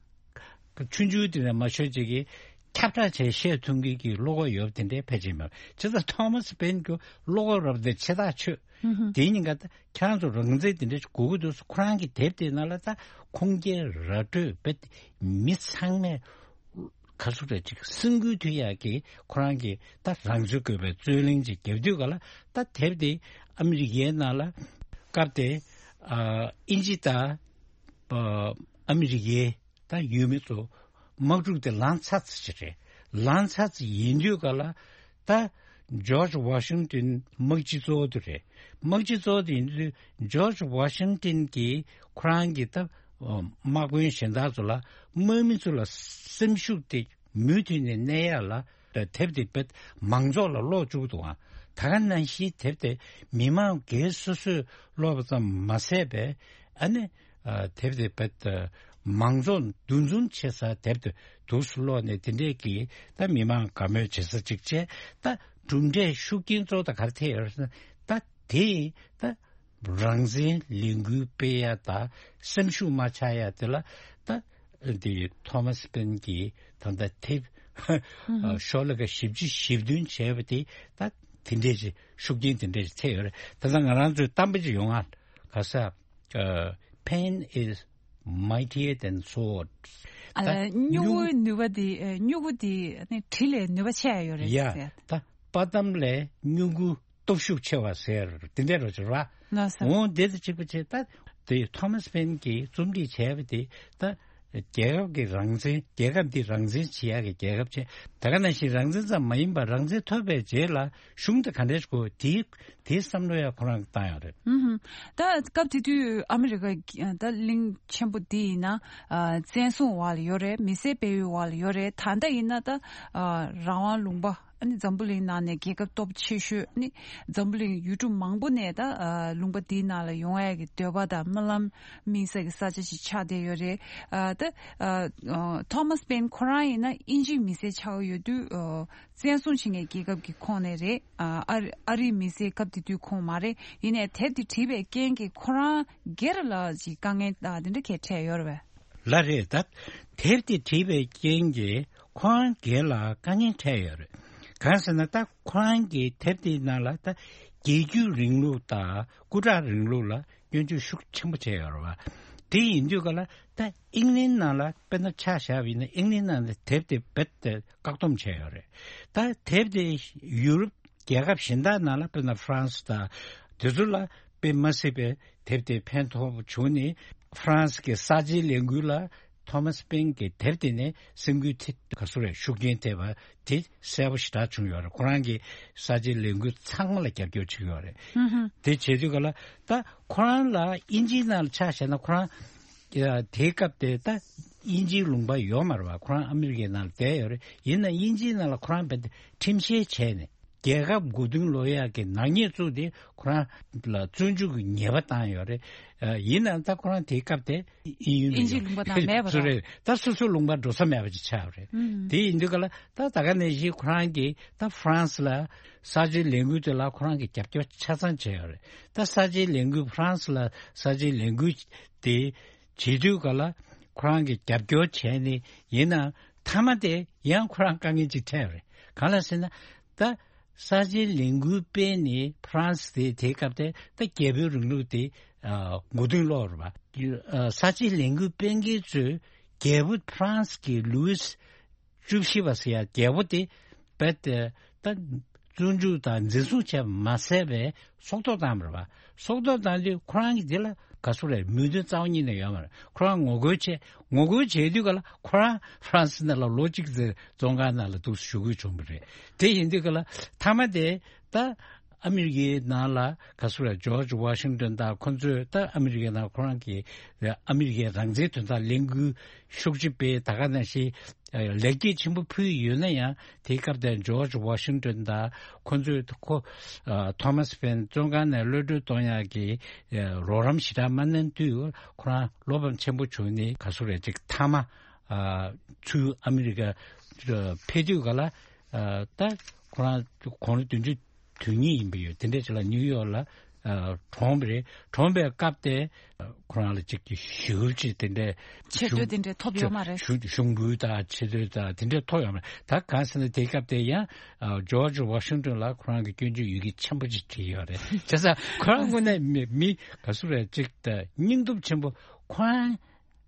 ཆུང་ཆུང་དེ་འདྲ་མ་ཤོད་ཅིག་གིས་ཁྱབ་བསྒྲགས་བྱས་བཤད་ཐུབ་མཁན་གྱི་བློ་ཁོག་ཡོད་དེ་འདྲའི་ཕལ་ཆེར་མེད། བྱས་ཙང་ཐོ་མ་སི་ཕེན་གྱི་བློ་ཁོག་རབ་དེ་ཆེ་ཐག་ཆོད། དེའི་ཉིན་ཀ་ད་ཁྱེད་རང་ཚོ་རང་བཙན་དེ་འདྲ་ཞིག་དགོས་ཀྱི་འདུག་ཁོ་རང་གི་དེབ་དེ་ནང་ལ་ད་ཁུངས་སྐྱེལ་ར་སྤྲོད་བྱས་མི་ཚང་མས་ག་ཚོད་རེད་ཅིག་སེམས་འགུལ་ཐེབས་ཡག་གི་ཁོ་རང་གི་ད་རང་ཚུགས་དགོས་པའི་རྩོད་གླེང་ཅིག་བརྒྱབ་དུས་ག་ལ་ད་དེབ་དེ་ཨ་མི་རི་ཀའི་ནང་ལ་སྐབས་དེ་ཨ་དབྱིན་ཇི་དང་ཨ་མི་རི་ཀའི་ད་ཡུལ་མི་ཚོ་དམག་འཁྲུག་དེ་ལངས་ཚར་ཚར་ཅིག་རེད། ལངས་ཚར་ཚར་ཡིན་དུས་ག་ལ་ད་ཇོརྗ་ཝ་ཤིང་ཏོན་དམག་སྤྱི་གཙོ་བོ་དེ་རེད། དམག་སྤྱི་གཙོ་བོ་དེ་ཡིན་དུས་ཇོརྗ་ཝ་ཤིང་ཏོན་གྱིས་ཁོ་རང་གི་ད་དམག་དཔོན་གཞན་དག་ཚོ་ལ་དམག་མི་ཚོ་ལ་སེམས་ཤུགས་དེ་མུ་མཐུད་ནས་གནས་ཡག་ལ་དེབ་དེ་དཔེ་མང་ཚོགས་ལ་ཀློག་བཅུག་འདུག་ཨང་། ད་ག་ནང་བཞིན་དེབ་དེ་མི་མང་སྒེར་སོ་སོས་ཀློག་པ་ཙམ་མ་ཟད་པས་ཨ་ནི། ཨ་དེབ་དེ་བེད་མང་ཚོགས་འདུ་འཛོམས་བྱེད་ས་དེབ་དེ་འདུག་སེ་ཀློག་ནས་དེ་འདྲས་ཀྱིས་ད་མི་མང་དགའ་མོས་བྱེད་ས་ཅིག་བྱས། ད་གྲུབ་འབྲས་ཤུགས་རྐྱེན་གཙོ་བོ་ད་ག་རེ་ཐེབས་ཡོད་ཟེར་ན་ད་དེས་ད་རང་བཙན་ལས་འགུལ་སྤེལ་ཡ་ད་སེམས་ཤུགས་མ་ཆག་ཡ་དེ་ལ་ད་དེ་ཐོ་མ་སི་ཕེན་གྱིས་ད་ལྟ་དེབ་ཨ་ཤོག་ལྷེ་ཁ་བཞི་བཅུ་ཞེ་བདུན་བྱས་པ་དེ་ད་དེ་འདྲས་ཅིག་ཤུགས་རྐྱེན་དེ་འདྲས་ཅིག་ཐེབས་ཡོད་རེད། ད་ལྟ་ང་རང་ཚོའི་གཏམ་དཔེ་ཅིག་ཡོང་ང་། ག་ས། ཨ། Pen is mightier than sword. ཨ་ད་སྨྱུ་གུའི་ནུས་པ་དེ་ཨ་སྨྱུ་གུ་དེ་ནི་གྲི་ལས་ནུས་པ་ཆེ་ཡ་ཡོད་རེད་ཡ། ཟེར། ད་དཔའ་གཏམ་ལས་སྨྱུ་གུ་སྟོབས་ཤུགས་ཆེ་བ་ཟེར་དེ་འདྲ་རོ་ཅིག་ར། ལགས་སོ། འོང་དེ་དང་གཅིག་པ་བྱས་ད་དེ་ཐོ་མ་སི་ཕེན་གྱིས་རྩོམ་སྒྲིག་བྱས་པ་དེ་ད་རྒྱལ་ཁབ་ཀྱི་རང་བཙན། རྒྱལ་ཁབ་འདི་རང་བཙན་བྱེད་ཡག་གི་རྒྱལ་ཁབ་བྱས། ད་ག་ནང་བཞིན་རང་བཙན་ཙམ་མ་ཡིན་པར་རང་བཙན་ཐོབ་པའི་རྗེས་ལ་གཞུང་དེ་ག་འདྲས་དགོས་དེའི་དེའི་བསམ་བློ་ཡང་ཁོ་རང་གིས་བཏང་ཡོད་རེད། ཨུ་ཧུམ། ད་སྐབས་དེ་དུས་ཨ་མི་རི་ཀ་ད་གླིང་ཆེན་པོ་འདི་ཡིན་ན་ཨ་བཙན་བཟུང་འོག་ལ་ཡོད་རེད། མི་སེར་སྤེལ་ཡུལ་འོག་ལ་ཡོད་རེད། ད་ལྟ་ཡིན་ན་ད་ཨ་རང་དབང་ལུང་པ་ཨ་ནི་འཛམ་བུ་གླིང་ནང་ནས་རྒྱལ་ཁབ་སྟོབས་ཆེ་ཤོས་ཨ་ནི་འཛམ་བུ་གླིང་ཡུལ་གྲུ་མང་པོ་ནས་ད་ཨ་ལུང་པ་འདིའི་ནང་ལ་ཡོང་ཡ་གི་འདོད་པ་དང་སྨོན་ལམ་སྨིན་ས་གི་ས་ཆ་ཞིག་ཆགས་བསྡད་ཡོད་རེད། ཨ་ད་ཨ་ཐོ་མ་སི་ཕེན་ཁོ་རང་ཡིན་ན་དབྱིན་ཇིའི་མི་སེར་ཆགས་ཡོད་དུས་ཨ་བཙན་བཟུང་བྱེད་མཁན་རྒྱལ་ཁབ་ཀྱི་ཁོངས་ནས་རེད། ཨ་ཨ་རི་ཨ་རིའི་མི་སེར་སྐབས་དེ་དུས་ཁོངས་མ་རེད། ཡིན་ནའི་དེབ་དེ་བྲིས་པའི་རྐྱེན་གྱིས་ཁོ་རང་སྒེར་ལ་ཅིག་དཀའ་ངལ་ཨ་དེ་འདྲ་གས་འཕྲད་ཡོད་རེད་པས། ལ་རེད་ད། དེབ་དེ་བྲིས་པའི་རྐྱེན་གྱིས་ཁོ་རང་སྒེར་ལ་དཀའ་ངལ་འཕྲད་ཡོད་རེད། གང་ཟེར་ན་ད་ཁོ་རང་གི་དེབ་དེའི་ནང་ལ་ད་རྒྱལ་རྒྱུད་རིང་ལུགས་དང་སྐུ་དྲག་རིང་ལུགས་ལ་སྐྱོན་བརྗོད་ཤུགས་ཆེན་པོ་བྱས་ཡོད་རེད་བ། དེ་ཡིན་དུས་ག་ལ་ད་ཨིང་ལན་ནང་ལ་དཔེར་ན་ཆ་བཞག་པ་ཡིན་ན་ཨིང་ལན་ནང་ལ་དེབ་དེ་རྦད་དེ་བཀག་སྡོམ་བྱས་ཡོད་རེད། ད་དེབ་དེ་ཡུ་རོབ་རྒྱལ་ཁབ་གཞན་དག་ནང་ལ་དཔེར་ན་ཧྥ་རན་སི་དང་དེ་ཚོ་ལ་དཔེ་མ་སྲིད་པའི་དེབ་དེ་ཕན་ཐོགས་པ་བྱུང་ནས་ཧྥ་རན་སི་གི་གསར་བརྗེའི་ལས་འགུལ་ལ་ཐོ་མཱ་སི་པེན་གྱི་དེབ་དེ་ནས་སེམས་འགུལ་ཐེབས་ག་ཚོད་རེད་ཤུགས་རྐྱེན་ཐེབས་པ་དེ་གསལ་པོ་ཞེ་དྲག་བྱུང་ཡོད་རེད། ཁོ་རང་གིས་གསར་བརྗེའི་ལས་འགུལ་ཚང་མ་ལ་རྒྱབ་སྐྱོར་བྱེད་ཀྱི་ཡོད་རེད། ཧུམ་ཧུམ། དེ་བྱེད་དུས་ག་ལ་ད་ཁོ་རང་ལ་དབྱིན་ཇིའི་ནང་ལ་ཆ་བཞག་ན་ཁོ་རང་དེའི་སྐབས་དེ་ད་དབྱིན་ཇིའི་ལུང་པ་ཡོད་མ་རེད་བ། ཁོ་རང་ཨ་མི་རི་ཀའི་ནང་ལ་བསྡད་ཡོད་རེད། ཡིན་ན་དབྱིན་ཇིའི་ནང་ལ་ཁོ་རང་རྦད་དེ་ཁྲིམས་བཤེར་བྱས་ནས་རྒྱལ་ཁབ་མགོ་རྟིང་སློག་ཡག་གི་ནག་ཉེས་བཙུགས་ཏེ་ཁོ་རང་ལ་བཙོན་འཇུག་གི་ཉེས་པ་བཏང་ཡོད་རེད། ཡིན་ནའང་ད་ཁོ་རང་དེའི་སྐབས་དེ་དབྱིན་ཡུལ་ལ་དབྱིན་ཇིའི་ཡོད་ལུང་པ་ནང་མེད་པ་རེད། ད་སོ་སོའི་ལུང་པ་འགྲོ་ས་མེད་པ་ཅིག་ཆགས་ཡོད་རེད། དེ་ཡིན་དུས་ག་ལ་ད་ད་ག་ནང་བཞིན་ཁོ་རང་གིས་ད་ཧྥ་རན་སི་ལ་གསར་བརྗེའི་ལས་འགུལ་དེ་ལ་ཁོ་རང་གིས་རྒྱབ་སྐྱོར་ཆ་ཚང་བྱས་ཡོད་རེད། ད་གསར་བརྗེའི་ལས་འགུལ་ཧྥ་རན་སི་ལ་གསར་བརྗེའི་ལས་འགུལ་དེ་བྱེད་དུས་ག་ལ་ཁོ་རང་གིས་རྒྱབ་སྐྱོར་བྱས་ནས་ཡིན་ན་མཐའ་མ་དེ་ཡང་ཁོ་རང་དཀའ་ངལ་ཅིག་འཕྲད་རེད། གང་ལ་ཟེར་ན་ད་གསར་བརྗེའི་ལས་འགུལ་སྤེལ་ནས་ཧྥ་རན་སི་དེ་དེའི་སྐབས་དེ་ད་རྒྱལ་པོའི་རིང་ལུགས་དེ་མགོ་རྟིང་སློག་རེད་པ། གསར་བརྗེའི་ལས་འགུལ་སྤེལ་མཁན་ཚོས་རྒྱལ་པོ་ཧྥ་རན་སི་གི་ལུའི་སི་བཅུ་བཞི་པ་ཟེར་ཡ་རྒྱལ་པོ་དེ་རྦད་དེ་ད་བཙོན་འཇུག་དང་འཛིན་བཟུང་བྱས་མ་ཟད་པའི་སྲོག་ཐོག་བཏང་བ་རེད་པ། སྲོག་ཐོག་བཏང་དུས་ཁོ་རང་གི་དེ་ལ་ག་ཚོད་རེད་མོས་མཐུན་རྩ་བ་ཉིད་ནས་ཡོད་མ་རེད། ཁོ་རང་ངོ་རྒོལ་བྱས་ངོ་རྒོལ་བྱས་དུས་ག་ལ་ཁོ་རང་ཧྥ་རན་སི་ནང་ལ་ལོ་གཅིག་ཙམ་བཙོན་ཁང་ནང་ལ་འདུག་སེ་བཞུགས་དགོས་བྱུང་བ་རེད། དེ་ཡིན་དུས་ག་ལ་མཐའ་མ་དེ་ད་ཨ་མི་རི་ཀའི་ནང་ལ་ག་ཚོད་རེད་ཇོརྗ་ཝ་ཤིང་ཏོན་དང་ཁོ་ཚོས་ད་ཨ་མི་རི་ཀའི་ནང་ཁོ་རང་གི་ཨ་མི་རི་ཀའི་རང་བཙན་དོན་དག་ལས་འགུལ་ཤུགས་ཆེ་སྤེལ་ད་ག་ནང་བཞིན་ལེགས་སྐྱེས་ཆེན་པོ་ཕུལ་ཡོད་ན་ཡང་དེའི་སྐབས་དེར་ཇོརྗ་ཝ་ཤིང་ཏོན་དང་ཁོ་ཚོས་ཁོ་ཐོ་མཱ་སི་ཕེན་བཙོན་ཁང་ནས་གློད་གྲོལ་གཏོང་ཡག་གི་རོགས་རམ་ཞེ་དྲག་མ་གནང་དུས་ཁོ་རང་བློ་ཕམ་ཆེན་པོ་བྱུང་ནས་ག་ཚོད་རེད་ཅིག་མཐའ་མ་ཚུར་ཨ་མི་རི་ཀ་ཕེབས་དུས་ག་ལ་ད་ཁོ་རང་དགུང་ལོ་བདུན་ཅུ་དོན་གཉིས་ཡིན་པ་ཡོད། དེ་འདྲས་ཅིག་ལ་ནིའུ་ཡོག་ལ་གྲོངས་པ་རེད། གྲོངས་པའི་སྐབས་དེ་ཁོ་རང་ལ་ཅིག་གི་ཞེ་པོ་ཅིག་དེ་འདྲས་ཆེ་བསྟོད་དེ་འདྲས་ཐོབ་ཡོད་མ་རེད། གཞུང་གཞུང་འབུལ་དང་ཆེ་བསྟོད་དང་དེ་འདྲས་ཐོབ་ཡོད་མ་རེད། ད་གང་ཟེར་ན་དེའི་སྐབས་དེ་ཡང་ཇོརྗ་ཝ་ཤིང་ཏོན་ལ་ཁོ་རང་གི་སྐྱོན་བརྗོད་ཡི་གེ་ཆེན་པོ་ཅིག་བྲིས་ཡོད་རེད། བྱས་ཙང་ཁོ་རང་ངོས་ནས་མི་མི་ག་ཚོད་རེད་ཅིག་ད་སྙིང་སྟོབས་ཆེན་པོ་ཁོ་རང་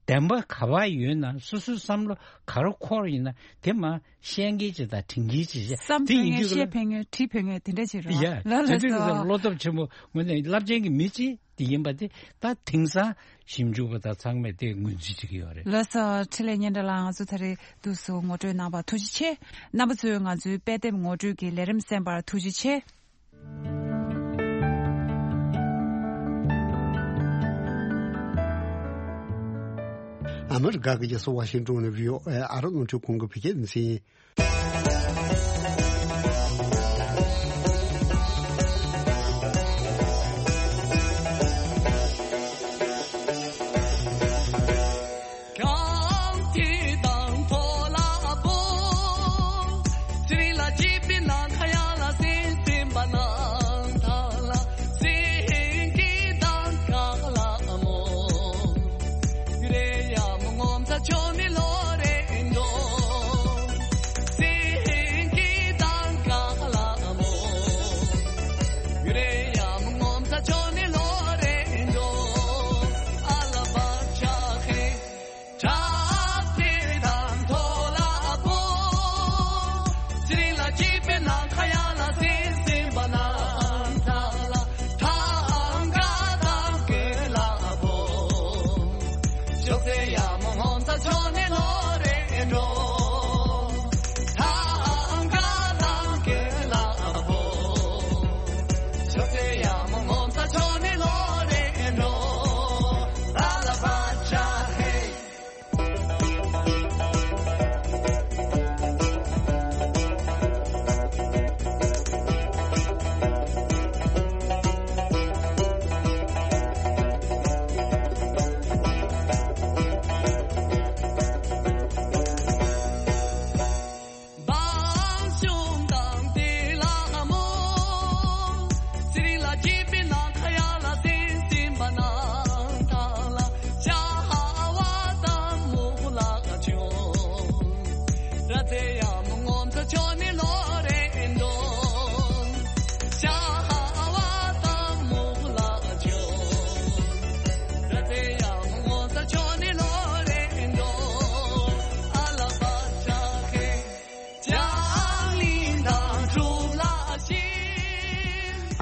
བདེན་པ་ག་པར་ཡོད་ན་སོ་སོའི་བསམ་བློ་ག་རུ་འཁོར་ཡིན་ན་དེ་མ་བཤད་མཁན་ཅིག་དང་དྲན་མཁན་ཅིག་བྱས་བསམ་དེ་ཕན་ཡིན་མཁན་དུས་བཤད་ལ་ཕན་མཁན་བྲིས་ཕན་མཁན་དེ་འདྲ་ཅིག་རེད་ཡ་བ། ལ་དེ་ལ་དུས་ལ་སོ། བློ་སྟོབས་ཆེན་པོ་ངོས་ནས་རླབས་ཆེན་གྱི་མི་གཅིག་དེ་ཡིན་པ་དེ་ད་དེང་སང་ཞིབ་འཇུག་པ་དང་ཚང་མས་དེ་ངོས་འཛིན་བྱེད་ཀྱི་ཡོད་རེད། ལགས་སོ། འཕྲིན་ལས་སྙན་གྲགས་ལགས་ང་ཚོ་ད་རེས་དུས་སུ་ངོ་སྤྲོད་གནང་བར་ཐུགས་རྗེ་ཆེ། རྣམ་པ་ཚོས་ང་ཚོའི་དཔེ་དེབ་ངོ་སྤྲོད་ཀྱི་ལས་རིམ་གསན་པར་ཐུགས་རྗེ་ཆེ། ཨ་མི་རི་ཀ་གི་རྒྱལ་ས་ཝ་ཤིང་ཏོན་ནས་བྷི་ཨོ་ཨེ་ཨ་རི་རླུང་འཕྲིན་ཁང་གི་བོད་སྐད་སྡེ་ཚན་ཡིན།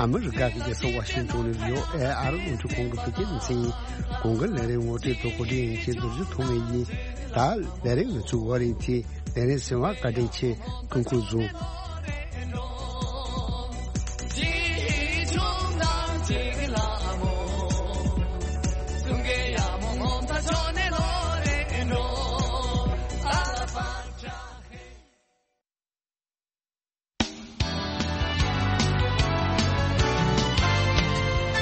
ཨ་མི་རི་ཀ་གི་རྒྱལ་ས་ཝ་ཤིང་ཏོན་ནས་བྷི་ཨོ་ཨེ་ཨ་རི་རླུང་འཕྲིན་ཁང་གི་བོད་སྐད་སྡེ་ཚན་ཡིན། གོང་གི་ལས་རིམ་ངོ་སྤྲོད་དང་གོ་སྒྲིག་ཡིན་གྱི་མདོར་བསྡུས་ཐོག་མེད་ཡིན། ད་ལས་རིམ་ནི་ཚུགས་བ་རིང་ཚེ་ལས་རིམ་ཟིན་བ་བཀའ་དྲིན་ཆེ། སྐུ་ཁམས་བཟང་།